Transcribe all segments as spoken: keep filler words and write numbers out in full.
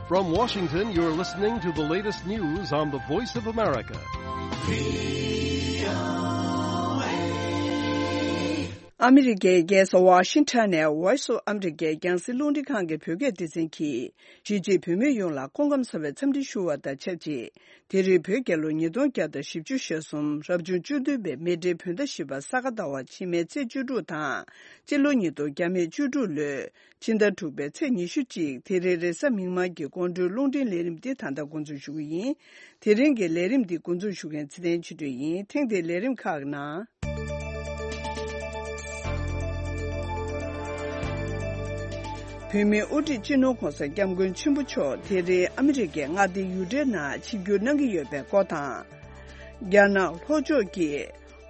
From Washington, you're listening to the latest news on the Voice of America. ཨ་མི་རི་ཀའི་རྒྱལ་ས་ཝ་ཤིང་ཊོན་ནས་Voice of America་རྒྱང་སྲིང་རླུང་འཕྲིན་ཁང་གི་བོད་སྐད་སྡེ་ཚན་གྱིས། གཞིས་བྱེས་བོད་མི་ཡོངས་ལ་སྐུ་ཁམས་བཟང་བའི་འཚམས་འདྲི་ཞུ་བ་དང་ཆབས་ཅིག་དེ་རིང་བོད་རྒྱལ་ལོ་ཉིས་སྟོང་བརྒྱ་དང་བཞི་བཅུ་ཞེ་གསུམ་རབ་བྱུང་བཅུ་བདུན་པའི་མེ་སྤྲེལ་བོད་ཟླ་བཞི་པ་ས་ག་ཟླ་བ་ཕྱི་མའི་ཚེས་བཅུ་དྲུག་དང་། སྤྱི་ལོ་ཉིས་སྟོང་བརྒྱ་མེད་བཅུ་དྲུག་ལོའི་ཕྱི་ཟླ་དྲུག་པའི་ཚེས་ཉི་ཤུ་གཅིག་དེ་རིང་རེས་གཟའ་མིག་དམར་གྱི་དགོང་དྲོའི་རླུང་འཕྲིན་ལས་རིམ་འདི་ད་ལྟ་འགོ་འཛུགས་ཞུ་གི་ཡིན། དེ་རིང་གི་ལས་རིམ་འདི་འགོ་འཛུགས་ཞུ་མཁན་ཚེ་བརྟན་ཆོས་སྒྲོན་ཡིན། ཐེངས་འདིའི་ལས་རིམ་ཁག་གི་ནང་། བོད་མིའི་དབུ་ཁྲིད་སྤྱི་ནོར་༧གོང་ས་༧སྐྱབས་མགོན་ཆེན་པོ་མཆོག་དེ་རིང་ཨ་མི་རི་ཀའི་མངའ་སྡེ་ཡུ་ཊ་ནང་ཆིབས་བསྒྱུར་གནང་གི་ཡོད་པའི་སྐོར་དང་། རྒྱ་ནག་ལྷོ་ཕྱོགས་ཀྱི་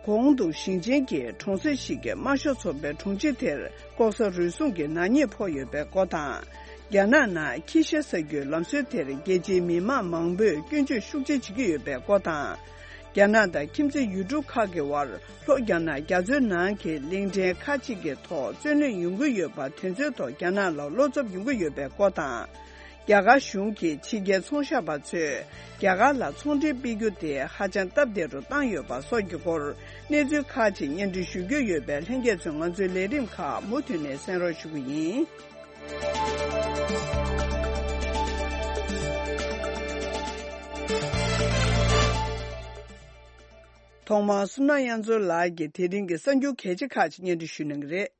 གོང་དུ་ཞིང་ཆེན་གྱི་གྲོང་གསེབ་ཞིག་གི་དམར་ཤོག་ཚོགས་པའི་དྲུང་ཆེ་དེར་ལྐོག་ཟ་རུལ་སུངས་ཀྱི་ནག་ཉེས་ཕོག་ཡོད་པའི་སྐོར་དང་། རྒྱ་ནག་ནང་ཁྱི་ཤ་ཟ་རྒྱུའི་ལམ་སྲོལ་དེར་རྒྱལ་སྤྱིའི་མི་མང་མང་པོས་སྐྱོན་བརྗོད་ཤུགས་ཆེ་བྱེད་ཀྱི་ཡོད་པའི་སྐོར་དང་། རྒྱ་ནག་དང་ཁྱིམ་མཚེས་ཡུལ་གྲུ་ཁག་གི་དབར་ལྷོ་རྒྱ་ནག་རྒྱ་མཚོའི་ནང་གི་གླིང་ཕྲན་ཁག་ཅིག་གི་ཐོག་རྩོད་གླེང་ཡོང་གི་ཡོད་པ་དེ་ཚོའི་ཐོག་རྒྱ་ནག་ལ་བློ་འཚབ་ཡོང་གི་ཡོད་པའི་སྐོར་དང་། རྒྱ་གར་གཞུང་གིས་ཕྱི་རྒྱལ་ཚོང་ཤག་པ་ཚོས་རྒྱ་གར་ལ་ཚོང་འབྲེལ་སྤེལ་རྒྱུ་དེ་ཧ་ཅང་སྟབས་བདེ་རུ་བཏང་ཡོད་པ་སོགས་ཀྱི་སྐོར་གནས་ཚུལ་ཁག་ཅིག་སྙན་སྒྲོན་ཞུ་རྒྱུ་ཡོད་པས། ལྷན་རྒྱས་ཚོས་ང་ཚོའི་ལས་རིམ་ཁག་མུ་མཐུད་ནས་གསན་རོགས་ཞུ་གི་ཡིན། ཐོག་མར་བསོད་ནམས་དབྱངས་མཚོ་ལགས་ཀྱིས་དེ་རིང་གི་གསར་འགྱུར་གལ་ཆེ་ཁག་ཅིག་སྙན་སྒྲོན་ཞུ་གནང་གི་རེད།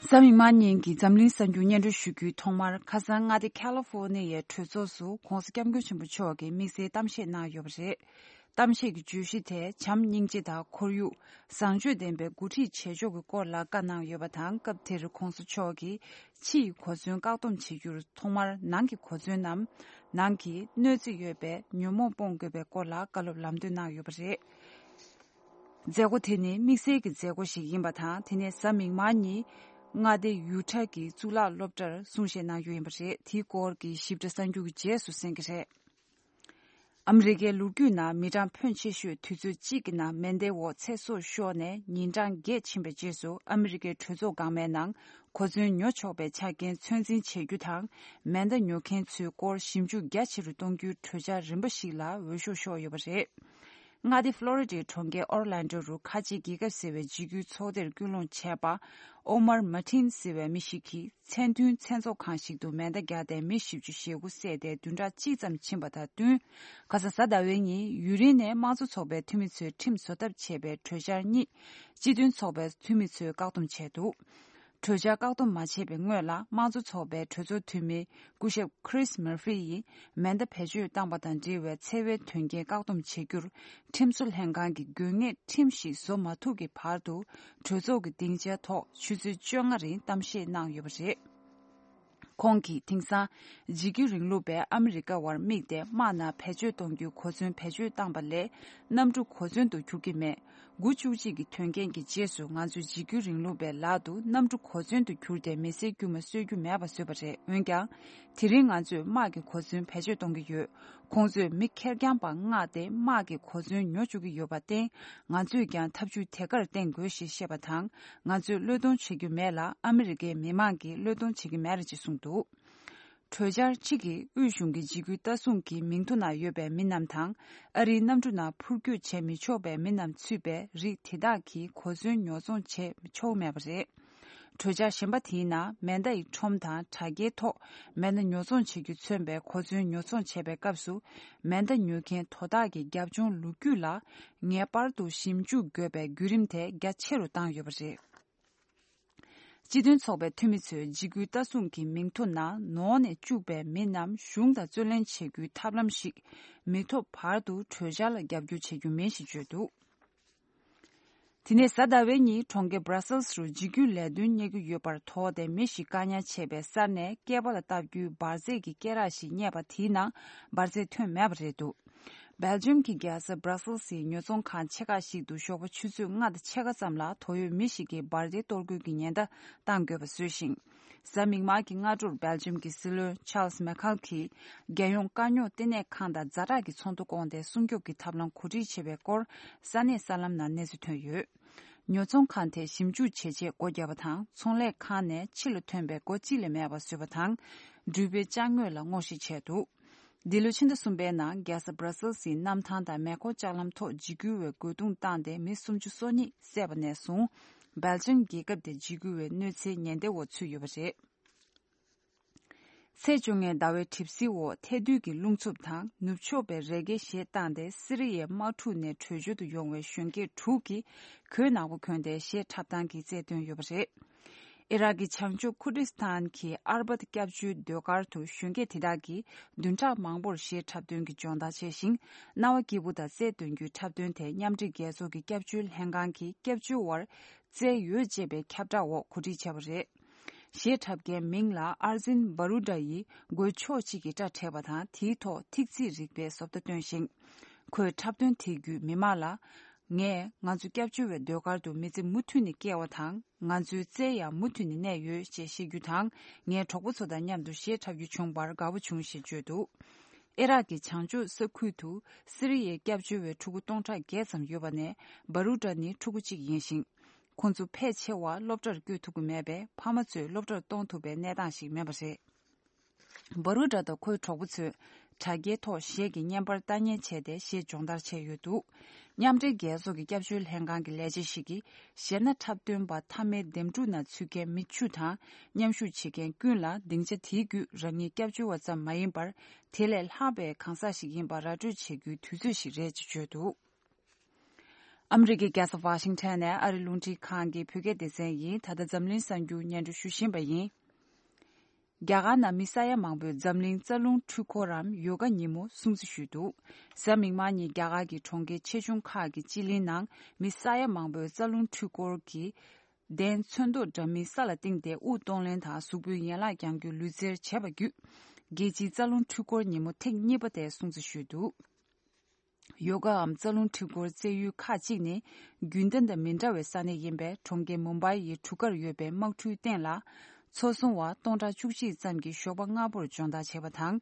གཟའ་མིག་དམར་ཉིན་གྱི་འཛམ་གླིང་གསར་འགྱུར་སྙན་སྒྲོན་ཞུ་རྒྱུའི་ཐོག་མར། ཁ་སང་མངའ་སྡེ་ཁ་ལི་ཧྥོ་ནི་ཡའི་གྲོས་ཚོགས་སུ་༧གོང་ས་༧སྐྱབས་མགོན་ཆེན་པོ་མཆོག་གིས་དམིགས་བསལ་གཏམ་བཤད་གནང་ཡོད་པ་རེད། གཏམ་བཤད་ཀྱི་བརྗོད་གཞི་དེ་བྱམས་སྙིང་རྗེ་དང་ཁོར་ཡུག་བཟང་སྤྱོད་ལྡན་པའི་འགོ་ཁྲིད་བྱེད་ཕྱོགས་ཀྱི་སྐོར་ལ་བཀའ་གནང་ཡོད་པ་དང་། སྐབས་དེར་༧གོང་ས་མཆོག་གིས་ཕྱི་ཡི་གོ་མཚོན་བཀག་སྡོམ་བྱེད་རྒྱུར་ཐོག་མར་ནང་གི་གོ་མཚོན་ནམ། ནང་གི་གནོད་འཚེ་ཡོད་པའི་ཉོན་མོངས་སྤོང་དགོས་པའི་སྐོར་ལ་བཀའ་སློབ་ལམ་སྟོན་གནང་ཡོད་པ་རེད། མཛད་སྒོ་དེ་ནི་དམིགས་བསལ་གྱི་མཛད་སྒོ་ཞིག་ཡིན་པ་དང་། དེ་ནས་གཟའ་མིག་དམར་ཉིན་མངའ་སྡེ་ཡུ་ཊ་གི་གཙུག་ལག་སློབ་གྲྭར་གསུང་བཤད་གནང་རྒྱུ་ཡིན་པ་རེད། དེའི་སྐོར་གྱི་ཞིབ་ཕྲ་གསར་འགྱུར་གྱི་རྗེས་སུ་གསན་གྱི་རེད། ཨ་མི་རི་ཀའི་ལོ་རྒྱུས་ནང་མི་གྲངས་ཕོན་ཆེ་ཤོས་དུས་ཚོད་གཅིག་གི་ནང་མེ་མདའི་འོག་ཚེ་སྲོག་ཤོར་ནས་ཉིན་གྲངས་བརྒྱད་ཕྱིན་པའི་རྗེས་སུ། ཨ་མི་རི་ཀའི་གྲོས་ཚོགས་འགག་མའི་ནང་གོ་མཚོན་ཉོ་ཆོག་པའི་ཆ་རྐྱེན་ཚོད་འཛིན་བྱེད་རྒྱུ་དང་། མེ་མདའ་ཉོ་མཁན་ཚོའི་སྐོར་ཞིབ་འཇུག་རྒྱ་ཆེ་རུ་གཏོང་རྒྱུའི་གྲོས་འཆར་རིམ་པ་ཞིག་ལ་འོས་ཤོག་ཤོར་ཡོད་པ་རེད། མངའ་སྡེ་ཧྥ་ལོ་རི་ཌའི་གྲོང་ཁྱེར་ཨོར་ལན་ཌོ་རུ་ཁ་ཆེ་རྒྱལ་ཁབ་ཟེར་བའི་འཇིགས་སྐུལ་ཚོགས་སྡེར་སྐུལ་སློང་བྱས་པ། ཨོ་མར་མཱ་ཏིན་ཟེར་བའི་མི་ཞིག་གིས་མཚན་མཐུན་མཚན་ཚོགས་ཁང་ཞིག་ཏུ་མེ་མདའ་བརྒྱབ་སྟེ་མི་བཞི་བཅུ་ཞེ་དགུ་བསད་དེ་བདུན་ཕྲག་གཅིག་ཙམ་ཕྱིན་པ་དང་བསྟུན། ཁ་སང་གཟའ་ཟླ་བའི་ཉིན་ཡུན་རིང་ནས་དམངས་གཙོ་ཚོགས་པའི་འཐུས་མི་ཚོས་ཁྲིམས་བཟོ་ཐབས་བྱས་པའི་གྲོས་འཆར་གཉིས་སྤྱི་མཐུན་ཚོགས་པའི་འཐུས་མི་ཚོས་བཀག་སྡོམ་བྱས་འདུག་གྲོས་འཆར་བཀག་སྡོམ་མ་བྱས་པའི་སྔོན་ལ། དམངས་གཙོ་ཚོགས་པའི་གྲོས་ཚོགས་འཐུས་མི་སྐུ་ཞབས་Chris Murphy་ཡིས་མེ་མདའ་བེད་སྤྱོད་བཏང་པ་དང་འབྲེལ་བའི་འཚེ་བའི་དོན་རྐྱེན་བཀག་སྡོམ་བྱེད་རྒྱུར་ཁྲིམས་བཟོ་ལྷན་ཁང་གིས་དགོས་ངེས་ཁྲིམས་ཤིག་བཟོ་མ་ཐུབ་ཀྱི་བར་དུ། གྲོས་ཚོགས་ཀྱི་སྡིངས་ཆའི་ཐོག་ཆུ་ཚོད་བཅོ་ལྔ་རིང་གཏམ་བཤད་གནང་ཡོད་པ་རེད། ཁོང་གིས་དེང་སང་འཇིགས་སྐུལ་རིང་ལུགས་པས་ཨ་མི་རི་ཀ་བར་དམིགས་ཏེ་དམག་ནང་བེད་སྤྱོད་གཏོང་རྒྱུའི་གོ་མཚོན་བེད་སྤྱོད་བཏང་པ་ལས་གནམ་གྲུ་གོ་མཚོན་དུ་གྱུར་གྱི་མེད། དགུ་བཅུ་གཅིག་གི་དོན་རྐྱེན་གྱི་རྗེས་སུ་ང་ཚོས་འཇིགས་སྐུལ་རིང་ལུགས་པའི་ལག་ཏུ་གནམ་གྲུ་གོ་མཚོན་དུ་གྱུར་ཏེ་མི་སེར་དཀྱུས་མ་གསོད་རྒྱུ་མེད་པ་བཟོས་པ་རེད། འོན་ཀྱང་། དེ་རིང་ང་ཚོས་དམག་གི་གོ་མཚོན་བེད་སྤྱོད་གཏོང་གི་ཡོད། ཁོང་ཚོས་མི་ཁེར་རྐྱང་པ་མངགས་ཏེ་དམག་གི་གོ་མཚོན་ཉོ་བཅུག་གི་ཡོད་པར་བརྟེན། ང་ཚོས་ཀྱང་ཐབས་ཇུས་དེ་གར་བརྟེན་དགོས་ཞེས་བཤད་པ་དང་། ང་ཚོས་བློས་གཏོང་བྱེད་རྒྱུ་མེད་ལ། ཨ་མི་རི་ཀའི་མི་མང་གིས་བློས་གཏོང་བྱེད་ཀྱི་མེད་རེད་ཅེས་གསུངས་འདུག་གྲོས་འཆར་གཅིག་གིས་དབུས་གཞུང་གི་འཇིགས་སྐུལ་ལྟ་སྲུང་གི་མིང་ཐོ་ནང་ཡོད་པའི་མི་རྣམས་དང་། ཨ་རིའི་གནམ་གྲུ་ནང་འཕུར་སྐྱོད་བྱེད་མི་ཆོག་པའི་མི་རྣམས་ཚུད་པའི་རིགས་དེ་དག་གིས་གོ་མཚོན་ཉོ་ཚོང་བྱེད་ཆོག་མེད་པ་རེད། གྲོས་འཆར་གཞན་པ་དེའི་ནང་མེ་མདའ་ཡི་ཁྲོམ་དང་དྲ་རྒྱའི་ཐོག་མེ་མདའ་ཉོ་ཚོང་བྱེད་རྒྱུ་མཚོན་པའི་གོ་མཚོན་ཉོ་ཚོང་བྱེད་པའི་སྐབས་སུ། མེ་མདའ་ཉོ་མཁན་དོ་བདག་གི་རྒྱབ་ལྗོངས་ལོ་རྒྱུས་ལ་ངེས་པར་དུ་ཞིབ་འཇུག་དགོས་པའི་བརྒྱུད་རིམ་དེ་རྒྱ་ཆེ་རུ་བཏང་ཡོད་པ་རེད། སྤྱི་མཐུན་ཚོགས་པའི་འཐུས་མི་ཚོས་འཇིགས་སྐུལ་ལྟ་སྲུང་གི་མིང་ཐོ་ནང་ནོར་ནས་བཅུག་པའི་མི་རྣམས་གཞུང་དང་རྩོད་གླེང་བྱེད་རྒྱུའི་ཐབས་ལམ་ཞིག་མི་ཐོབ་བར་དུ་གྲོས་འཆར་ལ་རྒྱབ་སྐྱོར་བྱེད་རྒྱུ་མིན་ཞེས་བརྗོད་འདུག་དེ་ནས་གཟའ་ཟླ་བའི་ཉིན་གྲོང་ཁྱེར་Brussels་རུ་འཇིགས་སྐུལ་ལས་དོན་གཉེར་གྱི་ཡོད་པར་དོགས་ཏེ་མི་ཞིག་བཀག་ཉར་བྱས་པའི་སར་ནས་སྐེད་པ་ལ་བཏབ་རྒྱུའི་འབར་རྫས་ཀྱི་སྐེ་རགས་ཤིག་རྙེད་པ་དེའི་ནང་འབར་རྫས་ཐོན་མེད་པ་རེད་འདུག Belgium་གྱི་རྒྱལ་ས་Brussels་ཡི་ཉོ་ཚོང་ཁང་ཆེ་ཁག་ཞིག་ཏུ་ཞོགས་པ་ཆུ་ཚོད་ལྔ་དང་ཕྱེད་ཀ་ཙམ་ལ་དོགས་ཡོད་མི་ཞིག་གིས་འབར་མདེལ་གཏོར་རྒོལ་གྱི་ཉེན་བརྡ་བཏང་དགོས་པ་བཟོས་ཤིང་། གཟའ་མིག་དམར་གྱི་སྔ་དྲོར་Belgium་གྱི་སྲིད་བློན་Charles Michel་གྱིས་རྒྱལ་ཡོངས་དཀའ་རྙོག་བསྟི་གནས་ཁང་དང་ཛ་དྲག་གི་ཚོགས་འདུ་བསྐོངས་ཏེ་སྲུང་སྐྱོབ་ཀྱི་ཐབས་ལམ་གོ་སྒྲིག་བྱས་པའི་སྐོར་ས་གནས་གསར་ལམ་ནང་གནས་ཚུལ་ཐོན་ཡོད། ཉོ་ཚོང་ཁང་དེ་ཞིབ་འཇུག་བྱེད་ཆེད་སྒོ་བརྒྱབ་པ་དང་། ཚོང་ལས་ཁང་ནས་ཕྱི་ལ་ཐོན་པའི་སྒོ་གཅིག་ལས་མེད་པ་བཟོས་པ་དང་། འགྲུལ་པའི་ཅ་དངོས་ལ་སྔོག་བཤེར་བྱས་འདུག་འདི་ལོའི་ཕྱི་ཟླ་གསུམ་པའི་ནང་རྒྱལ་ས་སྦྲ་སེལ་སིའི་གནམ་ཐང་དང་མེ་འཁོར་ལྕགས་ལམ་ཐོག་འཇིགས་སྐུལ་བའི་རྒོལ་རྡུང་བཏང་སྟེ་མི་སུམ་ཅུ་སོ་གཉིས་བསད་པ་ནས་བཟུང་། སྦེལ་ཇམ་རྒྱལ་ཁབ་དེ་འཇིགས་སྐུལ་བའི་གནོད་འཚེའི་ཉེན་བརྡའི་འོག་ཚུད་ཡོད་པ་རེད། ཚེས་བཅོ་ལྔའི་ཟླ་བའི་གྲིབ་བསིལ་འོག་ཐལ་རྡུལ་གྱི་རླུང་འཚུབ་དང་ནུབ་ཕྱོགས་པའི་རི་རྒྱལ་ཞེད་བཏང་སྟེ། སི་རི་ཡའི་དམག་འཁྲུག་ནས་བྲོས་བྱོལ་དུ་ཡོང་བའི་གཞོན་སྐྱེས་དྲུག་གིས་གོས་ནག་པོ་གོན་ཏེ་གཞས་འཁྲབ་སྟངས་ཀྱི་རྩལ་བཏོན་ཡོད་པ་རེད། ཨི་རག་གི་བྱང་ཕྱོགས་ཁུར་ཏི་སི་ཐན་གྱི་ཨར་བད་སྐྱབས་བཅོལ་སྡོད་སྒར་དུ་གཞོན་སྐྱེས་དེ་དག་གིས་བདུན་ཕྲག་མང་པོར་གཞས་འཁྲབ་སྟོན་གྱི་སྦྱོང་བརྡར་བྱས་ཤིང་། རྣ་བ་སྐྱིད་པོ་དང་རྩལ་འདོན་རྒྱུའི་འཁྲབ་སྟོན་དེ་མཉམ་འབྲེལ་རྒྱལ་ཚོགས་ཀྱི་སྐྱབས་བཅོལ་ལྷན་ཁང་གིས་སྐྱབས་བཅོལ་བར་བསྩལ་ཡོད་ཅེས་པའི་ཁྱབ་བསྒྲགས་འོག་གོ་སྒྲིག་བྱས་པ་རེད། གཞས་འཁྲབ་མཁན་མིང་ལ་ཨར་ཛིན་བྷ་རུ་ཌ་ཡིས་མགོའི་ཕྱོགས་གཅིག་གི་སྐྲ་བྲེགས་པ་དང་། དེའི་ཐོག་ཐིག་ཚིག་རིག་པའི་བཟོ་ལྟ་བཏོན་ཞིང་། ཁོས་འཁྲབ་སྟོན་དེའི་བརྒྱུད་མི་མང་ལ། ངས་ང་ཚོ་སྐྱབས་བཅོལ་བའི་སྡོད་སྒར་དུ་མི་ཚེ་མུ་མཐུད་ནས་སྐྱེལ་བ་དང་། ང་ཚོའི་རྩལ་ཡང་མུ་མཐུད་ནས་གནས་ཡོད་ཅེས་བཤད་རྒྱུ་དང་། ངའི་གྲོགས་པོ་ཚོ་དང་མཉམ་དུ་གཞས་འཁྲབ་རྒྱུ་བྱུང་བར་དགའ་པོ་བྱུང་ཞེས་བརྗོད་འདུག་ཨི་རག་གི་བྱང་ཕྱོགས་ས་ཁུལ་དུ་སི་རི་ཡའི་སྐྱབས་བཅོལ་བའི་ཕྲུ་གུ་སྟོང་ཕྲག་བརྒྱད་ཙམ་ཡོད་པ་ནས་བྷ་རུ་ཌ་ནི་ཕྲུ་གུ་གཅིག་ཡིན་ཞིང་། ཁོང་ཚོ་ཕལ་ཆེ་བ་སློབ་གྲྭར་བསྐྱོད་ཐུབ་ཀྱི་མེད་པས། ཕ་མ་ཚོས་སློབ་གྲྭར་གཏོང་ཐུབ་པའི་གནས་སྟངས་ཤིག་མེད་པ་རེད། བྷ་རུ་ཌ་དང་ཁོའི་གྲོགས་པོ་ཚོས་དྲ་རྒྱའི་ཐོག་གཞས་ཀྱི་བརྙན་པར་ལྟ་ཉན་བྱས་ཏེ་གཞས་སྦྱོང་བརྡར་བྱས་ཡོད་འདུག་མཉམ་འབྲེལ་རྒྱལ་ཚོགས་ཀྱི་སྐྱབས་བཅོལ་ལྷན་ཁང་གི་ལས་བྱེད་ཞིག་གིས། གཞས་སྣ་འཁྲབ་སྟོན་པ་མཐའ་མའི་འདེམས་སྒྲུག་ནང་ཚུད་མཁན་མི་བཅུ་དང་། མཉམ་ཞུགས་བྱེད་མཁན་ཀུན་ལ་སྡིངས་ཆ་དེའི་བརྒྱུད་རང་ཉིད་སྐྱབས་བཅོལ་བ་ཙམ་མ་ཡིན་པར། དེ་ལས་ལྷག་པའི་གང་ཟག་ཞིག་ཡིན་པ་ར་སྤྲོད་བྱེད་རྒྱུའི་དུས་ཚོད་ཞིག་རེད་ཅེས་བརྗོད་འདུག་ཨ་མི་རི་ཀའི་རྒྱལ་ས་ཝ་ཤིང་ཊོན་ནས་ཨ་རི་རླུང་འཕྲིན་ཁང་གི་བོད་སྐད་སྡེ་ཚན་ཡིན། ད་ལྟ་འཛམ་གླིང་གསར་འགྱུར་སྙན་སྒྲོན་ཞུ་བཞིན་པ་ཡིན། རྒྱ་གར་ནང་མི་ས་ཡ་མང་པོས་འཛམ་གླིང་རྩ་རླུང་འཕྲུལ་འཁོར་རམ་ཡོ་ག་ཉིན་མོ་སྲུང་བརྩི་ཞུས་འདུག་གཟའ་མིག་དམར་ཉིན་རྒྱ་གར་གྱི་གྲོང་ཁྱེར་ཆེ་ཆུང་ཁག་གི་སྤྱི་གླིང་ནང་མི་ས་ཡ་མང་པོས་རྩ་རླུང་འཕྲུལ་འཁོར་གྱི་གདན་ཚོན་མདོག་འདྲ་མིན་ས་ལ་བཏིང་སྟེ་དབུགས་གཏོང་ལེན་དང་གཟུགས་པོའི་ཡན་ལག་རྒྱང་རྒྱུག་ལུས་རྩལ་བྱས་པ་བརྒྱུད། རྒྱལ་སྤྱིའི་རྩ་རླུང་འཕྲུལ་འཁོར་ཉིན་མོ་ཐེངས་གཉིས་པ་དེ་སྲུང་བརྩི་ཞུས་འདུག་ཡོ་གའམ་རྩ་རླུང་འཕྲུལ་འཁོར་རྩེ་ཡུལ་ཁག་ཅིག་ནི་རྒྱུན་ལྡན་དང་མི་འདྲ་བའི་ས་གནས་ཡིན་པས། གྲོང་ཁྱེར་མུམ་བྷའི་ཡི་གྲུ་ཁར་ཡོད་པའི་དམག་གྲུའི་སྟེང་ལ་ཚོ་བཟུང་བ་སྟོང་ཕྲག་བཅུ་གཅིག་ཙམ་གྱིས་ཞོགས་པ་སྔ་པོར་སྦྱོང་བརྡར་བྱས་པ་དང་།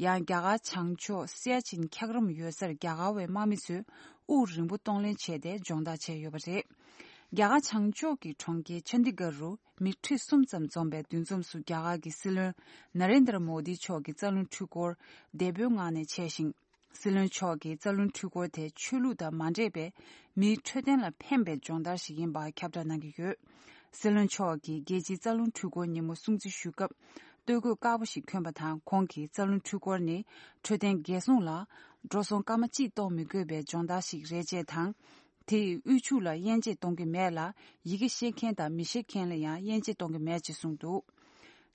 ཡང་རྒྱ་གར་བྱང་ཕྱོགས་སེ་ཡ་ཆིན་འཁྱགས་རོམ་ཡོད་སར་རྒྱ་གར་བའི་དམག་མི་ཚོས་དབུགས་རིང་པོ་གཏོང་ལེན་བྱས་ཏེ་སྦྱོང་བརྡར་བྱས་ཡོད་པ་རེད། རྒྱ་གར་བྱང་ཕྱོགས་ཀྱི་གྲོང་ཁྱེར་ཆན་དི་གར་རུ་མི་ཁྲི་གསུམ་ཙམ་འཛོམས་པའི་འདུ་འཛོམས་སུ་རྒྱ་གར་གྱི་སྲིད་བློན་ན་རེན་དྲ་མོ་དི་མཆོག་གིས་རྩ་རླུང་འཕྲུལ་འཁོར་འདས་པོའི་ངང་ནས་མཆེད་ཅིང་། སྲིད་བློན་མཆོག་གིས་རྩ་རླུང་འཕྲུལ་འཁོར་དེ་ཆོས་ལུགས་དང་མ་འདྲེས་པའི་མིའི་འཕྲོད་བསྟེན་ལ་ཕན་པའི་སྦྱོང་བརྡར་ཞིག་ཡིན་པ་ཁྱབ་བསྒྲགས་གནང་གི་ཡོད། སྲིད་བློན་མཆོག་གིས་རྒྱལ་སྤྱིའི་རྩ་རླུང་འཕྲུལ་འཁོར་ཉིན་མོ་སྲུང་བརྩི་ཞུ་སྐབས་སྟོད་གོས་དཀར་པོ་ཞིག་གྱོན་པ་དང་། ཁོང་གིས་རྩ་རླུང་འཕྲུལ་འཁོར་ནི་འཕྲོད་བསྟེན་འགན་སྲུང་ལ་འགྲོ་སོང་སྐར་མ་གཅིག་གཏོང་མི་དགོས་པའི་སྦྱོང་བརྡར་ཞིག་རེད་ཅེས་དང་། དེས་དབུལ་ཕྱུག་ལ་དབྱེ་འབྱེད་གཏོང་གི་མེད་ལ། ཡི་གེ་ཤེས་མཁན་དང་མི་ཤེས་མཁན་ལ་ཡང་དབྱེ་འབྱེད་གཏོང་གི་མེད་ཅེས་གསུངས་འདུག་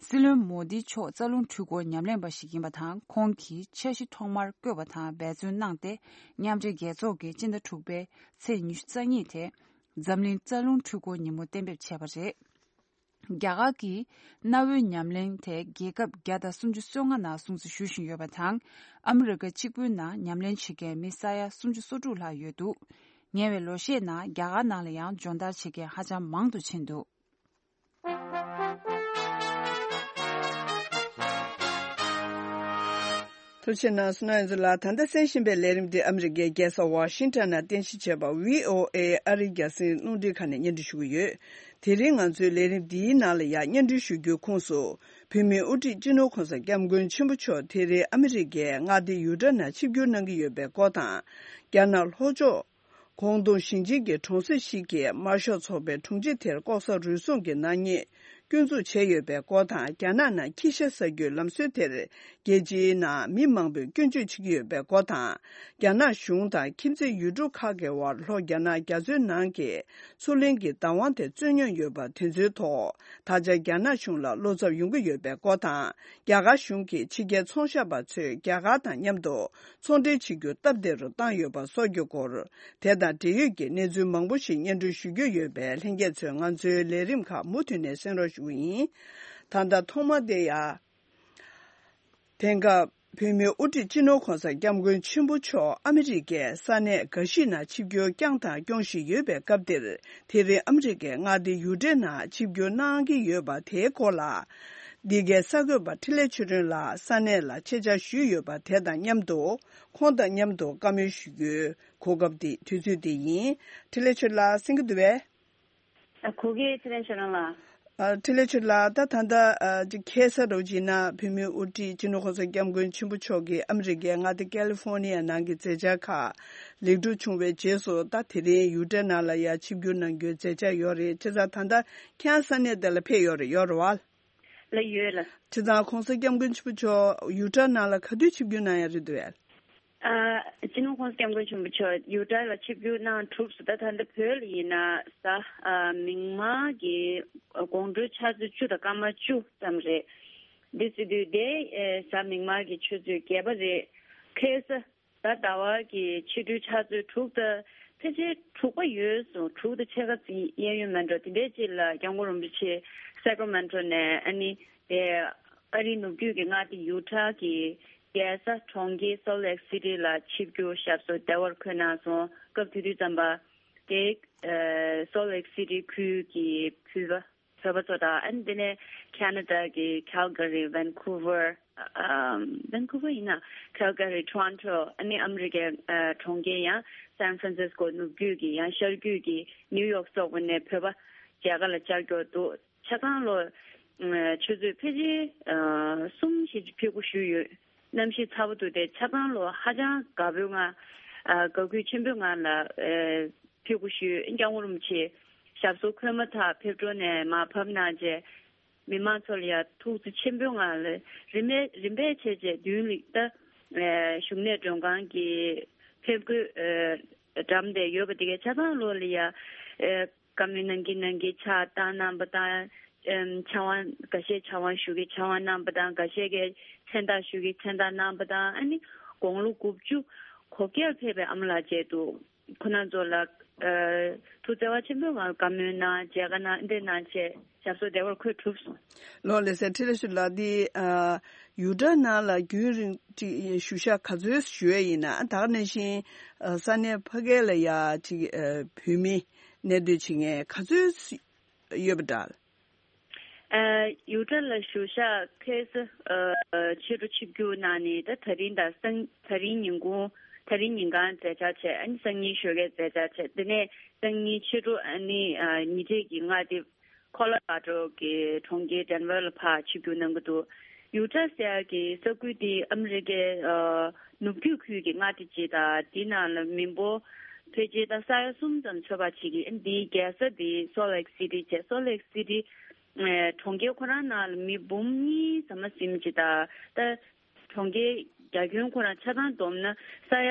སྲིད་བློན་མོ་དི་མཆོག་རྩ་རླུང་འཕྲུལ་འཁོར་ཉམས་ལེན་པ་ཞིག་ཡིན་པ་དང་། ཁོང་གིས་འཆར་གཞི་ཐོག་མར་བཀོད་པ་དང་འབད་བརྩོན་གནང་སྟེ། མཉམ་འབྲེལ་རྒྱལ་ཚོགས་ཀྱིས་སྤྱི་ཟླ་དྲུག་པའི་ཚེས་ཉི་ཤུ་རྩ་གཉིས་དེ་འཛམ་གླིང་རྩ་རླུང་འཕྲུལ་འཁོར་ཉིན་མོ་གཏན་འབེབས་བྱས་པ་རེད། རྒྱ་གར་གྱིས་གནའ་བོའི་ཉམས་ལེན་དེ་རྒྱལ་ཁབ་བརྒྱ་དང་སུམ་ཅུ་སོ་ལྔ་ནང་སྲུང་བརྩི་ཞུ་བཞིན་ཡོད་པ་དང་། ཨ་མི་རི་ཀ་གཅིག་པུའི་ནང་ཉམས་ལེན་བྱེད་མཁན་མི་ས་ཡ་སུམ་ཅུ་སོ་དྲུག་ལྷག་ཡོད་འདུག་ཉེ་བའི་ལོ་ཤས་ནང་རྒྱ་གར་ནང་ལ་ཡང་སྦྱོང་བརྡར་བྱེད་མཁན་ཧ་ཅང་མང་དུ་ཕྱིན་འདུག་ཐུགས་རྗེ་གནང་སོང་ན་ཡིན་ཚུལ་ལ། ད་ལྟ་གསན་བཞིན་པའི་ལས་རིམ་འདི་ཨ་མི་རི་ཀའི་རྒྱལ་ས་ཝ་ཤིང་ཊོན་ནང་རྟེན་གཞི་བྱས་པ་བྷི་ཨོ་ཨེ་ཨ་རིའི་རྒྱང་སྲིང་རླུང་འཕྲིན་ཁང་ནས་སྙན་སྒྲོན་ཞུ་གི་ཡོད། དེ་རིང་ང་ཚོའི་ལས་རིམ་འདིའི་ནང་ལ་ཡང་སྙན་སྒྲོན་ཞུ་རྒྱུའི་ཁོངས་སུ། བོད་མིའི་དབུ་ཁྲིད་སྤྱི་ནོར་གོང་ས་སྐྱབས་མགོན་ཆེན་པོ་མཆོག་དེ་རིང་ཨ་མི་རི་ཀའི་མངའ་སྡེ་ཡུ་ཊ་ནང་ཆིབས་བསྒྱུར་གནང་གི་ཡོད་པའི་སྐོར་དང་། རྒྱ་ནག་ལྷོ་ཕྱོགས། ཀོང་ཏུང་ཞིང་ཆེན་གྱི་གྲོང་གསེབ་ཞིག་གི་དམར་ཤོག་ཚོགས་པའི་དྲུང་ཆེ་དེར་ལྐོག་ཟ་རུལ་སུངས་ཀྱི་ནག་ཉེས་སྐྱོན་འཛུགས་བྱས་ཡོད་པའི་སྐོར་དང་། རྒྱ་ནག་ནང་ཁྱི་ཤ་ཟ་རྒྱུའི་ལམ་སྲོལ་དེར་རྒྱལ་སྤྱིའི་ནང་མི་མང་པོས་སྐྱོན་བརྗོད་བྱེད་ཀྱི་ཡོད་པའི་སྐོར་དང་། རྒྱ་ནག་གཞུང་དང་ཁྱིམ་མཚེས་ཡུལ་གྲུ་ཁག་གི་དབར་ལྷོ་རྒྱ་ནག་རྒྱ་མཚོའི་ནང་གི་མཚོ་གླིང་གི་བདག་དབང་དེ་རྩོད་མྱོང་ཡོད་པ་དེ་ཚོའི་ཐོག་ད་ཆ་རྒྱ་ནག་གཞུང་ལ་བློ་འཚབ་ཡོང་གི་ཡོད་པའི་སྐོར་དང་། རྒྱ་གར་གཞུང་གིས་ཕྱི་རྒྱལ་ཚོང་ཞབས་པ་ཚོས་རྒྱ་གར་དང་མཉམ་དུ་ཚོང་འབྲེལ་བྱེད་རྒྱུ་སྟབས་བདེ་རུ་བཏང་ཡོད་པ་སོགས་ཀྱི་སྐོར། དེ་དང་འབྲེལ་ཡོད་ཀྱི་གནས་ཚུལ་མང་པོ་ཞིག་སྙན་སྒྲོན་ཞུ་རྒྱུ་ཡོད་པས། ལྷན་རྒྱས་ཚོས་ང་ཚོའི་ལས་རིམ་ཁག་མུ་མཐུད་ནས་གསན་རོགས་ཞུ་གི་ཡིན། ད་ལྟ་ཐོག་མ་དེ་ཡ། དེང་སྐབས་བོད་མིའི་དབུ་ཁྲིད་སྤྱི་ནོར་གོང་ས་སྐྱབས་མགོན་ཆེན་པོ་མཆོག་ཨ་མི་རི་ཀའི་ས་གནས་འགའ་ཞིག་ནང་ཆིབས་བསྒྱུར་བསྐྱངས་དང་སྐྱོང་བཞིན་ཡོད་པའི་སྐབས་འདིར། དེ་རིང་ཨ་མི་རི་ཀའི་མངའ་སྡེ་ཡུ་ཊ་ནང་ཆིབས་བསྒྱུར་གནང་གི་ཡོད་པ་དེའི་སྐོར་ལ། འདི་གའི་གསར་འགོད་པ་འཕྲིན་ལས་ཆོས་སྒྲོན་ལགས་ས་གནས་ལ་ཆེད་བཅར་ཞུས་ཡོད་པ་དེ་དང་མཉམ་དུ། ཁོང་དང་མཉམ་དུ་བཀའ་མོལ་ཞུ་རྒྱུའི་གོ་སྐབས་འདི་དུས་ཚོད་འདི་ཡིན། འཕྲིན་ལས་ཆོས་ལགས་གསན་གྱི་འདུག་པས། ཨ། གོ་གི། ཚེ་རིང་ཆོས་སྒྲོན་ལགས། ཨ། འཕྲིན་ལས་ཆོས་ལགས། ད་ད་ལྟ་ཨ་ཅིག་ཁ་སང་རུ་ཅིག་ན་བོད་མིའི་དབུ་ཁྲིད་སྤྱི་ནོར་༸གོང་ས་༸སྐྱབས་མགོན་ཆེན་པོ་མཆོག་གིས་ཨ་མི་རི་ཀའི་མངའ་སྡེ་ཀ་ལི་ཧྥོར་ནི་ཡ་ནང་གི་མཛད་འཆར་ཁག་ལེགས་གྲུབ་བྱུང་བའི་རྗེས་སུ། ད་དེ་རིང་ཡུ་ཊ་ནང་ལ་ཡ་ཆིབས་བསྒྱུར་གནང་རྒྱུའི་མཛད་འཆར་ཡོད་རེད། བྱས་ཙང་ད་ལྟ་ཁྱེད་རང་ས་གནས་དེ་ལ་ཕེབས་ཡོད་རེད། ཡོད་རེད་བ། ལ་ཡོད་ལ། བྱས་ཙང་༸གོང་ས་༸སྐྱབས་མགོན་ཆེན་པོ་མཆོག་ཡུ་ཊ་ནང་ལ་ག་དུས་ཆིབས་བསྒྱུར་གནང་ཡ་རེད་འདུག་གས། ཨ། སྤྱི་ནོར་༸གོང་ས་༸སྐྱབས་མགོན་ཆེན་པོ་མཆོག་ཡུ་ཊ་ལ་ཆིབས་བསྒྱུར་གནང་གྲུབ་སོང་། ད་ད་ལྟ་བོད་ལ་ཡིན་ན་གཟའ། ཨ། མིག་དམར་གྱི་དགོང་དྲོའི་ཆུ་ཚོད་བཅུ་དང་སྐར་མ་བཅུ་ཙམ་རེད། འདི་ཟེར་དུས་དེ། ཨེ། གཟའ་མིག་དམར་གྱི་ཆུ་ཚོད་བརྒྱད་པ་རེད། ཁ་སང་ད་ཟླ་བ་གི་ཕྱི་དྲོའི་ཆུ་ཚོད་དྲུག་དང་ཕལ་ཆེར་དྲུག་པ་ཡོལ་སོང་། དྲུག་དང་ཕྱེད་ཀ་ཙམ་གཡས་གཡོན་མེད་འགྲོ། དེ་འདྲའི་ཅིག་ལ་སྐྱབས་མགོན་རིན་པོ་ཆེ་སེ་ཀྲ་མེན་ཊོ་ནས། ཨ་ནི་དེ་ཨ་རིའི་ནུབ་རྒྱུད་ཀྱི་མངའ་སྡེ་ཡུ་ཊ་གི་རྒྱལ་ས་གྲོང་ཁྱེར་སོལ་ལེག་སི་ཊི་ལ་ཆིབས་བསྒྱུར་ཞབས་སོར་བདེ་བར་འཁོད་གནང་སོང་། སྐབས་དེ་དུས་ཙམ་པ་དེ། ཨ། སོལ་ལེག་སི་ཊི་ཁུལ་གྱི་བོད་པ། བོད་པ་ཚོ་དང་། ཨ་ནི་དེ་ནས་ཁ་ན་ཌ་གི་ཁལ་ག་རི། ཝན་ཀུ་ཝར། ཨམ། ཝན་ཀུ་ཝར་ཡིན་ན། ཁལ་ག་རི། ཊོ་རོན་ཊོ། ཨ་ནི་ཨ་མི་རི་ཀའི་ཨ་གྲོང་ཁྱེར་ཡང་སན་ཧྥ་རན་སིས་ཀོ་ནུབ་རྒྱུད་ཀྱི། ཡང་ཤར་རྒྱུད་ཀྱི་ནིའུ་ཡོག་སོགས་པ་ནས་བོད་པ་མཇལ་ཁ་ལ་བཅར་མཁན་འདུག་ཆ་ཚང་ལོ། ཨ། ཆུ་ཚོད་ཕལ་ཆེར་ཨ་གསུམ་ཞིག་ཕེབས་སྒོ་ཞུས་ཡོད། གནམ་གཤིས་ཚ་པོ་འདུག་སྟེ་ཆ་ཚང་ལོ་ཧ་ཅང་དགའ་པོའི་ངང་། ཨ། དགའ་སྐྱིད་ཆེན་པོའི་ངང་ལ། ཨ། ཕེབས་སྒོ་ཞུས། སྐྱབས་མགོན་རིན་པོ་ཆེ་ཞབས་སོར་འཁོད་མ་ཐག་ཕེབས་འབྲས་ནས་མར་བབས་གནང་རྗེས། མི་མང་ཚོ་ལ་ཡང་ཐུགས་བརྩེ་ཆེན་པོའི་ངང་ལ་རིམ་པས་རིམ་པས་བྱས་རྗེས་མདུན་ལ། ད་ཨ་བཞུགས་གནས་མགྲོན་ཁང་གི་ཕེབས་སྒོའི་ཨ་འགྲམ་དེར་ཡོད་པ་དེ་གའི་ཆ་ཚང་ལོ་ལ་ཡང་ཨ་བཀའ་མོལ་གནང་གིན་གནང་གིན་ཕྱག་བཏང་གནང་བ་དང་། ཨམ། ཕྱག་དབང་འགའ་ཤས་ཕྱག་དབང་ཞུ་གིན་ཕྱག་དབང་གནང་བ་དང་། འགའ་ཤས་ཀྱིས་མཚན་རྟགས་ཞུ་གིན་མཚན་རྟགས་གནང་བ་དང་། ཨ་ནི་དགུང་ལོ་དགུ་བཅུ་གོ་བརྒྱད་ཕེབས་པའི་ཨ་མ་ལགས་མཇལ་དུས། ཁོང་རྣམ་ཚོ་ལ་ཨ་ཐུགས་བརྩེ་བ་ཆེན་པོའི་ངང་བཀའ་མོལ་གནང་། མཇལ་ཁ་གནང་། འདི་གནང་བྱས་ཞབས་སོར་བདེ་བར་འཁོད་གྲུབ་སོང་། ལགས་ལགས་སེ། འཕྲིན་ལས་ཆོས་ལགས། འདི་ཨ་ཡུ་ཊ་ནང་ལ་རྒྱུན་རིང་ཅིག་བཞུགས་ཞག་ག་ཚོད་བཞུགས་ཡས་ཡིན་ན། ད་ག་ནང་བཞིན་ཨ་ས་གནས་ཕ་གི་ལ་ཡ་ཅིག་ཨ་བོད་མི་གནས་སྡོད་བྱེད་མཁན་ག་ཚོད་ཡོད་པ་འདྲ། ཨ་ཡུ་ཊ་ལ་བཞུགས་ཞག་ཁ་སང་ཨ་ཕྱི་དྲོ་ཆིབས་བསྒྱུར་གནང་ནས། ད་ད་རིང་དང་སང་། ད་རིང་ཉིན་གུང་། ད་རིང་ཉིན་གང་མཛད་འཆར་བྱས། ཨ་ནི་སང་ཉིན་ཞོགས་ཀས་མཛད་འཆར་བྱས། དེ་ནས་སང་ཉིན་ཕྱི་དྲོ་ཨ་ནི་ཨ་ཉེ་འཁྲིས་ཀྱི་མངའ་སྡེ་ཁོ་ལོ་ར་ཌོ་གི་གྲོང་ཁྱེར་ཌེན་ཝར་ལ་ཕར་ཆིབས་བསྒྱུར་གནང་གི་འདུག་ཡུ་ཊ་ཟེར་ཡག་གི་ས་ཁུལ་དེ་ཨ་མི་རི་ཀའི་ཨ་ནུབ་རྒྱུད་ཁུལ་གྱི་མངའ་སྡེ་ཅིག་དང་། དེའི་ནང་ལ་མི་འབོར་ཕལ་ཆེར་ད་ས་ཡ་གསུམ་ཙམ་ཚོད་དཔག་བྱེད་ཀྱི། ཨ་ནི་དེའི་རྒྱལ་ས་དེ་སོལ་ལེག་སི་ཊི་བྱས། སོལ་ལེག་སི་ཊི་ཨ་གྲོང་ཁྱེར་ཁོ་རང་ནང་ལ་མི་འབུམ་གཉིས་ཟིན་མ་ཟིན་ཅིག་དང་། ད་གྲོང་ཁྱེར་རྒྱ་ཁྱོན་ཁོ་རང་ཆ་ཚང་བསྡོམས་ན་ས་ཡ་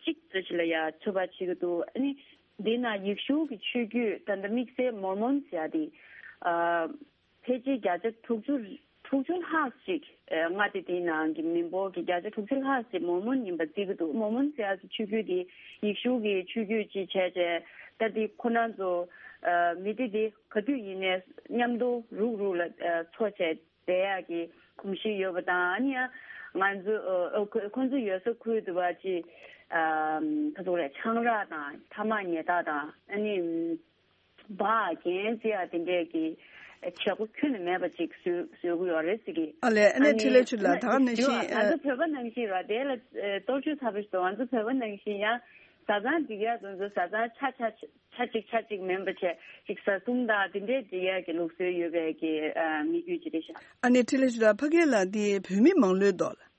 གཅིག་ཙམ་ཞིག་ལ་ཡ་ཚོད་དཔག་བྱེད་ཀྱི་འདུག་ཨ་ནི་འདི་ན་ཡེ་ཤུ་གི་ཆོས་བརྒྱུད། ད་ལྟ་དམིགས་བསལ་མོར་མོན་ཟེར་ཡ་དེ། ཨ་ཕལ་ཆེར་བརྒྱ་ཆ་དྲུག་ཅུ། དྲུག་ཅུ་ལྷག་ཅིག་ཨ་མངའ་སྡེ་དེའི་ནང་གི་མི་འབོར་གྱི་བརྒྱ་ཆ་དྲུག་ཅུ་ལྷག་ཅིག་མོར་མོན་ཡིན་པ་བརྩི་གི་འདུག་མོར་མོན་ཟེར་ཡ་གི་ཆོས་བརྒྱུད་དེ་ཡེ་ཤུ་གི་ཆོས་བརྒྱུད་ཅིག་བྱས་བྱས། ད་དེ་ཁོ་རང་ཚོ་ཨ་མི་སྡེ་དེ་ག་དུས་ཡིན་ནའི་མཉམ་དུ་རུག་རུག་ལ་ཨ་འཚོ་བྱས་བསྡད་ཡག་གི་གོམས་གཤིས་ཡོད་པ་དང་། ཨ་ནི་ཡང་ང་ཚོ་ཨ་ཁོ་ཁོ་ཚོ་ཡོད་ས་ཁུལ་དུ་བ་ཅིག་ཨ་ག་ཚོད་རེད། ཆང་རག་དང་ཐ་མག་ཉལ་ཐག་དང་། ཨ་ནི་སྦ་གན་ཟེར་ཡ་དེ་འདྲས་ཀྱི་བྱེད་སྒོ་ཁྱོན་ནས་མེད་པ་ཅིག་བཟོ་བཟོ་གི་ཡོད་རེད་ཟེར་གི། ཨ་ལས། ཨ་ནི་ཨ་ནི་འཕྲིན་ལས་ཆོས་ལགས། ད་ག་ནང་བཞིན་ང་ཚོ་བོད་པ་ནང་བཞིན་ར། དེ་ལ་ཨ་གཏོར་བཅོས་ཚ་པོ་ཞིག་འདུག་ང་ཚོ་བོད་པ་ནང་བཞིན་ཡང་བཟའ་ཚང་སྒྲིག་ཡ་དེ་ཚོ་བཟའ་ཚང་ཆ་ཆ་ཆ་གཅིག་ཆ་གཅིག་མིན་པ་བྱས་ཅིག་བཟའ་གསུམ་དང་དེ་འདྲས་སྒྲིག་ཡ་གི་ལུགས་སྲོལ་ཡོད་པའི་གི་ཨ་མི་རྒྱུད་ཅིག་རེད་ཤག་ཨ་ནི་འཕྲིན་ལས་ཆོས་ལགས། ཕ་གི་ལ་འདི་བོད་མི་མང་ལོས་འདུག་ལ།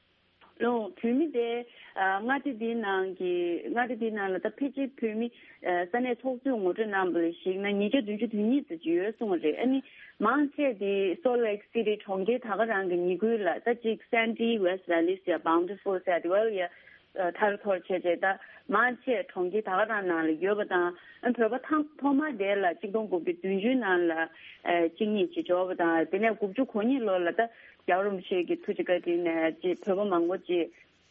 ལོ། བོད་མི་དེ་ཨ་མངའ་སྡེ་འདིའི་ནང་གི་མངའ་སྡེ་འདིའི་ནང་ལ་ད་ཕལ་ཆེར་བོད་མི་ཨ་ས་གནས་ཚོགས་གཙོས་ངོ་སྤྲོད་གནང་བ་ལ་གཞིགས་ན་ཉིས་བརྒྱ་བདུན་ཅུ་དོན་གཉིས་ཙམ་ཅིག་ཡོད་གསུངས་པ་རེད། ཨ་ནི་མང་ཆེ་དེ་སོལ་ལེག་སི་ཊི་གྲོང་ཁྱེར་ད་ག་རང་གི་ཉེ་ཁུལ་ལ། ད་ཅིག་སན་ཊི་ཝེ་སི་ཊི་ཝེ་ལི་ཟེར། བའུན་ཊི་ཕུལ་ཟེར་དེ་བ་ལ་ཡ་ཨ་ཐར་ཐོར་བྱས་བྱས། ད་མང་ཆེ་གྲོང་ཁྱེར་ད་ག་རང་ནང་ལ་ཡོད་པ་དང་། ཨ་བོད་པ་ཐང་ཐོག་མ་དེ་ལ་ཆིག་སྟོང་དགུ་བརྒྱ་བདུན་ཅུ་ནང་ལ་ཨ་གཅིག་གཉིས་ཅིག་འབྱོར་བ་དང་། དེ་ནས་དགུ་བཅུ་གོ་གཉིས་ལོ་ལ་ད་རྒྱལ་བ་རིན་པོ་ཆེ་གི་ཐུགས་རྗེ་བཀའ་དྲིན་ནས་ཅིག་བོད་པ་མང་པོ་ཅིག་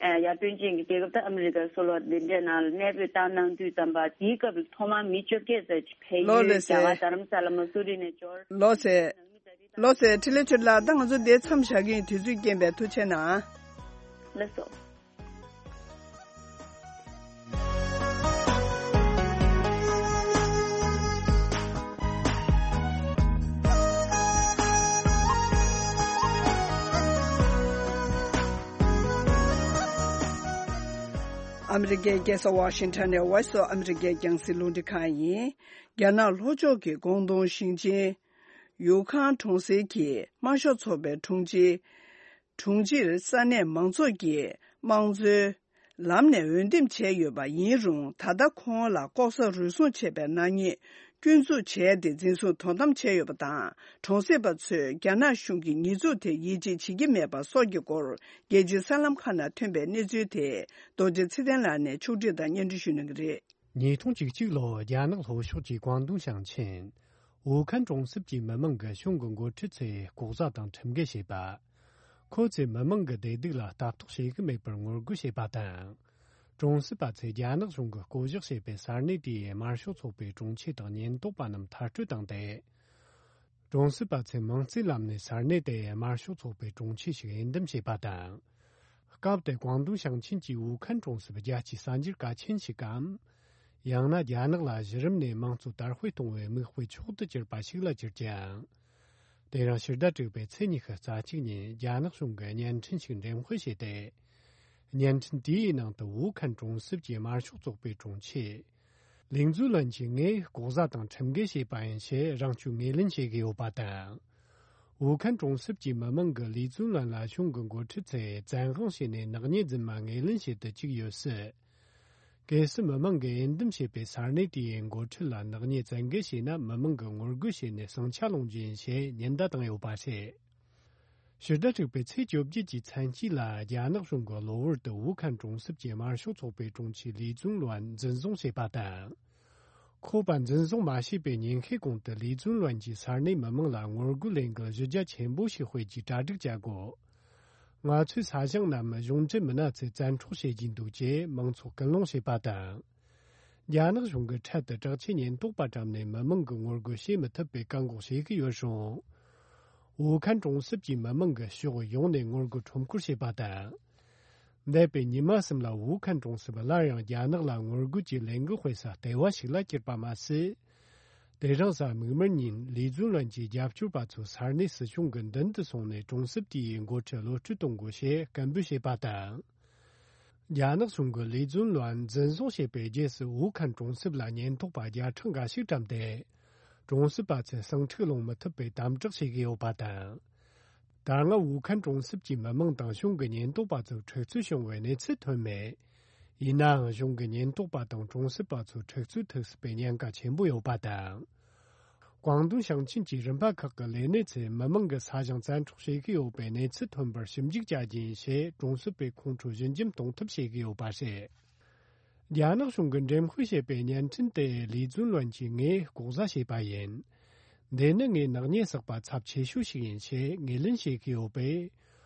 ཨ་ཡར་ཐོན་ཅན་གྱི་རྒྱལ་ཁབ་ད་ཨ་མི་རི་ཀ་སོགས་ལ་འདི་འདྲའི་ནང་ལ་གནས་སྤོས་བཏང་གནང་དུས་ཙམ་པ། དེའི་སྐབས་ལ་ཐོག་མར་མི་བཅོ་བརྒྱད་ཙམ་ཅིག་ཕེབས་ཡུལ་རྒྱ་གར་རྡ་རམ་ས་ལ་མ་སུ་རི་ནས་འབྱོར། ལགས་སེ། ལགས་སེ། འཕྲིན་ལས་ཆོས་ལགས། ད་ང་ཚོ་འདིར་མཚམས་བཞག་གི་ཡིན། དུས་ཚོད་རྐྱེན་པས། ཐུགས་རྗེ་གནང་། ལགས་སོ། ཨ་མི་རི་ཀའི་རྒྱལ་ས་ཝ་ཤིང་ཊོན་ནས་Voice of America་རྒྱང་སྲིང་རླུང་འཕྲིན་ཁང་ཡིན། རྒྱ་ནག་ལྷོ་ཕྱོགས་ཀྱི་ཀོང་ཏུང་ཞིང་ཆེན་ཡུའུ་ཁན་གྲོང་གསེབ་ཀྱི་དམར་ཤོག་ཚོགས་པའི་དྲུང་ཆེ། དྲུང་ཆེར་ས་གནས་མང་ཚོགས་ཀྱིས་དམངས་གཙོའི་ལམ་ནས་འོས་འདེམས་བྱས་ཡོད་པ་ཡིན་རུང་། ད་ལྟ་ཁོང་ལ་ལྐོག་ཟ་རུལ་སུངས་བྱས་པའི་ནག་ཉེས་སྐྱོན་འཛུགས་བྱས་ཏེ་འཛིན་བཟུང་དོ་དམ་བྱས་ཡོད་པ་དང་། གྲོང་གསེབ་པ་ཚོས་རྒྱ་ནག་གཞུང་གི་ཉེས་འཛུགས་དེར་ཡིད་ཆེས་བྱེད་ཀྱི་མེད་པ་སོགས་ཀྱི་སྐོར། རྒྱལ་སྤྱིའི་གསར་ལམ་ཁག་ནང་ཐོན་པའི་གནས་ཚུལ་དེ། རྡོ་རྗེ་ཚེ་བརྟན་ལགས་ནས་ཕྱོགས་བསྒྲིགས་དང་སྙན་སྒྲོན་ཞུ་གནང་གི་རེད། ཉིས་སྟོང་བཅུ་གཅིག་ལོར་རྒྱ་ནག་ལྷོ་ཕྱོགས་ཀྱི་ཀོང་ཏུང་ཞིང་ཆེན་ཝུའུ་ཁན་གྲོང་གསེབ་ཀྱི་མི་མང་གིས་གཞུང་གི་འགོ་ཁྲིད་ཚོས་ལྐོག་ཟ་དང་ཁྲིམས་འགལ་བྱས་པ། ཁོ་ཚོས་མི་མང་གི་བདེ་སྡུག་ལ་ལྟ་རྟོག་བྱེད་ཀྱི་མེད་པར་ངོ་རྒོལ་བྱས་པ་དང་། གྲོང་གསེབ་པ་ཚོས་རྒྱ་ནག་གཞུང་གིས་བསྐོ་གཞག་བྱས་པའི་ས་གནས་དེའི་དམར་ཤོག་ཚོགས་པའི་དྲུང་ཆེ་དང་ཉེན་རྟོག་པ་རྣམས་མཐར་སྐྲོད་བཏང་སྟེ། གྲོང་གསེབ་པ་ཚོས་མིང་རྩིས་ལམ་ནས་ས་གནས་དེའི་དམར་ཤོག་ཚོགས་པའི་དྲུང་ཆེ་ཞིག་འོས་འདེམས་བྱས་པ་དང་། སྐབས་དེར་ཀོང་ཏུང་ཞིང་ཆེན་གྱི་ཝུའུ་ཁན་གྲོང་གསེབ་རྒྱལ་སྤྱིའི་གསར་འགྱུར་གལ་ཆེན་ཞིག་གམ། ཡང་ན་རྒྱ་ནག་ལ་གཞི་རིམ་ནས་དམངས་གཙོ་དར་སྤེལ་གཏོང་བའི་མིག་དཔེ་མཆོག་ཏུ་གྱུར་པ་ཞིག་ལ་གྱུར་ཀྱང་། དེ་རིང་ཕྱི་ཟླ་དྲུག་པའི་ཚེས་ཉི་ཤུ་རྩ་གཅིག་ཉིན་རྒྱ་ནག་གཞུང་གིས་བརྙན་འཕྲིན་ཞིག་འགྲེམས་སྤེལ་བྱས་ཏེ། བརྙན་འཕྲིན་དེའི་ནང་དུ་ཝུའུ་ཁན་གྲོང་གསེབ་ཀྱི་དམར་ཤོག་ཚོགས་པའི་དྲུང་ཆེ། ལིག་ཛུན་ལོན་གྱིས་ངས་ལྐོག་ཟ་དང་ཁྲིམས་འགལ་བྱས་པ་ཡིན་ཞེས་རང་སྐྱོན་ངོས་ལེན་བྱེད་ཀྱི་ཡོད་པ་དང་། ཝུའུ་ཁན་གྲོང་གསེབ་ཀྱི་མི་མང་གིས་ལི་ཙུན་ལོན་ལ་གཞུང་གི་འགོ་ཁྲིད་ཚོས་བཙན་དབང་བྱས་ནས་ནག་ཉེས་འཛིན་མ་ངོས་ལེན་བྱེད་དུ་བཅུག་ཡོད་སྲིད། གལ་སྲིད་མི་མང་གིས་འོས་འདེམས་བྱས་པའི་ས་གནས་དེའི་འགོ་ཁྲིད་ལ་ནག་ཉེས་བཙན་འགེལ་བྱས་ན། མི་མང་གིས་ངོ་རྒོལ་བྱས་ནས་ཟིང་ཆ་སློང་རྒྱུ་ཡིན་ཞེས་ཉེན་བརྡ་བཏང་ཡོད་པ་རེད། ཕྱི་ཟླ་དྲུག་པའི་ཚེས་བཅོ་བརྒྱད་ཀྱི་མཚན་དཀྱིལ་ལ། རྒྱ་ནག་གཞུང་གིས་གློ་བུར་དུ་ཝུའུ་ཁན་གྲོང་གསེབ་ཀྱི་དམར་ཤོག་ཚོགས་པའི་དྲུང་ཆེ་ལི་ཙུང་ལོན་འཛིན་བཟུང་བྱས་པ་དང་། ཁོ་པ་འཛིན་བཟུང་མ་བྱས་པའི་ཉིན་ཤས་གོང་དུ་ལི་ཙུང་ལོན་གྱིས་ས་གནས་མི་མང་ལ་ངོ་རྒོལ་ལས་འགུལ་གཞི་རྒྱ་ཆེན་པོ་ཞིག་སྤེལ་རྒྱུའི་གྲ་སྒྲིག་བྱ་དགོས། ང་ཚོའི་ས་ཞིང་རྣམས་གཞུང་འབྲེལ་མི་སྣ་ཚོས་བཙན་འཕྲོག་བྱེད་ཀྱིན་འདུག་ཅེས་མང་ཚོགས་སྐུལ་སློང་བྱས་པ་དང་། རྒྱ་ནག་གཞུང་གིས་འཕྲལ་དུ་དྲག་ཆས་ཉེན་རྟོག་པ་བཀྲམ་ནས་མི་མང་གི་ངོ་རྒོལ་བྱེད་མི་ཐུབ་པའི་བཀག་འགོག་བྱེད་ཀྱི་ཡོད་རུང་། ཝུའུ་ཁན་གྲོང་གསེབ་ཀྱི་མི་མང་གིས་ཕྱོགས་ཡོངས་ནས་ངོ་རྒོལ་ཁྲོམ་སྐོར་བྱས་པ་དང་། འདས་པའི་ཉི་མ་གསུམ་ལ་ཝུའུ་ཁན་གྲོང་གསེབ་སླར་ཡང་རྒྱ་ནག་ལ་ངོ་རྒོལ་གྱི་ལས་འགུལ་སྤེལ་ས་ལྟེ་བ་ཞིག་ལ་གྱུར་པ་མ་ཟད། དེ་རིང་གཟའ་མིག་དམར་ཉིན་ལི་ཙུང་ལོན་གྱི་རྒྱབ་སྐྱོར་པ་ཚོས་ས་གནས་སྲིད་གཞུང་གི་མདུན་དུ་སོང་ནས་གྲོང་གསེབ་དེའི་འགོ་ཁྲིད་གློད་གྲོལ་གཏོང་དགོས་ཞེས་སྐད་འབོད་བྱས་པ་དང་། རྒྱ་ནག་གཞུང་གིས་ལི་ཙུང་ལོན་འཛིན་བཟུང་བྱས་པའི་རྗེས་སུ་ཝུའུ་ཁན་གྲོང་གསེབ་ལ་ཉེན་རྟོག་པ་བརྒྱ་ཕྲག་འགའ་ཞིག་བཀྲམ་སྟེ། གྲོང་གསེབ་པ་ཚོས་ཟིང་འཁྲུག་སློང་མི་ཐུབ་པའི་དམ་དྲག་བྱེད་ཀྱི་ཡོད་པ་དང་། ད་སྔ་ཝུའུ་ཁན་གྲོང་གསེབ་ཀྱི་མི་མང་དང་གཞུང་གི་ཉེན་རྟོག་པ་ཚོར་འཁྲུག་རྩོད་བྱུང་བའི་གནས་ཚུལ་ཐོན་མེད། ཡིན་ནའང་གཞུང་གི་ཉེན་རྟོག་པ་དང་གྲོང་གསེབ་པ་ཚོར་འཁྲུག་རྩོད་ཐུག་སྲིད་པའི་ཉེན་ཁ་ཆེན་པོ་ཡོད་པ་དང་། ཀོང་ཏུང་ཞིང་ཆེན་གྱི་རིམ་པ་ཁག་གི་ལས་སྣེ་ཚོས་མི་མང་གི་ས་ཞིང་བཙན་འཕྲོག་བྱེད་ཀྱི་ཡོད་པའི་གནས་ཚུལ་ཐོན་པར་ཞིབ་འཇུག་བྱ་རྒྱུ་ཡིན་ཞེས་གྲོང་གསེབ་པའི་ཁོང་ཁྲོ་ཞི་འཇམ་གཏོང་ཐབས་བྱེད་ཀྱི་ཡོད་པ་རེད། རྒྱ་ནག་གཞུང་གིས་འགྲེམས་སྤེལ་བྱས་པའི་བརྙན་འཕྲིན་དེ་ལི་ཙུན་ལོན་གྱིས་ངས་ལྐོག་ཟ་བྱས་པ་ཡིན། འདི་ནི་ངས་ནག་ཉེས་བསགས་པ་ཚབས་ཆེ་ཤོས་ཤིག་ཡིན་ཞེས་ངོས་ལེན་བྱེད་ཀྱི་ཡོད་པས།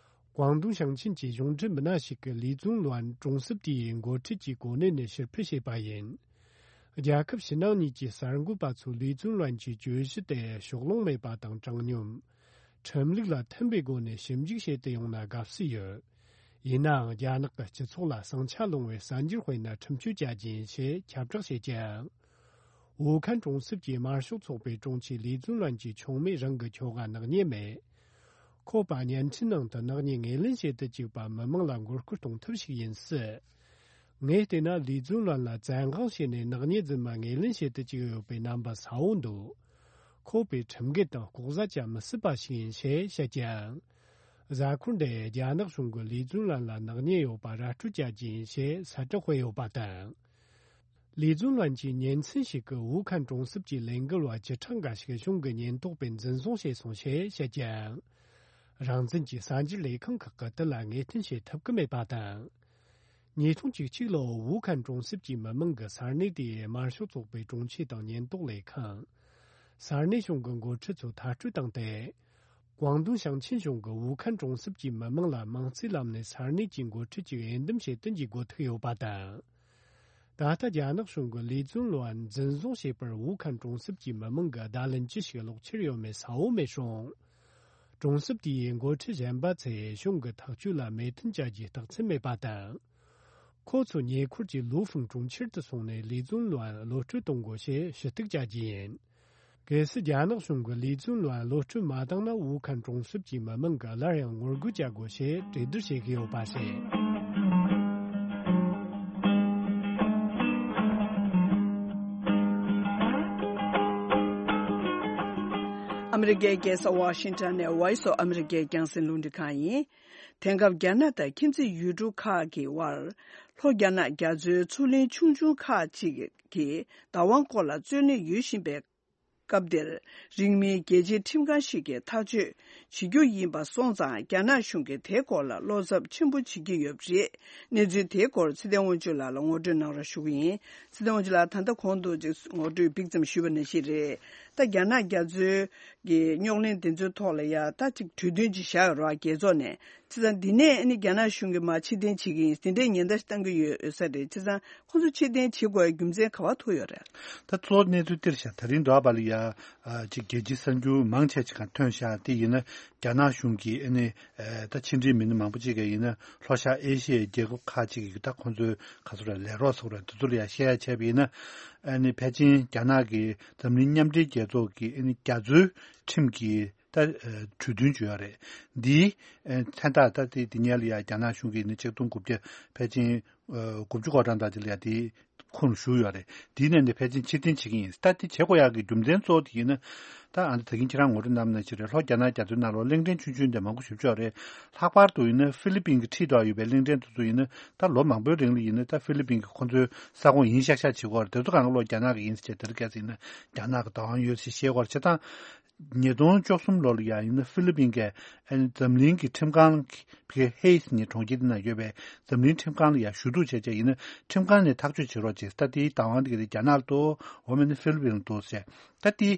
ཀོང་ཏུང་ཞིང་ཆེན་གྱི་གཞུང་འབྲེལ་མི་སྣ་ཞིག་གིས་ལི་ཙུང་ལོན་གྲོང་གསེབ་དེའི་འགོ་ཁྲིད་ཀྱི་གོ་གནས་ནས་ཕྱིར་འཕུད་བྱས་པ་ཡིན། རྒྱལ་ཁབ་ཕྱི་ནང་གཉིས་ཀྱི་གསར་འགོད་པ་ཚོས་ལི་ཙུང་ལོན་གྱི་གྱོད་གཞི་དེ་ཕྱོགས་ལྷུང་མེད་པ་དང་དྲང་སྙོམས། ཁྲིམས་ལུགས་ལ་མཐུན་པའི་སྒོ་ནས་ཞིབ་འཇུག་བྱེད་དུ་ཡོང་ན་དགའ་བསུ་ཡོད། ཡིན་ནའང་རྒྱ་ནག་གི་སྤྱི་ཚོགས་ལ་ཟིང་ཆ་སློང་བའི་གསར་འགྱུར་སྤེལ་ན་ཁྲིམས་གཅོད་བྱ་རྒྱུ་ཡིན་ཞེས་ཁྱབ་བསྒྲགས་བྱེད་ཀྱང་། ཝུའུ་ཁན་གྲོང་གསེབ་ཀྱི་དམར་ཤོག་ཚོགས་པའི་དྲུང་ཆེ་ལི་ཙུང་ལོན་གྱི་ཆུང་མས་རང་གི་ཁྱོ་ག་ནག་ཉེས་མེད། ཁོ་པ་བརྙན་འཕྲིན་ནང་དུ་ནག་ཉེས་ངོས་ལེན་བྱེད་དུ་བཅུག་པ་མི་མང་ལ་མགོ་སྐོར་གཏོང་ཐབས་ཤིག་ཡིན་སྲིད། ངས་བལྟས་ན་ལི་ཙུང་ལོན་ལ་བཙན་དབང་བྱས་ནས་ནག་ཉེས་རྫུན་མ་ངོས་ལེན་བྱེད་དུ་བཅུག་ཡོད་པའི་རྣམ་པ་གསལ་བོ་འདུག་ཁོ་པས་ཁྲིམས་འགལ་དང་ལྐོག་ཟ་བྱ་མི་སྲིད་པ་ཞིག་ཡིན་ཞེས་བཤད་ཀྱང་། གཟའ་འཁོར་འདིར་རྒྱ་ནག་གཞུང་གིས་ལི་ཙུང་ལོན་ལ་ནག་ཉེས་ཡོད་པ་ར་སྤྲོད་བྱ་རྒྱུ་ཡིན་ཞེས་གསལ་བསྒྲགས་སྤེལ་ཡོད་པ་དང་། ལི་ཙུང་ལོན་གྱིས་ཉིན་མཚན་ཞིག་གི་ཝུའུ་ཁན་གྲོང་གསེབ་ཀྱི་ལས་འགུལ་བ་བཅུ་ཕྲག་འགའ་ཞིག་གཞུང་གི་ཉེན་རྟོག་པས་འཛིན་བཟུང་བྱས་སོང་ཞེས་བཤད་ཀྱང་། རང་བཙན་གྱི་གསར་འགྱུར་ལས་ཁང་ཁག་གིས་དེ་ལ་ངེས་གཏན་བྱེད་ཐུབ་ཀྱི་མེད་པ་དང་། ཉིས་སྟོང་བཅུ་གཅིག་ལོར་ཝུའུ་ཁན་གྲོང་གསེབ་ཀྱི་མི་མང་གིས་ས་གནས་དེའི་དམར་ཤོག་ཚོགས་པའི་དྲུང་ཆེ་དང་ཉེན་རྟོག་ལས་ཁང་། ས་གནས་གཞུང་གི་འགོ་ཁྲིད་ཚོ་མཐར་སྐྲོད་བཏང་སྟེ། ཀོང་ཏུང་ཞིང་ཆེན་གཞུང་གིས་ཝུའུ་ཁན་གྲོང་གསེབ་ཀྱི་མི་མང་ལ་དམངས་གཙོའི་ལམ་ནས་ས་གནས་ཀྱི་འགོ་ཁྲིད་ཅིག་འོས་འདེམས་བྱེད་དུ་འཇུག་དགོས་ཐུག་ཡོད་པ་དང་། ད་ལྟ་རྒྱ་ནག་གཞུང་གིས་ལི་ཙུང་ལོན་འཛིན་བཟུང་བྱས་པར་ཝུའུ་ཁན་གྲོང་གསེབ་ཀྱི་མི་མང་གིས་བརྡ་ལན་ཅི་ཞིག་སློག་འཆར་ཡོད་མེད་གསལ་བོ་མེད་རུང་། གྲོང་གསེབ་དེའི་འགོ་ཁྲིད་གཞན་པ་ཚོས་གཞུང་གི་ཐག་གཅོད་ལ་མོས་མཐུན་བྱ་རྒྱུའི་རྟགས་མཚན་མེད་པ་དང་། ཁོ་ཚོས་ཉེ་འཁོར་གྱི་ལུའུ་ཧྥུང་གྲོང་ཁྱེར་དུ་སོང་ནས་ལི་ཙུང་ལོན་གློད་གྲོལ་གཏོང་དགོས་ཞེས་ཞུ་གཏུག་བྱ་རྒྱུ་ཡིན། གལ་སྲིད་རྒྱ་ནག་གཞུང་གིས་ལི་ཙུང་ལོན་གློད་གྲོལ་མ་བཏང་ན། ཝུའུ་ཁན་གྲོང་གསེབ་ཀྱི་མི་མང་གིས་སླར་ཡང་ངོ་རྒོལ་བྱ་དགོས་ཞེས་གྲོས་བསྡུར་བྱེད་ཀྱི་ཡོད་པ་རེད། ཨ་མི་རི་ཀའི་རྒྱལ་ས་ཝ་ཤིང་ཊོན་ནས་Voice of America་རྒྱང་སྲིང་རླུང་འཕྲིན་ཁང་ཡིན། དེང་སྐབས་རྒྱ་ནག་དང་ཁྱིམ་མཚེས་ཡུལ་གྲུ་ཁག་གི་དབར། ལྷོ་རྒྱ་ནག་རྒྱ་མཚོའི་མཚོ་གླིང་ཆུང་ཆུང་ཁག་ཅིག་གིས་བདག་དབང་སྐོར་ལ་རྩོད་གླེང་ཡོད་བཞིན་པའི་སྐབས་འདིར། རིང་མིན་རྒྱལ་སྤྱིའི་ཁྲིམས་ཁང་ཞིག་གིས་ཐག་གཅོད་བྱེད་རྒྱུ་ཡིན་པ་སོང་ཙང་། རྒྱ་ནག་གཞུང་གིས་དེའི་སྐོར་ལ་བློ་འཚབ་ཆེན་པོ་བྱེད་ཀྱི་ཡོད་པ་རེད། གནས་ཚུལ་དེའི་སྐོར་ཚེ་བརྟན་དབང་ཕྱུག་ལགས་ལ་ངོ་སྤྲོད་གནང་རོགས་ཞུ་གི་ཡིན། ཚེ་བརྟན་དབང་ཕྱུག་ལགས། ད་ལྟ་གོང་དུ་ཅིག་ངོ་སྤྲོད་ཕུན་སུམ་ཚོགས་པ་ནང་བཞིན་རེད། ད་རྒྱ་ནག་རྒྱ་མཚོའི་གི་རྙོག་གླེང་དེ་ཚོའི་ཐོག་ལ་ཡ་ད་ཅིག་གྲོས་མཐུན་ཅིག་བཞག་ཡོད་རེད་བ། རྒྱལ་ཚོགས་ནས། བྱས་ཙང་འདི་ནས་ཨ་ནི་རྒྱ་ནག་གཞུང་གིས་མར་ཕྱིར་འཐེན་བྱེད་ཀྱི་ཡིན། དེ་འདྲའི་ཉེན་བརྡ་ཞིག་བཏང་གི་ཡོད་ཡོད་ས་རེད། བྱས་ཙང་ཁོང་ཚོ་ཕྱིར་འཐེན་བྱེད་དགོས་པའི་རྒྱུ་མཚན་ག་པར་ཐུག་ཡོད་རེད། ད་གཙོ་བོ་གནས་ཚུལ་འདིར་བཞག་ད་རིང་འདྲ་བ་ལ་ཡ། ཨ་ཅིག་རྒྱལ་སྤྱིའི་གསར་འགྱུར་མང་ཆེ་ཅིག་གང་ཐོན་ཤག་དེ་ཡིན་ན་རྒྱ་ནག་གཞུང་གིས་ཨ་ནི་ཨ་ད་ཕྱི་འབྲེལ་མི་སྣ་མང་པོ་ཅིག་གིས་ཡིན་ན་ལྷོ་ཤར་ཨེ་ཤི་ཡའི་རྒྱལ་ཁབ་ཁག་ཅིག་གིས་ད་ཁོང་ཚོའི་ག་ཚོད་ར་ལས་རོགས་ཚོགས་ར་དེ་ཚོ་ལ་ཡ་བཤད་ཡ་བྱས་པ་ཡིན་ན། ཨ་ནི་ཕལ་ཆེར་རྒྱ་ནག་གིས་འཛམ་གླིང་མཉམ་འབྲེལ་རྒྱལ་ཚོགས་ཀྱི་ཨ་ནི་རྒྱ་མཚོའི་ཁྲིམས་ཀྱི་ད་ཨ་གྲོས་མཐུན་བརྗོད་ཡ་རེད། འདིའི་ཨ་མཚན་རྟགས་ད་དེ་དེ་ཉལ་ལ་ཡ་རྒྱ་ནག་གཞུང་གིས་ནི་ཆིག་སྟོང་དགུ་བརྒྱ་ཕལ་ཆེར་ཨ་དགུ་བཅུ་གོ་གྲངས་དང་དེ་ལ་ཡ་དེ་ཁུངས་ཞུགས་ཡོད་རེད། དེའི་ནང་ནས་ཕལ་ཆེར་ཕྱིར་འཐེན་བྱེད་ཀྱི་ཡིན། ད་དེ་བྱེད་དགོས་ཡག་གི་རྒྱུ་མཚན་གཙོ་བོ་དེ་ཡིན་ན། ད་ཨ་ནི་ད་གིན་ཁྱེད་རང་ངོ་སྤྲོད་གནང་ནང་བཞིན་རེད། ལྷོ་རྒྱ་ནག་རྒྱ་མཚོའི་ནང་ལོགས་གླིང་ཕྲན་ཆུང་ཆུང་དེ་མང་པོ་ཞེ་པོ་ཅིག་ཡོད་རེད། ལྷག་པར་དུ་ཡིན་ན་ཧྥི་ལི་པིན་གྱི་འཁྲིས་འདྲ་ཡོད་པའི་གླིང་ཕྲན་དེ་ཚོ་ཡིན་ན་ད་ལོ་མང་པོའི་རིང་ལ་ཡིན་ན་ད་ཧྥི་ལི་པིན་གྱི་ཁོང་ཚོའི་ས་ཁོངས་ཡིན་ཤག་ཤག་བྱེད་ཀྱི་ཡོད་རེད། དེ་ཚོ་གང་ག་ལོག་རྒྱ་ནག་གི་ཡིན་ཟེར་བྱས་དེ་རིགས་སྐད་ཆ་ཡིན་ན་རྒྱ་ནག་གི་བདག་དབང་ཡོད་ཟེར་བཤད་ཀྱི་ཡོད་རེད། བྱས་ཙང་ཉིས་སྟོང་བཅུ་གསུམ་ལོ་ལ་ཡང་ཡིན་ན་ཧྥི་ལི་པིན་གྱི་ཨ་ནི་འཛམ་གླིང་གི་ཁྲིམས་ཁང་། ཕ་གི་ཧེ་སི་ནི་གྲོང་ཁྱེར་དེ་ན་ཡོད་པའི་འཛམ་གླིང་ཁྲིམས་ཁང་ལ་ཡང་ཞུ་གཏུག་བྱས་བྱས་ཡིན་ན་ཁྲིམས་ཁང་ནས་ཐག་གཅོད་བྱེད་རོགས་བྱེད། ད་དེའི་བདག་དབང་དེ་ག་དེ་རྒྱ་ནག་ལ་གཏོགས། འོ་མེད་ན་ཧྥི་ལི་པིན་ལ་གཏོགས་ཟེར། ད་དེ་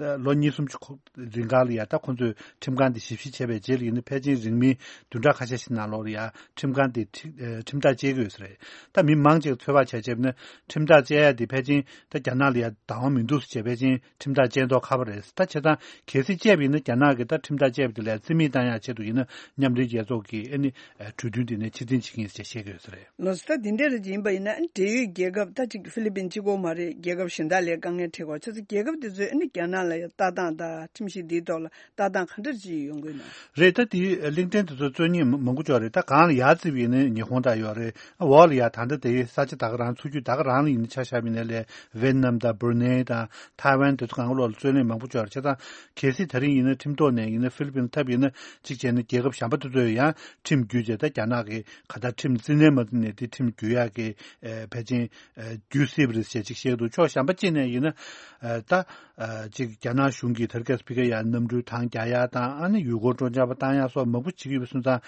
ད་ལོ་གཉིས་གསུམ་ཅིག་ཁོ་རིང་ག་ལ་ཡ་ད་ཁོ་ཚོས་ཁྲིམས་ཁང་དེ་ཞིབ་བཤེར་བྱས་པའི་རྗེས་ལ་ཡིན་ན་ཕལ་ཆེར་རིང་མིན་བདུན་ཕྲག་ཁ་ཤས་ཤིག་ནང་ལོགས་ལ་ཡ་ཁྲིམས་ཁང་དེ་ཁྲི་ཨ་ཁྲིམས་ཐག་བཅད་ཀྱི་ཡོད་ས་རེད། ད་མི་མང་ཅིག་ཚོད་དཔག་བྱས་བྱས་ན་ཁྲིམས་ཐག་བཅད་ཡ་དེ་ཕལ་ཆེར་ད་རྒྱ་ནག་ལ་ཡ་བདག་དབང་མི་འདུག་ཟེར་བྱས་ཕལ་ཆེར་ཁྲིམས་ཐག་བཅད་མདོག་ཁ་པོ་རེད། ད་བྱས་ཙང་གལ་སྲིད་བཅད་པ་ཡིན་ན་རྒྱ་ནག་གིས་ད་ཁྲིམས་ཐག་བཅད་པ་དེ་ལ་རྩིས་མེད་བཏང་ཡག་ཆེད་དུ་ཡིན་ན་མཉམ་འབྲེལ་རྒྱལ་ཚོགས་ཀྱི་ཨ་ནི་གྲོས་མཐུན་དེ་ནས་ཕྱིར་འཐེན་བྱེད་ཀྱི་ཡིན་ཟེར་བཤད་ཀྱི་ཡོད་ས་རེད། ལགས་སོ། ད་དེ་འདྲ་རེ་ཡིན་པ་ཡིན་ན་འབྲེལ་ཡོད་རྒྱལ་ཁབ་ད་ཅིག་ཧྥི་ལི་པིན་གཅིག་པོ་མ་རེད། རྒྱལ་ཁབ་གཞན་དག་ལ་དཀའ་ངལ་འཕྲད་ཀྱི་ཡོད་རེད། བྱས་ཙང་རྒྱལ་ཁབ་དེ་ཚོས་ཨ་ནི་རྒྱ་ནག་ལ་ཡང་ལྟ་སྟངས་དང་ཁྲིམས་གཞི་འདིའི་ཐོག་ལ་ལྟ་སྟངས་ག་འདྲ་ཅིག་ཡོང་གི་ཡོད་ན། རེད། ད་དེ་གླིང་ཕྲན་དེ་ཚོ་རྩོད་མཁན་མང་པོ་ཅིག་ཡོད་རེད། ད་གང་ལ་ཡར་བརྩིས་པ་ཡིན་ན་ཉི་ཧོང་དང་ཡོད་རེད། འོག་ལ་ཡ་ད་ལྟ་དེ་ས་ཆ་ད་ག་རང་མཚོ་རྒྱུད་ད་ག་རང་ལ་ཡིན་ན་ཆ་བཞག་པ་ཡིན་ན་ལས་ཝེ་ཏི་ནམ་དང་བྷུ་རུ་ནེ་དང་ཐའེ་ཝན་དེ་ཚོ་གང་ག་ལོག་ལ་རྩོད་གླེང་མང་པོ་ཅིག་ཡོད་རེད། བྱས་ཙང་གལ་སྲིད་ད་རིང་ཡིན་ན་ཁྲིམས་ཐོག་ནས་ཡིན་ན་ཧྥི་ལི་པིན་ཐབས་ཡིན་ན་གཅིག་བྱས་ན་རྒྱལ་ཁབ་གཞན་པ་དེ་ཚོས་ཡང་ཁྲིམས་བརྒྱུད་བྱས་ད་རྒྱ་ནག་གི་ག་ད་ཁྲིམས་རྩིས་ནས་མ་བརྩིས་ནས་དེ་ཁྲིམས་བརྒྱུད་ཡག་གི་ཨ་ཕལ་ཆེར་ཨ་བརྒྱུད་སྲིད་པ་རེད་ཟེར་ཅིག་བཤད་འདུག་ཕྱོགས་གཞན་པ་གཅིག་ནས་ཡིན་ན་ཨ་ད་ཨ་ཅིག་རྒྱ་ནག་གཞུང་གིས་དེར་སྐབས་ཕ་གི་ཡ་གནམ་གྲུའི་ཐང་རྒྱག་ཡག་དང་ཨ་ནི་ཡུལ་སྐོར་སྤྲོ་འཆམ་པ་བཏང་ཡག་སོགས་མང་པོ་བྱེད་ཀྱི་ཡོད་པ་སོང་ཙང་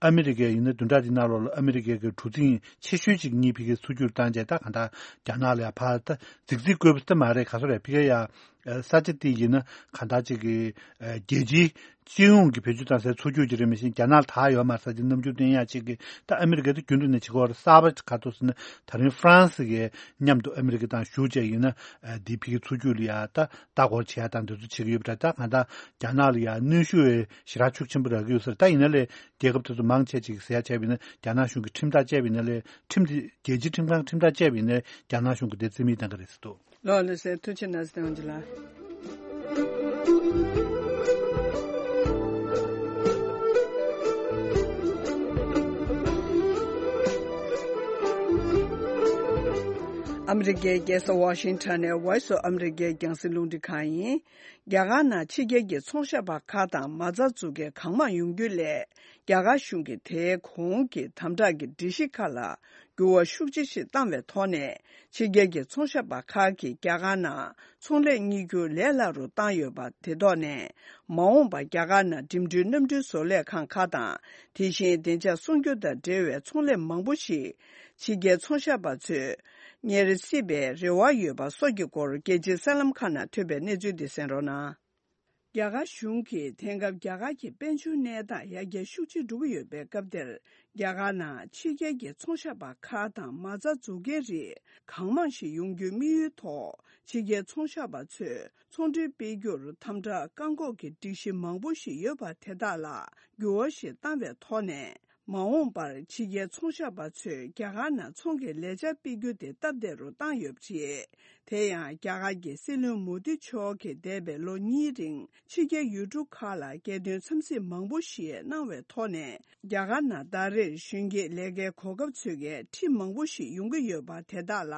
ཨ་མི་རི་ཀས་ཡིན་ན་བདུན་ཕྲག་འདི་ནང་ལོགས་ལ་ཨ་མི་རི་ཀའི་གི་གྲུ་གཟིངས་ཆེ་ཤོས་ཅིག་གཉིས་ཕ་གིར་ཚུར་བསྒྱུར་བཏང་རྗེས་ད་གང་ལྟར་རྒྱ་ནག་ལ་ཡ་ཕར་ད་རྫིག་རྫིག་བཀོད་པ་ད་མ་རེད། ག་ཚོད་རེད། ཕ་གི་ཡ་ས་ཆ་དེ་ཡིན་ན་གང་ལྟར་ཅིག་གི་རྒྱལ་སྤྱིའི་སྤྱི་ཡོངས་ཀྱི་བེད་སྤྱོད་བཏང་སའི་མཚོ་རྒྱུད་ཅིག་རེད། མི་ཤེས་རྒྱ་ནག་ལ་ད་ཡོད་མ་རེད། ས་ཆ་གནམ་གྲུ་བཏོན་ཡག་ཅིག་གི་ད་ཨ་མི་རི་ཀས་ད་རྒྱུན་དུ་ནས་བྱེད་ཀྱི་ཡོད་རེད། གསར་པ་ག་ཐུག་ཟེར་ན་ད་རིང་ཧྥ་རན་སི་གིས་མཉམ་དུ་ཨ་མི་རི་ཀ་དང་ཞུགས་བྱས་ཡིན་ན་འདི་ཕ་གི་མཚོ་རྒྱུད་ལ་ཡ་ད་ལྟ་སྐོར་བྱེད་ཡག་དང་འདི་ཚོ་བྱེད་ཀྱི་ཡོད་པ་འདྲ། ད་གང་ལྟར་རྒྱ་ནག་ལ་ཡ་གནོན་ཤུགས་ཞེ་དྲག་ཤུགས་ཆེན་པོ་རག་གི་ཡོད་ས་རེད། ད་ཡིན་ན་ལས་རྒྱལ་ཁབ་དེ་ཚོ་མང་ཆེ་ཅིག་ཟེར་ཡག་བྱས་པ་ཡིན་ན་རྒྱ་ནག་གཞུང་གིས་ཁྲིམས་ཐག་བཅད་པ་ཡིན་ན་ལས་ཁྲིམས་དེ་རྒྱལ་སྤྱིའི་ཁྲིམས་ཁང་ཁྲིམས་ཐག་བཅད་པ་ཡིན་ན་རྒྱ་ནག་གཞུང་གིས་དེ་རྩིས་མེད་བཏང་གི་རེད་ཟེར་འདུག་ལགས་ལགས་སེ། ཐུགས་རྗེ་གནང་སྟེ་ཨོན་ཇི་ལགས། ཨ་མི་རི་ཀའི་རྒྱལ་ས་ཝ་ཤིང་ཊོན་ནས་Voice of America་རྒྱང་སྲིང་རླུང་འཕྲིན་ཁང་ཡིན། རྒྱ་གར་ནང་ཕྱི་རྒྱལ་གྱི་ཚོང་ཞབས་པ་ཁག་དང་མ་རྩ་འཛུགས་མཁན་གང་མང་ཡོང་རྒྱུ་ལས། རྒྱ་གར་གཞུང་གིས་དེའི་གོང་གི་དམ་དྲག་གི་སྒྲིག་གཞི་ཁག་ལ་འགྱུར་བ་ཤུགས་ཆེ་ཞིག་བཏང་བའི་ཐོག་ནས། ཕྱི་རྒྱལ་གྱི་ཚོང་ཞབས་པ་ཁག་གིས་རྒྱ་གར་ནང་ཚོང་ལས་གཉེར་རྒྱུ་ལས་སླ་རུ་བཏང་ཡོད་པ་དེ་ཐོག་ནས། མ་འོངས་པར་རྒྱ་གར་ནང་འགྲིམ་འགྲུལ་གནམ་གྲུའི་བཟོ་ལས་ཁང་ཁག་དང་། དེ་བཞིན་བདེ་འཇགས་སྲུང་སྐྱོབ་དང་འབྲེལ་བའི་ཚོང་ལས་མང་པོ་ཞིག་ཕྱི་རྒྱལ་ཚོང་ཞབས་པ་ཚོས་གཉེར་སྲིད་པའི་རེ་བ་ཡོད་པ་སོགས་ཀྱི་སྐོར་རྒྱལ་སྤྱིའི་གསར་ལམ་ཁག་ནང་ཐོན་པའི་གནས་ཚུལ་འདི་གསན་རོགས་གནང་། རྒྱ་གར་གཞུང་གིས་དེང་སྐབས་རྒྱ་གར་གྱི་དཔལ་འབྱོར་གནས་སྟངས་ཡར་རྒྱས་ཤུགས་ཆེ་འགྲོ་གི་ཡོད་པའི་སྐབས་འདིར། རྒྱ་གར་ནང་ཕྱི་རྒྱལ་གྱི་ཚོང་ཞབས་པ་ཁག་དང་མ་རྩ་འཛུགས་མཁན་རིགས་གང་མང་ཞིག་ཡོང་རྒྱུའི་དམིགས་ཡུལ་ཐོག་ཕྱི་རྒྱལ་ཚོང་ཞབས་པ་ཚོས་ཚོང་འབྲེལ་སྤེལ་རྒྱུར་དམ་དྲག་བཀག་འགོག་གི་སྒྲིག་གཞི་མང་པོ་ཞིག་ཡོད་པ་དེ་དག་ལ་འགྱུར་བ་ཞིག་བཏང་བའི་ཐོག་ནས། མ་འོངས་པར་ཕྱི་རྒྱལ་ཚོང་ཞབས་པ་ཚོས་རྒྱ་གར་ནང་ཚོང་གི་ལས་འཆར་སྤེལ་རྒྱུ་དེ་སྟབས་བདེ་རུ་བཏང་ཡོད་པ་རེད། དེ་ཡང་རྒྱ་གར་གྱི་སྲིད་བློན་མོ་དི་མཆོག་གིས་འདས་པའི་ལོ་གཉིས་རིང་ཕྱི་རྒྱལ་ཡུལ་གྲུ་ཁག་ལ་རྒྱལ་དོན་འཚམས་གཟིགས་མང་པོ་ཞིག་གནང་བའི་ཐོག་ནས། རྒྱ་གར་ནང་ཟླ་རེར་གཞོན་སྐྱེས་ལས་ཀའི་གོ་སྐབས་འཚོལ་མཁན་ཁྲི་མང་པོ་ཞིག་ཡོང་གི་ཡོད་པ། དེ་དག་ལ་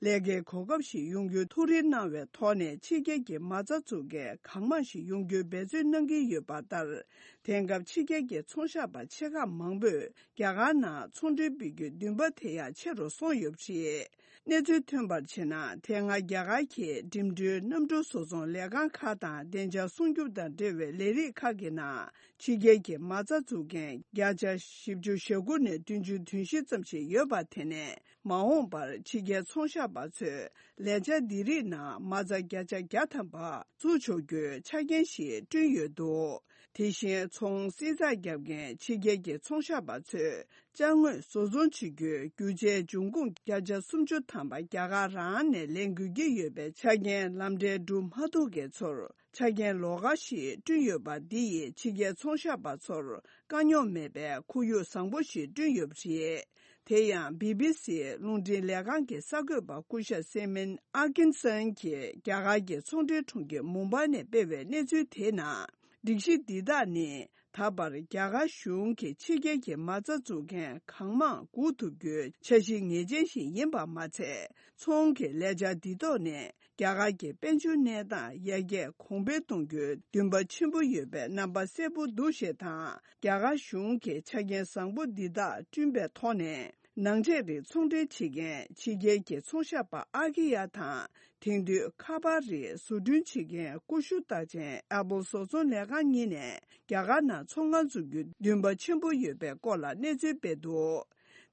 ལས་ཀའི་གོ་སྐབས་ཤིག་ཡོང་རྒྱུའི་ཐུགས་རེ་གནང་བའི་ཐོག་ནས། ཕྱི་རྒྱལ་གྱི་མ་རྩ་འཛུགས་མཁན་གང་མང་ཞིག་ཡོང་རྒྱུའི་འབད་བརྩོན་གནང་གི་ཡོད་པ་ལྟར། དེང་སྐབས་ཕྱི་རྒྱལ་གྱི་ཚོང་ཤག་པ་ཆེ་ཁག་མང་པོས་རྒྱ་གར་ནང་ཚོང་འབྲེལ་སྤེལ་རྒྱུའི་འདུན་པ་དེ་ཡང་ཆེ་རུ་སོང་ཡོད་པ་རེད། གནས་ཚུལ་ཐོན་པར་བྱས་ན། དེ་སྔ་རྒྱ་གར་གྱི་འགྲིམ་འགྲུལ་གནམ་གྲུ་བཟོ་ཚོང་ལས་ཁང་ཁག་དང་བདེ་འཇགས་སྲུང་སྐྱོབ་དང་འབྲེལ་བའི་ལས་རིགས་ཁག་གི་ནང་ཕྱི་རྒྱལ་གྱི་མ་རྩ་འཛུགས་མཁན་བརྒྱ་ཆ་བཞི་བཅུ་ཞེ་དགུ་ནས་བདུན་ཅུ་དོན་བཞི་ཙམ་ཞིག་ཡོད་པ། དེ་ནས་མ་འོངས་པར་ཕྱི་རྒྱལ་ཚོང་ཤག་པ་ཚོས་ལས་འཆར་འདི་རིགས་ནང་མ་རྩ་བརྒྱ་ཆ་བརྒྱ་ཐམ་པ་བཙུགས་ཆོག་རྒྱུའི་ཆ་རྐྱེན་ཞིག་བསྐྲུན་ཡོད་འདུག་དེ་བཞིན་ཚོང་བསྲི་ཚགས་བརྒྱབ་མཁན་ཕྱི་རྒྱལ་གྱི་ཚོང་ཤག་པ་ཚོས་ཅ་དངོས་བཟོ་ཚོང་བྱེད་རྒྱུའི་རྒྱུ་ཆའི་འབྱུང་ཁུངས་བརྒྱ་ཆ་སུམ་ཅུ་ཐམ་པ་རྒྱ་གར་རང་ནས་ལེན་དགོས་ཀྱི་ཡོད་པའི་ཆ་རྐྱེན་ལམ་འབྲས་སྒྲུབ་མ་ཐུབ་མཁན་ཚོར་ཆ་རྐྱེན་ལོགས་ཀ་ཞིག་བསྐྲུན་ཡོད་པ། འདི་ཡིས་ཕྱི་རྒྱལ་ཚོང་ཤག་པ་ཚོར་དཀའ་རྙོག་མེད་པའི་ཁོར་ཡུག་བཟང་པོ་ཞིག་བསྐྲུན་ཡོད་པ་རེད། དེ་ཡང་བི་བི་སི་རླུང་འཕྲིན་ལས་ཁང་གི་གསར་འགོད་པ་སྐུ་ཞབས་སེ་མིན་ཨ་ཀིན་སན་གྱིས་རྒྱ་གར་གྱི་ཚོང་འབྲེལ་དྲུང་ཆེ་མུམ་བྷའི་ནས་སྤེལ་བའི་གནས་ཚུལ་དེའི་ནང་། སྒྲིག་གཞི་འདི་དག་ནི་ད་བར་རྒྱ་གར་གཞུང་གིས་ཕྱི་རྒྱལ་གྱི་མ་རྩ་འཛུགས་མཁན་གང་མང་སྒུག་ཐུབ་རྒྱུའི་འཆར་གཞི་ངེས་ཅན་ཞིག་ཡིན་པ་མ་ཚད། ཚོང་གི་ལས་འཆར་འདི་ཐོག་ནས་རྒྱ་གར་གྱི་དཔལ་འབྱོར་གནས་སྟངས་ཡར་རྒྱས་གོང་འཕེལ་གཏོང་རྒྱུའི་འདུན་པ་ཆེན་པོ་ཡོད་པའི་རྣམ་པ་གསལ་པོ་འདུག་ཞེས་དང་། རྒྱ་གར་གཞུང་གིས་ཆ་རྐྱེན་བཟང་པོ་འདི་དག་བསྐྲུན་པའི་ཐོག་ནས། ནང་ཆས་རིགས་ཚོང་འབྲེལ་བྱེད་མཁན་ཕྱི་རྒྱལ་གྱི་ཚོང་ཤག་པ་ཨ་ཀི་ཡ་དང་། དེང་དུས་ཁ་པར་རིགས་བཟོ་སྐྲུན་བྱེད་མཁན་ཀུ་ཤུ་རྟགས་ཅན་ཨེ་པོལ་བཟོ་ཚོང་ལས་ཁང་གཉིས་ནས་རྒྱ་གར་ནང་ཚོང་ཁང་འཛུགས་རྒྱུའི་འདུན་པ་ཆེན་པོ་ཡོད་པའི་སྐོར་ལ་གནས་ཚུལ་སྤེལ་འདུག་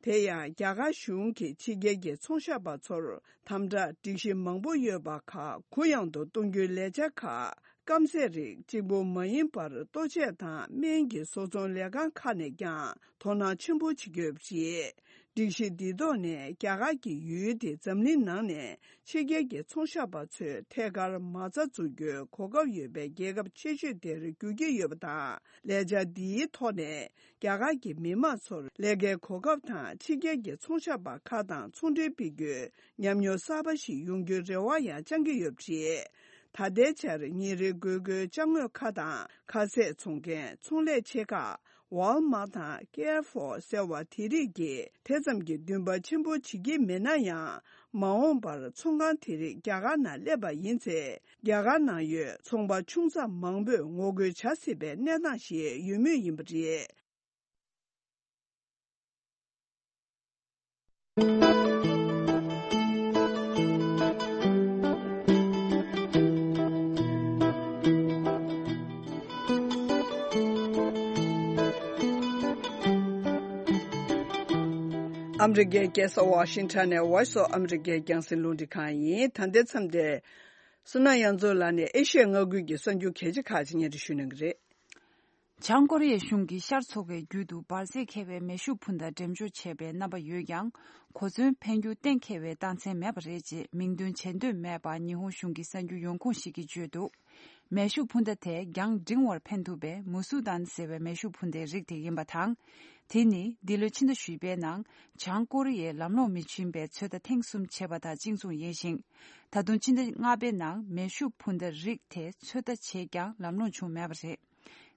དེ་ཡང་རྒྱ་གར་གཞུང་གིས་ཕྱི་རྒྱལ་གྱི་ཚོང་ཤག་པ་ཚོར་དམ་དྲག་སྒྲིག་གཞི་མང་པོ་ཡོད་པ་ཁག་གུ་ཡངས་དུ་གཏོང་རྒྱུའི་ལས་འཆར་ཁག་སྐམ་ཟས་རིགས་གཅིག་པུ་མ་ཡིན་པར་ལྟོ་ཆས་དང་སྨན་གྱི་བཟོ་ཚོང་ལས་ཁང་ཁག་ནས་ཀྱང་དོ་སྣང་ཆེན་པོ་བྱེད་ཀྱི་ཡོད་པ་རེད། སྒྲིག་གཞི་འདིའི་ཐོག་ནས་རྒྱ་གར་གྱི་ཡུལ་དེ་འཛམ་གླིང་ནང་ནས་ཕྱི་རྒྱལ་གྱི་ཚོང་ཤག་པ་ཚོས་ཐད་ཀར་མ་རྩ་འཛུགས་རྒྱུའི་གོ་སྐབས་ཡོད་པའི་རྒྱལ་ཁབ་ཆེ་ཤོས་དེར་འགྱུར་གྱི་ཡོད་པ་དང་། ལས་འཆར་འདིའི་ཐོག་ནས་རྒྱ་གར་གྱི་མི་དམངས་ཚོར་ལས་ཀའི་གོ་སྐབས་དང་ཕྱི་རྒྱལ་གྱི་ཚོང་ཤག་པ་ཁག་དང་ཚོང་འབྲེལ་སྤེལ་རྒྱུའི་ཉམས་མྱོང་གསར་པ་ཞིག་ཡོང་རྒྱུའི་རེ་བ་ཡང་བཅང་གི་ཡོད་པ་རེད། ད་ལྟའི་ཆར་ཉིན་རེའི་དགོས་མཁོའི་ཅ་དངོས་ཁག་དང་ཁ་ཟས་འཚོང་མཁན་ཚོང་ལས་ཆེ་ཁག་ཝལ་མཱ་དང་ཀེར་ཧྥོ་ཟེར་བ་དེ་རིགས་ཀྱིས་དེ་ཙམ་གྱི་འདུན་པ་ཆེན་པོ་བྱེད་ཀྱི་མེད་ན་ཡང་། མ་འོངས་པར་ཚོང་ཁང་དེ་རིགས་རྒྱ་གར་ནང་སླེབས་པ་ཡིན་ཚེ། རྒྱ་གར་ནང་ཡོད་ཚོང་པ་ཆུང་ཙག་མང་པོས་ངོ་རྒོལ་བྱ་སྲིད་པའི་གནས་སྟངས་ཤིག་ཡོད་མུས་ཡིན་པ་རེད། ཨ་མི་རི་ཀའི་རྒྱལ་ས་ཝ་ཤིང་ཊོན་ནས་Voice of America རྒྱང་སྲིང་རླུང་འཕྲིན་ཁང་ཡིན། ད་ལྟའི་མཚམས་དེར། བསོད་ནམས་དབྱངས་མཚོ་ལགས་ནས་ཨེ་ཤི་ཡ་མངའ་ཁུལ་གྱི་གསར་འགྱུར་གལ་ཆེ་ཁག་ཅིག་སྙན་སྒྲོན་ཞུ་གནང་གི་རེད། བྱང་ཀོ་རི་ཡའི་གཞུང་གིས་ཤར་ཕྱོགས་ཀྱི་རྒྱུད་དུ་འབར་རྫས་འཁེལ་བའི་མེ་ཤུགས་འཕུར་མདའ་འགྲེམས་འཇོག་བྱས་པའི་རྣམ་པ་ཡོད་ཀྱང་། གོ་མཚོན་འཕེན་རྒྱུ་གཏན་འཁེལ་བའི་རྟགས་མཚན་མེད་པ་རེད་ཅེས་མིང་འདོན་བྱེད་འདོད་མེད་པ་ཉི་ཧོང་གཞུང་གི་གསར་འགྱུར་ཡོང་ཁུངས་ཤིག་གིས་བརྗོད་འདུག་མེ་ཤུགས་འཕུར་མདའ་དེ་རྒྱང་འབྲིང་བར་འཕེན་ཐུབ་པའི་མུ་སུ་དཱན་ཟེར་བའི་མེ་ཤུགས་འཕུར་མདའི་རིགས་དེ་ཡིན་པ་དང་། དེ་ནི་འདི་ལོའི་ཕྱི་ཟླ་བཞི་པའི་ནང་བྱང་ཀོ་རི་ཡས་ལམ་ལྷོང་མི་བྱིན་པའི་ཚོད་ལྟ་ཐེངས་གསུམ་བྱས་པ་དང་གཅིག་མཚུངས་ཡིན་ཞིང་། ད་དུང་ཕྱི་ཟླ་ལྔ་པའི་ནང་མེ་ཤུགས་འཕུར་མདའ་རིགས་དེ་ཚོད་ལྟ་བྱས་ཀྱང་ལམ་ལྷོང་བྱུང་མེད་པ་རེད།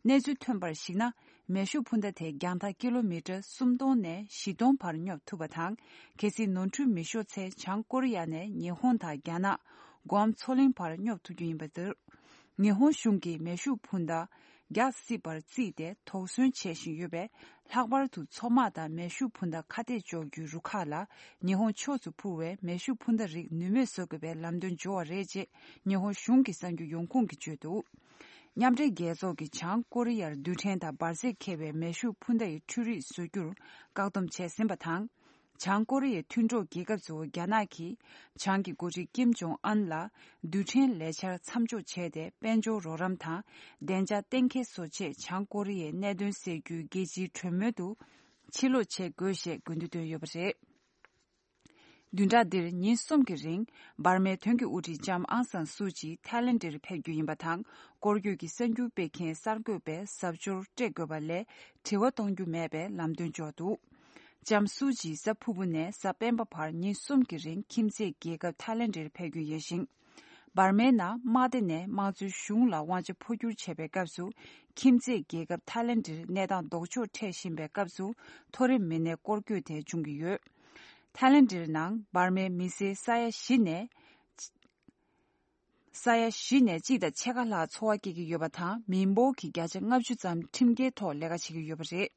གནས་ཚུལ་ཐོན་པར་གཞིགས་ན། མེ་ཤུགས་འཕུར་མདའ་དེ་རྒྱང་ཐག་ཀི་ལོ་མི་ཊར་སུམ་སྟོང་ནས་བཞི་སྟོང་བར་སྙོབ་ཐུབ་པ་དང་། གལ་སྲིད་ནོར་འཁྲུལ་མི་ཤོར་ཚེ་བྱང་ཀོ་རི་ཡ་ནས་ཉི་ཧོང་དང་རྒྱ་ནག་གུ་ཨམ་མཚོ་གླིང་བར་སྙོབ་ཐུབ་རྒྱུ་ཡིན་པ་རེད། ཉི་ཧོང་གཞུང་གིས་མེ་ཤུགས་འཕུར་མདའ་རྒྱག་སྲིད་པར་བརྩིས་ཏེ་དོགས་ཟོན་བྱེད་བཞིན་ཡོད་པས། ལྷག་པར་དུ་མཚོ་དམག་དང་མེ་ཤུགས་འཕུར་མདའ་ཁ་གཏད་གཅོག་རྒྱུའི་རུ་ཁག་ལ་ཉི་ཧོང་ཕྱོགས་སུ་འཕུར་བའི་མེ་ཤུགས་འཕུར་མདའ་རིགས་ནུས་མེད་བཟོ་དགོས་པའི་ལམ་སྟོན་འབྱོར་བ་རེད་ཅེས་ཉི་ཧོང་གཞུང་གི་གསར་འགྱུར་ཡོང་ཁུངས་ཀྱིས་བརྗོད་འདུག་མཉམ་འབྲེལ་རྒྱལ་ཚོགས་ཀྱིས་བྱང་ཀོ་རི་ཡར་རྡུལ་ཕྲན་དང་འབར་རྫས་འཁེལ་བའི་མེ་ཤུགས་འཕུར་མདའ་ཡི་འཕྲུལ་རིག་བཟོ་རྒྱུར་བཀག་སྡོམ་བྱས་ཟིན་པ་དང་། བྱང་ཀོ་རི་ཡའི་མཐུན་གྲོགས་རྒྱལ་ཁབ་གཙོ་བོ་རྒྱ་ནག་གིས་བྱང་གི་འགོ་ཁྲིད་ཀིམ་ཇོང་ཨན་ལ་རྡུལ་ཕྲན་ལས་འཆར་མཚམས་འཇོག་བྱས་ཏེ། དཔལ་འབྱོར་རོགས་རམ་དང་བདེ་འཇགས་གཏན་འཁེལ་བཟོ་ཆེད་བྱང་ཀོ་རི་ཡའི་གནད་དོན་སེལ་རྒྱུའི་རྒྱལ་སྤྱིའི་གྲོས་མོལ་དུ་ཕྱིར་ལོག་བྱེད་དགོས་ཞེས་དགོས་འདུན་བཏོན་ཡོད་པ་རེད། བདུན་ཕྲག་འདིར་ཉིན་གསུམ་གྱི་རིང་འབར་མའི་དོན་གྱི་དབུ་ཁྲིད་ལྕམ་ཨང་སང་སུའུ་ཅི་ཐའི་ལེན་ཌར་ཕེབས་རྒྱུ་ཡིན་པ་དང་། སྐོར་སྐྱོད་ཀྱི་གསར་འགྱུར་སྤེལ་མཁན་གསར་འགོད་པས་གཟབ་མཆོར་སྤྲད་དགོས་པ་ལས་དྲི་བ་གཏོང་རྒྱུ་མེད་པའི་ལམ་སྟོན་འབྱོར་འདུག་ལྕམ་སུའུ་ཅི་གཟའ་ཕུར་བུ་ནས་གཟའ་སྤེན་པ་བར་ཉིན་གསུམ་གྱི་རིང་ཁྱིམ་མཚེས་རྒྱལ་ཁབ་ཐའི་ལེན་ཌར་ཕེབས་རྒྱུ་ཡིན་ཞིང་། འབར་མའི་ནང་དམག་སྡེ་ནས་དམངས་གཙོའི་གཞུང་ལ་དབང་ཆ་འཕོ་འགྱུར་བྱས་པའི་སྐབས་སུ། ཁྱིམ་མཚེས་རྒྱལ་ཁབ་ཐའི་ལེན་ཌར་གནས་སྟངས་ལྡོག་ཕྱོགས་འཕྲད་བཞིན་པའི་སྐབས་སུ། མཐོ་རིམ་མི་སྣའི་སྐོར་སྐྱོད་དེ་འབྱུང་གི་ཡོད། ཐའི་ལེན་ཌར་ནང་འབར་མའི་མི་སེར་ས་ཡ་བཞི་ནས། ས་ཡ་བཞི་ནས་གཅིག་དང་ཕྱེད་ཀ་ལྷག་འཚོ་བ་སྐྱེལ་གྱི་ཡོད་པ་དང་། མི་འབོར་གྱི་བརྒྱ་ཆ་ལྔ་བཅུ་ཙམ་ཁྲིམས་འགལ་ཐོག་ལས་ཀ་བྱེད་ཀྱི་ཡོད་པ་རེད།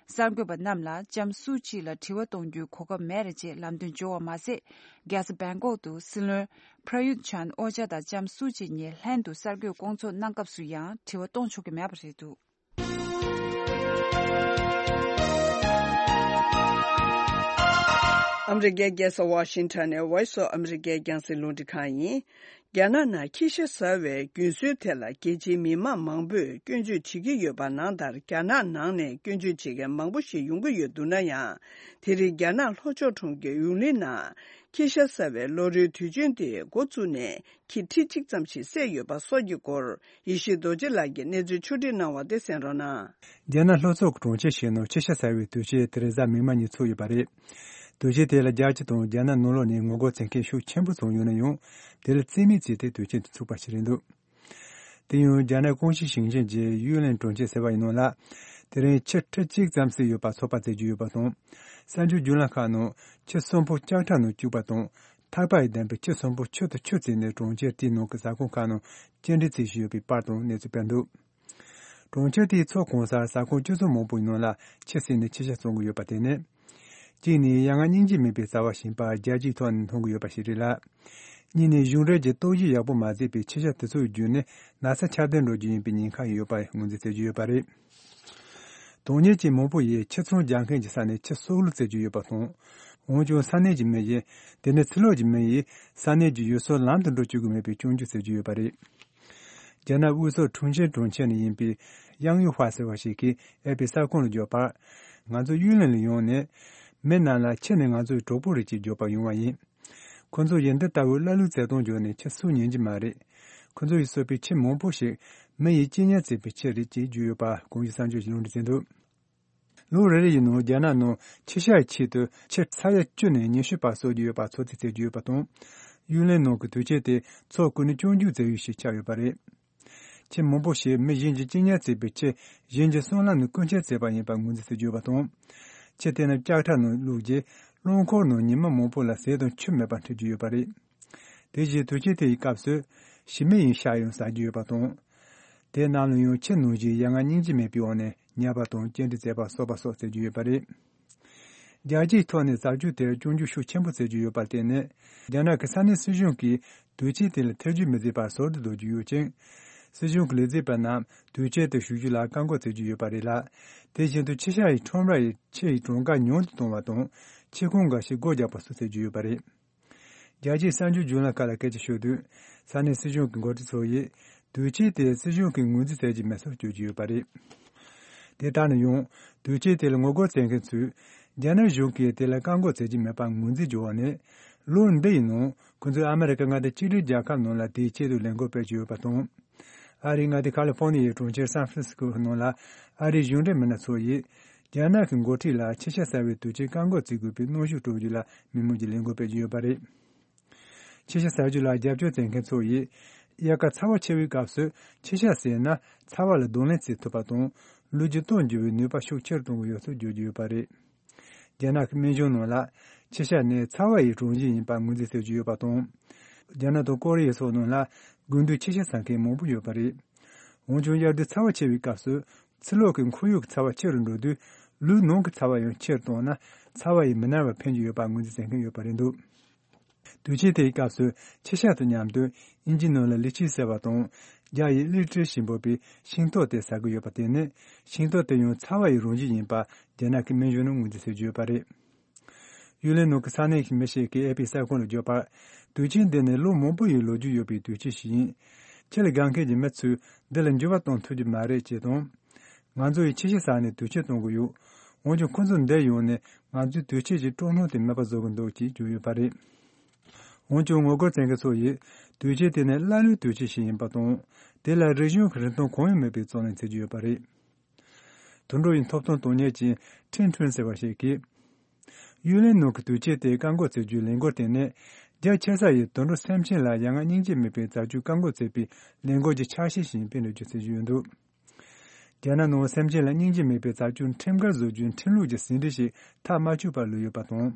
གསར་འགོད་པ་རྣམས་ལ་ལྕམ་སུའུ་ཅི་ལ་དྲི་བ་གཏོང་རྒྱུའི་གོ་སྐབས་མེད་རེད་ཅེས་ལམ་སྟོན་བྱུང་བ་མ་ཟད། རྒྱལ་ས་བེང་ཀོག་ཏུ་སྲིད་བློན་པྲ་ཡུད་ཆན་ཨོ་ཅཱ་དང་ལྕམ་སུའུ་ཅི་གཉིས་ལྷན་དུ་གསར་འགོད་སྐོང་ཚོགས་གནང་སྐབས་སུ་ཡང་དྲི་བ་གཏོང་ཆོག་གི་མེད་པ་རེད་འདུག། ཨ་མི་རི་ཀའི་རྒྱལ་ས་ཝ་ཤིང་ཊོན་ནས་Voice of America རྒྱང་སྲིང་རླུང་འཕྲིན་ཁང་ཡིན། རྒྱ་ནག་ནང་ཁྱི་ཤ་ཟ་བའི་རྒྱུན་སྲོལ་ཐད་ལ་རྒྱལ་སྤྱིའི་མི་མང་མང་པོས་སྐྱོན་བརྗོད་བྱེད་ཀྱི་ཡོད་པ་ནང་ལྟར། རྒྱ་ནག་ནང་ནས་སྐྱོན་བརྗོད་བྱེད་མཁན་མང་པོ་ཞིག་ཡོང་གི་ཡོད་འདུག་ན་ཡང་། དེ་རིང་རྒྱ་ནག་ལྷོ་ཕྱོགས་གྲོང་ཁྱེར་ཡུང་ལིན་ནང་ཁྱི་ཤ་ཟ་བའི་ལོ་རེའི་དུས་ཆེན་དེ་འགོ་བཙུགས་ནས། ཁྱི་ཁྲི་གཅིག་ཙམ་ཞིག་བསད་ཡོད་པ་སོགས་ཀྱི་སྐོར། ཡེ་ཤེས་རྡོ་རྗེ་ལགས་ཀྱིས་གནས་ཚུལ་ཕྱོགས་སྒྲིག་གནང་བ་དེ་གསན་རོགས་གནང་། རྒྱ་ནག་ལྷོ་ཕྱོགས་ཀྱི་གྲོང་ཁྱེར་ཞིག་ནང་ཁྱི་ཤ་ཟ་བའི་དུས་ཆེན་དེ་རེས་གཟའ་མིག་དམར་ཉིན་ཚུགས་ཡོད་པ་རེད། དུས་ཆེན་དེ་ལ་རྒྱལ་སྤྱི་དང་རྒྱ་ནག་ནང་ལོགས་ནས་ངོ་རྒོལ་བྱེད་མཁན་ཤུགས་ཆེན་པོ་ཙམ་ཡོད་ན་ཡང་། དེ་ལ་རྩིས་མེད་བྱས་ཏེ་དུས་ཆེན་དེ་ཚུགས་པ་ཞིག་རེད་འདུག། དེ་ཡང་རྒྱ་ནག་ཀོང་ཞི་ཞིང་ཆེན་གྱི་ཡུས་ལན་གྲོང་ཁྱེར་ཟེར་བ་ཡི་ནང་ལ། དེ་རིང་ཁྱི་ཁྲི་གཅིག་ཙམ་ཟིན་ཡོད་པ་ཚོད་དཔག་བྱེད་ཀྱི་ཡོད་པ་དང་། གསར་འགྱུར་བརྒྱུད་ལམ་ཁག་ནང་ཁྱི་གསོན་པོ་ལྕགས་ཁྲ་ནང་བཅུག་པ་དང་། ཐག་པ་ཡིས་བསྡམས་པའི་ཁྱི་གསོན་པོ་ཁྱུ་དང་ཁྱུ་བརྩིས་ནས་གྲོང་ཁྱེར་དེའི་ནང་གི་ཟ་ཁང་ཁག་ནང་སྐྱེལ་འདྲེན་བྱེད་བཞིན་ཡོད་པའི་པར་དང་གནས་ཚུལ་སྤེལ་འདུག། གྲོང་ཁྱེར་དེའི་མཚོ་གང་སར་ཟ་ཁང་ཆུ་ཚོད་མང་པོའི་ནང་ལ་ཁྱི་བསད་ནས་ཁྱི་ཤ་བཙོང་གི་ཡོད་པ་དེ་ནི། གཅིག་ནས་ཡ་ང་སྙིང་རྗེ་མེད་པའི་བྱ་བ་ཞིག་ཡིན་པ་རྒྱལ་སྤྱིའི་ཐོག་ནས་མཐོང་གི་ཡོད་པ་ཞིག་རེད་ལ། གཉིས་ནས་གཞུང་འབྲེལ་གྱི་རྟོག་ཞིབ་ཡག་པོ་མ་བྱས་པའི་ཁྱི་ཤ་དེ་ཚོ་བརྒྱུད་ནས་ན་ཚ་ཁྱབ་གདལ་འགྲོ་རྒྱུ་ཡིན་པའི་ཉེན་ཁ་ཡོད་པ་ངོས་འཛིན་བྱེད་ཀྱི་ཡོད་པ་རེད། དོན་གཉེར་ཅན་མང་པོ་ཡིས་ཁྱི་ཚང་རྒྱག་མཁན་གྱི་ས་ནས་ཁྱི་སྲོག་བླུ་བྱེད་ཀྱི་ཡོད་པ་དང་། འོན་ཀྱང་ས་གནས་ཀྱི་མི་ཡིས་དེ་ནི་ཕྱི་ལོགས་ཀྱི་མི་ཡིས་ས་གནས་ཀྱི་ཡུལ་སྲོལ་ལམ་དུ་འགྲོ་བཅུག་གི་མེད་པའི་སྐྱོན་བརྗོད་བྱེད་ཀྱི་ཡོད་པ་རེད། རྒྱ་ནག་དབུས་སོག་ཁྲུང་ཆིན་གྲོང་ཁྱེར་ནས་ཡིན་པའི་ཡང་ཡུ་ཧྥ་ཟེར་བ་ཞིག་གིས་ཨེ་པི་གསར་ཁང་ལ་བརྗོད་པར། ང་ཚོ་ཡུས་ལན་ལ་ཡོང་ནས། མི་རྣམས་ལ་ཁྱི་ནི་ང་ཚོའི་གྲོགས་པོ་རེད་ཅེས་བརྗོད་པར་ཡོང་བ་ཡིན། ཁོ་ཚོ་ཡིས་འདི་ལྟ་བུའི་ཀླ་ཀློའི་བྱེད་སྟངས་བརྗོད་ནས་ཁྱི་སྲོག་ཉན་གྱི་མ་རེད། ཁོ་ཚོ་ཡིས་གསོད་པའི་ཁྱི་མང་པོ་ཞིག་མི་ཡིས་གཅིན་སྙི་བྱས་པའི་ཁྱི་རེད་ཅེས་བརྗོད་ཡོད་པ་གོང་ཞུས་གསར་འགྱུར་གྱིས་ལུང་འདྲེན་བྱས་འདུག། ལོ་རེ་རེ་ཡི་ནང་རྒྱ་ནག་ནང་ཁྱི་ཤ་ཡི་ཆེད་དུ་ཁྱི་ས་ཡ་བཅུ་ནས་ཉི་ཤུ་བར་གསོད་ཀྱི་ཡོད་པ་ཚོད་རྩིས་བྱེད་ཀྱི་ཡོད་པ་དང་། ཡུས་ལན་ནང་གི་དུས་ཆེན་དེ་མཚོ་ཀུན་ནས་སྐྱོང་རྒྱུའི་རྩེད་ཡུལ་ཞིག་ཆགས་ཡོད་པ་རེད། ཁྱི་མང་པོ་ཞིག་མི་གཞན་གྱིས་གཅིན་སྙི་བྱས་པའི་ཁྱི་གཞན་གྱི་སྲང་ལམ་ནས་རྐུན་ཁྱེར་བྱས་པ་ཡིན་པ་ངོས་འཛིན་བྱེད་ཀྱི་ཡོད་པ་དང་། ཁྱི་དེ་རྣམས་ལྕགས་ཁྲ་ནང་བླུགས་རྗེས་རླངས་འཁོར་ནང་ཉི་མ་མང་པོ་ལ་ཟས་དང་ཆུ་མེད་པར་འཁྲིད་ཀྱི་ཡོད་པ་རེད། དེ་བཞིན་དུས་ཆེན་དེ་ཡི་སྐབས་སུ་ཞི་མི་ཡི་ཤ་ཡང་ཟ་རྒྱུ་ཡོད་པ་དང་། དེ་རྣམས་ལ་ཡང་ཁྱི་ནང་བཞིན་ཡ་ང་སྙིང་རྗེ་མེད་པའི་འོག་ནས་ཉར་བ་དང་སྐྱེལ་འདྲེན་བྱས་པ་གསོད་པ་སོགས་བྱེད་ཀྱི་ཡོད་པ་རེད། རྒྱལ་སྤྱིའི་ཐོག་ནས་བྱ་སྤྱོད་དེར་སྐྱོན་བརྗོད་ཤུགས་ཆེན་པོ་བྱེད་ཀྱི་ཡོད་པར་བརྟེན་ནས། རྒྱ་ནག་གི་ས་གནས་སྲིད་གཞུང་གིས་དུས་ཆེན་དེ་ལ་ཐེ་ཇུས་མི་བྱེད་པར་ཟུར་དུ་བཟོ་རྒྱུ་ཡོད་ཅིང་། སྲིད་གཞུང་གི་ལས་བྱེད་པ་རྣམས་དུས་ཆེན་དུ་ཞུགས་རྒྱུ་ལ་བཀག་འགོག་བྱེད་ཀྱི་ཡོད་པ་རེད་ལ། དེ་བཞིན་དུ་ཁྱི་ཤ་ཡི་ཁྲོམ་ར་ཡི་ཁྱི་ཡི་གྲངས་ཀ་ཉུང་དུ་གཏོང་བ་དང་། ཁྱི་ཁང་འགའ་ཞིག་སྒོ་རྒྱག་པ་སོགས་བྱེད་ཀྱི་ཡོད་པ་རེད། རྒྱལ་སྤྱིའི་གསར་འགྱུར་བརྒྱུད་ལམ་ཁག་ལ་སྐད་ཆ་ཤོད་དུས། ས་གནས་སྲིད་གཞུང་གི་འགོ་ཁྲིད་ཚོ་ཡིས་དུས་ཆེན་དེ་སྲིད་གཞུང་གིས་ངོས་འཛིན་བྱེད་ཀྱི་མེད་སོགས་བརྗོད་ཀྱི་ཡོད་པ་རེད། དེ་ལྟར་ན་ཡང་དུས་ཆེན་དེ་ལ་ངོ་རྒོལ་བྱེད་མཁན་ཚོས་རྒྱ་ནག་གཞུང་གིས་དེ་ལ་བཀག་འགོག་བྱེད་ཀྱི་མེད་པར་ངོས་འཛིན་བྱུང་བ་ནས། ལོ་འདི་ཡི་ནང་ཁོ་ཚོས་ཨ་མི་རི་ཀ་མངའ་སྡེ་གཅིག་སྒྲིལ་རྒྱལ་ཁབ་ནང་ལ་དེའི་ཆེད་དུ་ལས་འགུལ་སྤེལ་གྱི་ཡོད་པ་དང་། ཨ་རིའི་མངའ་སྡེ་ཁ་ལི་ཧྥོ་ནི་ཡའི་གྲོང་ཁྱེར་སན་ཧྥ་རན་སི་སྐོ་ནང་ལ་ཨ་རིའི་གཞུང་འབྲེལ་མི་སྣ་ཚོ་ཡིས། རྒྱ་ནག་གི་འགོ་ཁྲིད་ལ་ཁྱི་ཤ་ཟ་བའི་དུས་ཆེན་བཀག་འགོག་བྱེད་དགོས་པའི་གནོན་ཤུགས་སྤྲོད་རྒྱུ་ལ་མི་མང་གིས་ལས་འགུལ་སྤེལ་གྱི་ཡོད་པ་རེད། ཁྱི་ཤ་ཟ་རྒྱུ་ལ་རྒྱབ་སྐྱོར་བྱེད་མཁན་ཚོ་ཡིས། དབྱར་ཁ་ཚ་བ་ཆེ་བའི་སྐབས་སུ་ཁྱི་ཤ་ཟོས་ན་ཚ་བ་ལ་གདོང་ལེན་བྱེད་ཐུབ་པ་དང་། ལུས་ཀྱི་སྟོབས་འགྱུར་བའི་ནུས་པ་ཤུགས་ཆེར་གཏོང་གི་ཡོད་ཚུལ་བརྗོད་ཀྱི་ཡོད་པ་རེད། རྒྱ་ནག་གི་སྨན་གཞུང་ནང་ལ་ཁྱི་ཤ་ནི་ཚ་བ་ཡི་རང་བཞིན་ཡིན་པ་ངོས་འཛིན་བྱེད་ཀྱི་ཡོད་པ་དང་། རྒྱ་ནག་དང་ཀོ་རི་ཡ་སོགས་ནང་ལ་དགུན་དུས་ཁྱི་ཤ་ཟ་མཁན་མང་པོ་ཡོད་པ་རེད། འོན་ཀྱང་དབྱར་དུས་ཚ་བ་ཆེ་བའི་སྐབས་སུ་ཕྱི་ལོགས་ཀྱི་ཁོར་ཡུག་གི་ཚ་བ་ཆེ་རུ་འགྲོ་དུས། ལུས་ནང་གི་ཚ་བ་ཡང་ཆེར་གཏོང་ན་ཚ་བ་ཡིས་མི་ན་བར་ཕན་གྱི་ཡོད་པ་ངོས་འཛིན་བྱེད་མཁན་ཡོད་པ་རེད་འདུག། དུས་ཆེན་དེའི་སྐབས་སུ་ཁྱི་ཤ་དང་མཉམ་དུ་དབྱིན་ཇིའི་ནང་ལ་ལི་ཆི་ཟེར་བ་དང་། རྒྱ་ཡིས་ལི་ཀྲི་ཞེས་འབོད་པའི་ཤིང་ཏོག་དེ་ཟ་གི་ཡོད་པ་དེ་ནི་ཤིང་ཏོག་དེ་ཡང་ཚ་བ་ཡི་རང་བཞིན་ཡིན་པ་རྒྱ་ནག་གི་སྨན་གཞུང་ནས་ངོས་འཛིན་བྱེད་ཀྱི་ཡོད་པ་རེད། ཡུ་ལན་ནང་གི་ས་གནས་ཀྱི་མི་ཞིག་གིས་ཨེ་པི་གསར་ཁང་ལ་བརྗོད་པར། དུས་ཆེན་འདི་ནི་ལོ་མང་པོ་ཡི་ལོ་རྒྱུས་ཡོད་པའི་དུས་ཆེན་ཞིག་ཡིན། ཁྱི་ལ་དགའ་མཁན་གྱི་མི་ཚོས་འདི་ལ་འགྱུར་བ་གཏོང་ཐུབ་ཀྱི་མ་རེད་ཅེས་དང་། ང་ཚོ་ཡིས་ཁྱི་ཤ་ཟ་ནས་དུས་ཆེན་གཏོང་གི་ཡོད། འོན་ཀྱང་ཁོ་ཚོ་འདིར་ཡོང་ནས་ང་ཚོའི་དུས་ཆེན་གྱི་སྤྲོ་སྣང་དེ་མེད་པ་བཟོ་གི་འདུག་ཅེས་བརྗོད་ཡོད་པ་རེད། འོན་ཀྱང་ངོ་རྒོལ་བྱེད་མཁན་ཚོ་ཡིས་དུས་ཆེན་དེ་ནི་ཀླ་ཀློའི་དུས་ཆེན་ཞིག་ཡིན་པ་དང་། དེ་ལ་རིག་གཞུང་གི་རིན་ཐང་གང་ཡང་མེད་པའི་རྩོད་ལེན་བྱེད་ཀྱི་ཡོད་པ་རེད། དུད་འགྲོ་ཡི་ཐོབ་ཐང་དོན་གཉེར་ཅན་ཁྲིན་ཁྲུན་ཟེར་བ་ཞིག་གིས། གཡུལ་ལས་ནང་གི་དུས་ཆེན་དེ་བཀག་འགོག་བྱེད་རྒྱུའི་ལས་འགུལ་དེ་ནི། རྒྱ་ཆེ་ས་ཡི་དུད་འགྲོ་སེམས་ཅན་ལ་ཡ་ང་སྙིང་རྗེ་མེད་པའི་བྱ་སྤྱོད་བཀག་འགོག་བྱེད་པའི་ལས་འགུལ་གྱི་ཆ་ཤས་ཤིག་ཡིན་པའི་འགྲེལ་བརྗོད་བྱེད་ཀྱི་ཡོད་འདུག་རྒྱ་ནག་ནང་སེམས་ཅན་ལ་སྙིང་རྗེ་མེད་པའི་བྱ་སྤྱོད་ཁྲིམས་འགལ་བཟོ་རྒྱུའི་ཁྲིམས་ལུགས་ཀྱི་ཟིན་བྲིས་ཤིག་མཐའ་མ་ཆོད་པར་ལུས་ཡོད་པ་དང་།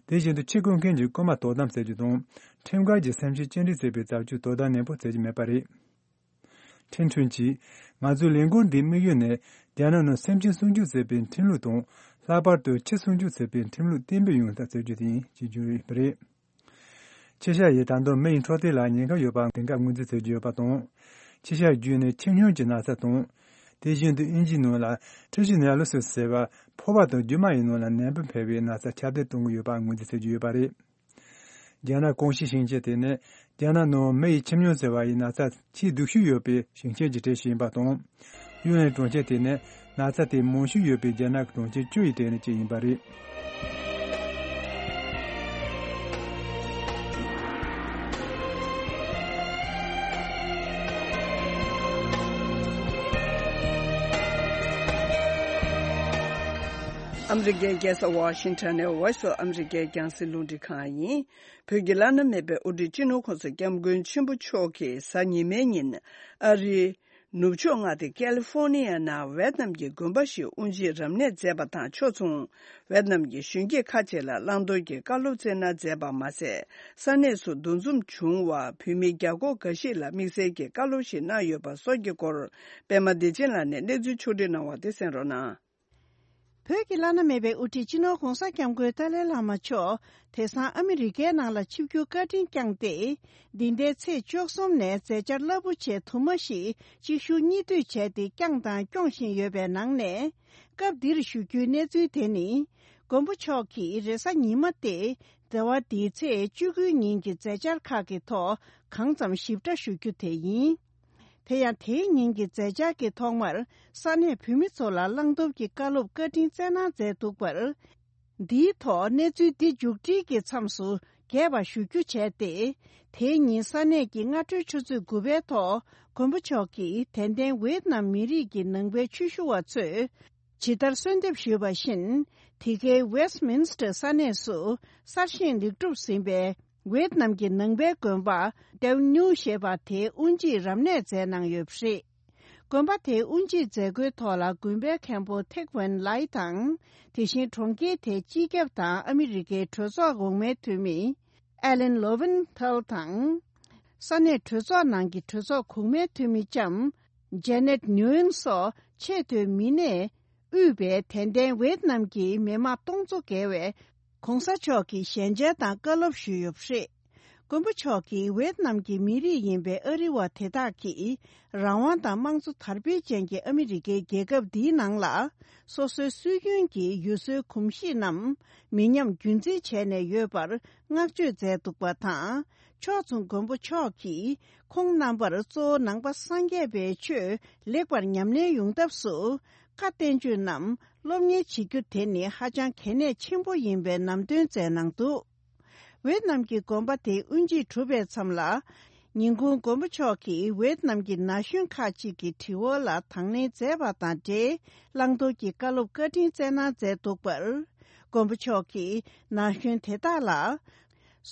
དེ་བཞིན་དུ་ཆེད་བསྐོས་མཁན་གྱི་རྐུན་མ་དོ་དམ་བྱེད་རྒྱུ་དང་། ཁྲིམས་འགལ་གྱི་སེམས་ཅན་གཅིག་སྒྲིལ་བྱེད་པའི་བྱ་སྤྱོད་དོ་དམ་ནན་པོ་བྱེད་ཀྱི་མེད་པ་རེད། ཁྲིན་ཁྲུན་གྱིས། ང་ཚོའི་ལས་འགུལ་འདིའི་དམིགས་ཡུལ་ནི། རྒྱ་ནག་ནང་སེམས་ཅན་སྲུང་སྐྱོབ་བྱེད་པའི་ཁྲིམས་ལུགས་དང་། ལྷག་པར་དུ་ཁྱི་སྲུང་སྐྱོབ་བྱེད་པའི་ཁྲིམས་ལུགས་གཏན་འབེབས་ཡོང་ཐབས་བྱེད་རྒྱུ་དེ་ཡིན་ཞེས་བརྗོད་ཡོད་པ་རེད། ཁྱི་ཤ་ཡིས་ད་དུང་མི་ཡི་འཕྲོད་བསྟེན་ལ་ཉེན་ཁ་ཡོད་པ་དེང་སྐབས་ངོས་འཛིན་བྱེད་ཀྱི་ཡོད་པ་དང་། ཁྱི་ཤ་བརྒྱུད་ནས་ཁྱི་སྨྱོན་གྱི་ན་ཚ་དང་། དེ་བཞིན་དུ་དབྱིན་ཇིའི་ནང་ལ་ཊི་ཤི་ནེ་ལོ་སིས་ཟེར་བ་ཕོ་བ་དང་རྒྱུ་མ་ཡི་ནང་ལ་ནད་འབུ་འཕེལ་བའི་ན་ཚ་ཁྱབ་གདལ་གཏོང་གི་ཡོད་པ་ངོས་འཛིན་བྱེད་ཀྱི་ཡོད་པ་རེད། རྒྱ་ནག་ཀོང་ཞི་ཞིང་ཆེན་དེ་ནི་རྒྱ་ནག་ནང་མི་ཡི་ཁྱི་སྨྱོན་ཟེར་བ་ཡི་ན་ཚ་ཆེས་སྡུག་ཤོས་ཡོད་པའི་ཞིང་ཆེན་གྱི་གྲས་ཤིག་ཡིན་པ་དང་། གཡུལ་ལས་གྲོང་ཁྱེར་དེ་ནི་ན་ཚ་དེ་མང་ཤོས་ཡོད་པའི་རྒྱ་ནག་གི་གྲོང་ཁྱེར་བཅུ་ཡི་གྲས་ནས་གཅིག་ཡིན་པ་རེད། ཨ་མི་རི་ཀའི་རྒྱལ་ས་ཝ་ཤིང་ཊོན་ནས་Voice of America རྒྱང་སྲིང་རླུང་འཕྲིན་ཁང་ཡིན། བོད་ཀྱི་བླ་ན་མེད་པའི་དབུ་ཁྲིད་སྤྱི་ནོར་༸གོང་ས་༸སྐྱབས་མགོན་ཆེན་པོ་མཆོག་གིས་གཟའ་ཉི་མའི་ཉིན་ཨ་རིའི་ནུབ་ཕྱོགས་མངའ་སྡེ་ཀལ་ལི་ཧྥོར་ནི་ཡ་ནང་ཝེད་ནམ་གྱི་དགོན་པ་ཞིག་དབུ་འབྱེད་རབ་གནས་མཛད་པ་དང་ཕྱོགས་མཚུངས། ཝེད་ནམ་གྱི་གཞོན་སྐྱེས་ཁག་ཅིག་ལ་བླང་དོར་གྱི་བཀའ་སློབ་སྩལ་གནང་མཛད་པ་མ་ཟད། ས་གནས་སུ་འདུ་འཛོམས་བྱུང་བ་བོད་མི་བརྒྱ་སྐོར་འགའ་ཞིག་ལ་དམིགས་བསལ་གྱི་བཀའ་སློབ་ཞིག་གནང་ཡོད་པ་སོགས་ཀྱི་སྐོར། པད་མ་བདེ་ཆེན་ལགས་ནས་གནས་ཚུལ་ཕྱོགས་སྒྲིག་གནང་བ་དེ་གསན་རོགས་གནང་། བོད་ཀྱི་བླ་ན་མེད་པའི་དབུ་ཁྲིད་སྤྱི་ནོར་༸གོང་ས་༸སྐྱབས་མགོན་ཏཱ་ལའི་བླ་མ་མཆོག་དེང་སང་ཨ་མི་རི་ཀའི་ནང་ལ་ཆིབས་བསྒྱུར་བཀའ་དྲིན་བསྐྱངས་ཏེ། འདི་ཟླའི་ཚེས་བཅུ་གསུམ་ནས་མཛད་འཆར་རླབས་པོ་ཆེ་དུ་མ་ཞིག་གཅིག་མཇུག་གཉིས་མཐུད་བྱས་ཏེ་བསྐྱངས་དང་སྐྱོང་བཞིན་ཡོད་པའི་ནང་ནས། སྐབས་འདིར་ཞུ་རྒྱུའི་གནས་ཚུལ་དེ་ནི། མགོན་པོ་མཆོག་གིས་རེས་གཟའ་ཉི་མ་སྟེ། ཟླ་བ་འདིའི་ཚེས་བཅུ་དགུའི་ཉིན་གྱི་མཛད་འཆར་ཁག་གི་ཐོག་གང་ཙམ་ཞིབ་ཕྲ་ཞུ་རྒྱུ་དེ་ཡིན། དེ་ཡང་དེའི་ཉིན་གྱི་མཛད་འཆར་གྱི་ཐོག་མར་ས་གནས་བོད་མི་ཚོ་ལ་བླང་དོར་གྱི་བཀའ་སློབ་བཀའ་དྲིན་སྩལ་གནང་མཛད་འདུག་པར། འདིའི་ཐོག་གནས་ཚུལ་འདི་མཇུག་སྒྲིལ་གྱི་མཚམས་སུ་རྒྱས་པ་ཞུ་རྒྱུ་བྱས་ཏེ། དེའི་ཉིན་ས་གནས་ཀྱི་སྔ་དྲོའི་ཆུ་ཚོད་དགུ་པའི་ཐོག་མགོན་པོ་མཆོག་གིས་དད་ལྡན་ཝེད་ནམ་མི་རིགས་ཀྱི་ནང་པའི་ཆོས་ཞུ་བ་ཚོས། ཇི་ལྟར་གསོལ་འདེབས་ཞུས་པ་བཞིན། འདི་གའི་ཝེ་སི་མིན་སི་ཊར་ས་གནས་སུ་གསར་བཞེངས་ལེགས་གྲུབ་ཟིན་པའི་ཝེད་ནམ་གྱི་ནང་པའི་དགོན་པ་ཏེའུ་ཉུའུ་ཞེས་པ་དེའི་དབུ་འབྱེད་རབ་གནས་མཛད་གནང་ཡོད་པ་རེད། དགོན་པ་དེའི་དབུ་འབྱེད་མཛད་སྒོའི་ཐོག་ལ་དགོན་པའི་མཁན་པོ་ཐེག་ཝན་ལའི་དང་། དེ་བཞིན་གྲོང་ཁྱེར་དེའི་སྤྱི་ཁྱབ་དང་ཨ་མི་རི་ཀའི་གྲོས་ཚོགས་འོག་མའི་འཐུས་མི་ཨེ་ལན་ལོ་ཝིན་ཐལ་དང་། ས་གནས་གྲོས་ཚོགས་ནང་གི་གྲོས་ཚོགས་གོང་མའི་འཐུས་མི་ལྕམ་ཇེ་ནེད་ནུའུ་ཨེན་སོགས་ཆེས་མཐོའི་མི་སྣས་དབུས་པའི་དད་ལྡན་ཝེད་ནམ་གྱི་མི་མང་སྟོང་ཚོ་བརྒལ་བས་༸གོང་ས་མཆོག་གི་ཞལ་མཇལ་དང་བཀའ་སློབ་ཞུས་ཡོད་པ་རེད། མགོན་པོ་མཆོག་གིས་ཝེད་ནམ་གྱི་མི་རིགས་ཡིན་པའི་ཨ་རི་བ་དེ་དག་གིས་རང་དབང་དང་དམངས་གཙོ་དར་སྤེལ་ཅན་གྱི་ཨ་མི་རི་ཀའི་རྒྱལ་ཁབ་འདིའི་ནང་ལ་སོ་སོའི་སྲོལ་རྒྱུན་གྱི་ཡུལ་སྲོལ་གོམས་གཤིས་རྣམས་མི་ཉམས་རྒྱུན་འཛིན་བྱས་ནས་ཡོད་པར་བསྔགས་བརྗོད་མཛད་འདུག་པ་དང་། ཕྱོགས་མཚུངས་མགོན་པོ་མཆོག་གིས་ཁོང་རྣམ་པར་གཙོ་བོ་ནང་པ་སངས་རྒྱས་པའི་ཆོས་ལེགས་པར་ཉམས་ལེན་ཡོང་ཐབས་སུ་བཀའ་བསྟན་བཅོས་རྣམས་སློབ་གཉེར་བྱེད་རྒྱུ་དེ་ནི་ཧ་ཅང་གལ་གནད་ཆེན་པོ་ཡིན་པའི་ལམ་སྟོན་མཛད་གནང་འདུག་ཝེད་ནམ་གྱི་དགོན་པ་དེའི་དབུ་འབྱེད་གྲུབ་པའི་མཚམས་ལ། ཉིན་གུང་མགོན་པོ་མཆོག་གིས་ཝེད་ནམ་གྱི་ན་གཞོན་ཁག་ཅིག་གི་དྲི་བ་ལ་དང་ལེན་མཛད་པ་དང་འབྲེལ་བླང་དོར་གྱི་བཀའ་སློབ་བཀའ་དྲིན་སྩལ་གནང་མཛད་འདུག་པར། མགོན་པོ་མཆོག་གིས་ན་གཞོན་དེ་དག་ལ།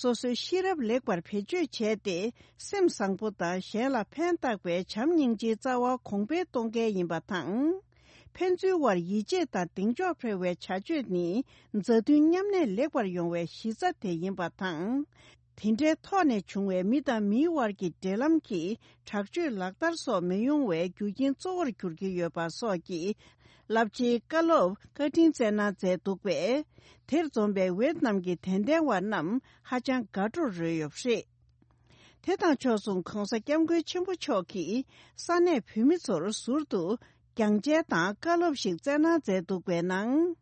སོ་སོའི་ཤེས་རབ་ལེགས་པར་བེད་སྤྱོད་བྱས་ཏེ་སེམས་བཟང་པོ་དང་གཞན་ལ་ཕན་བཏགས་པའི་བྱམས་སྙིང་རྗེའི་རྩ་བ་གོང་འཕེལ་གཏོང་གལ་ཡིན་པ་དང་། ཕན་ཚུན་དབར་ཡིད་ཆེས་དང་གདེང་འཇོག་འཕེར་བའི་བྱ་སྤྱོད་ནི་མཛའ་མཐུན་མཉམ་གནས་ལེགས་པར་ཡོང་བའི་གཞི་རྩ་དེ་ཡིན་པ་དང་། དེ་འདྲའི་ཐོག་ནས་བྱུང་བའི་མི་དང་མིའི་དབར་གྱི་འབྲེལ་ལམ་གྱི་དྲག་སྤྱོད་ལག་བསྟར་སོགས་མི་ཡོང་བའི་རྒྱུ་རྐྱེན་གཙོ་བོར་གྱུར་གྱི་ཡོད་པ་སོགས་ཀྱི་རླབས་ཆེའི་བཀའ་སློབ་བཀའ་དྲིན་སྩལ་གནང་མཛད་འདུག་པས། དེར་འཛོམས་པའི་ཝེད་ནམ་གྱི་དད་ལྡན་བ་རྣམས་ཧ་ཅང་དགའ་སྤྲོར་རོལ་ཡོད་པ་རེད། དེ་དང་ཕྱོགས་མཚུངས་༸གོང་ས་༸སྐྱབས་མགོན་ཆེན་པོ་མཆོག་གིས་ས་གནས་བོད་མི་ཚོར་ཟུར་དུ་སྦྱང་བྱ་དང་བཀའ་སློབ་ཞིག་སྩལ་གནང་མཛད་འདུག་པའི་ནང་།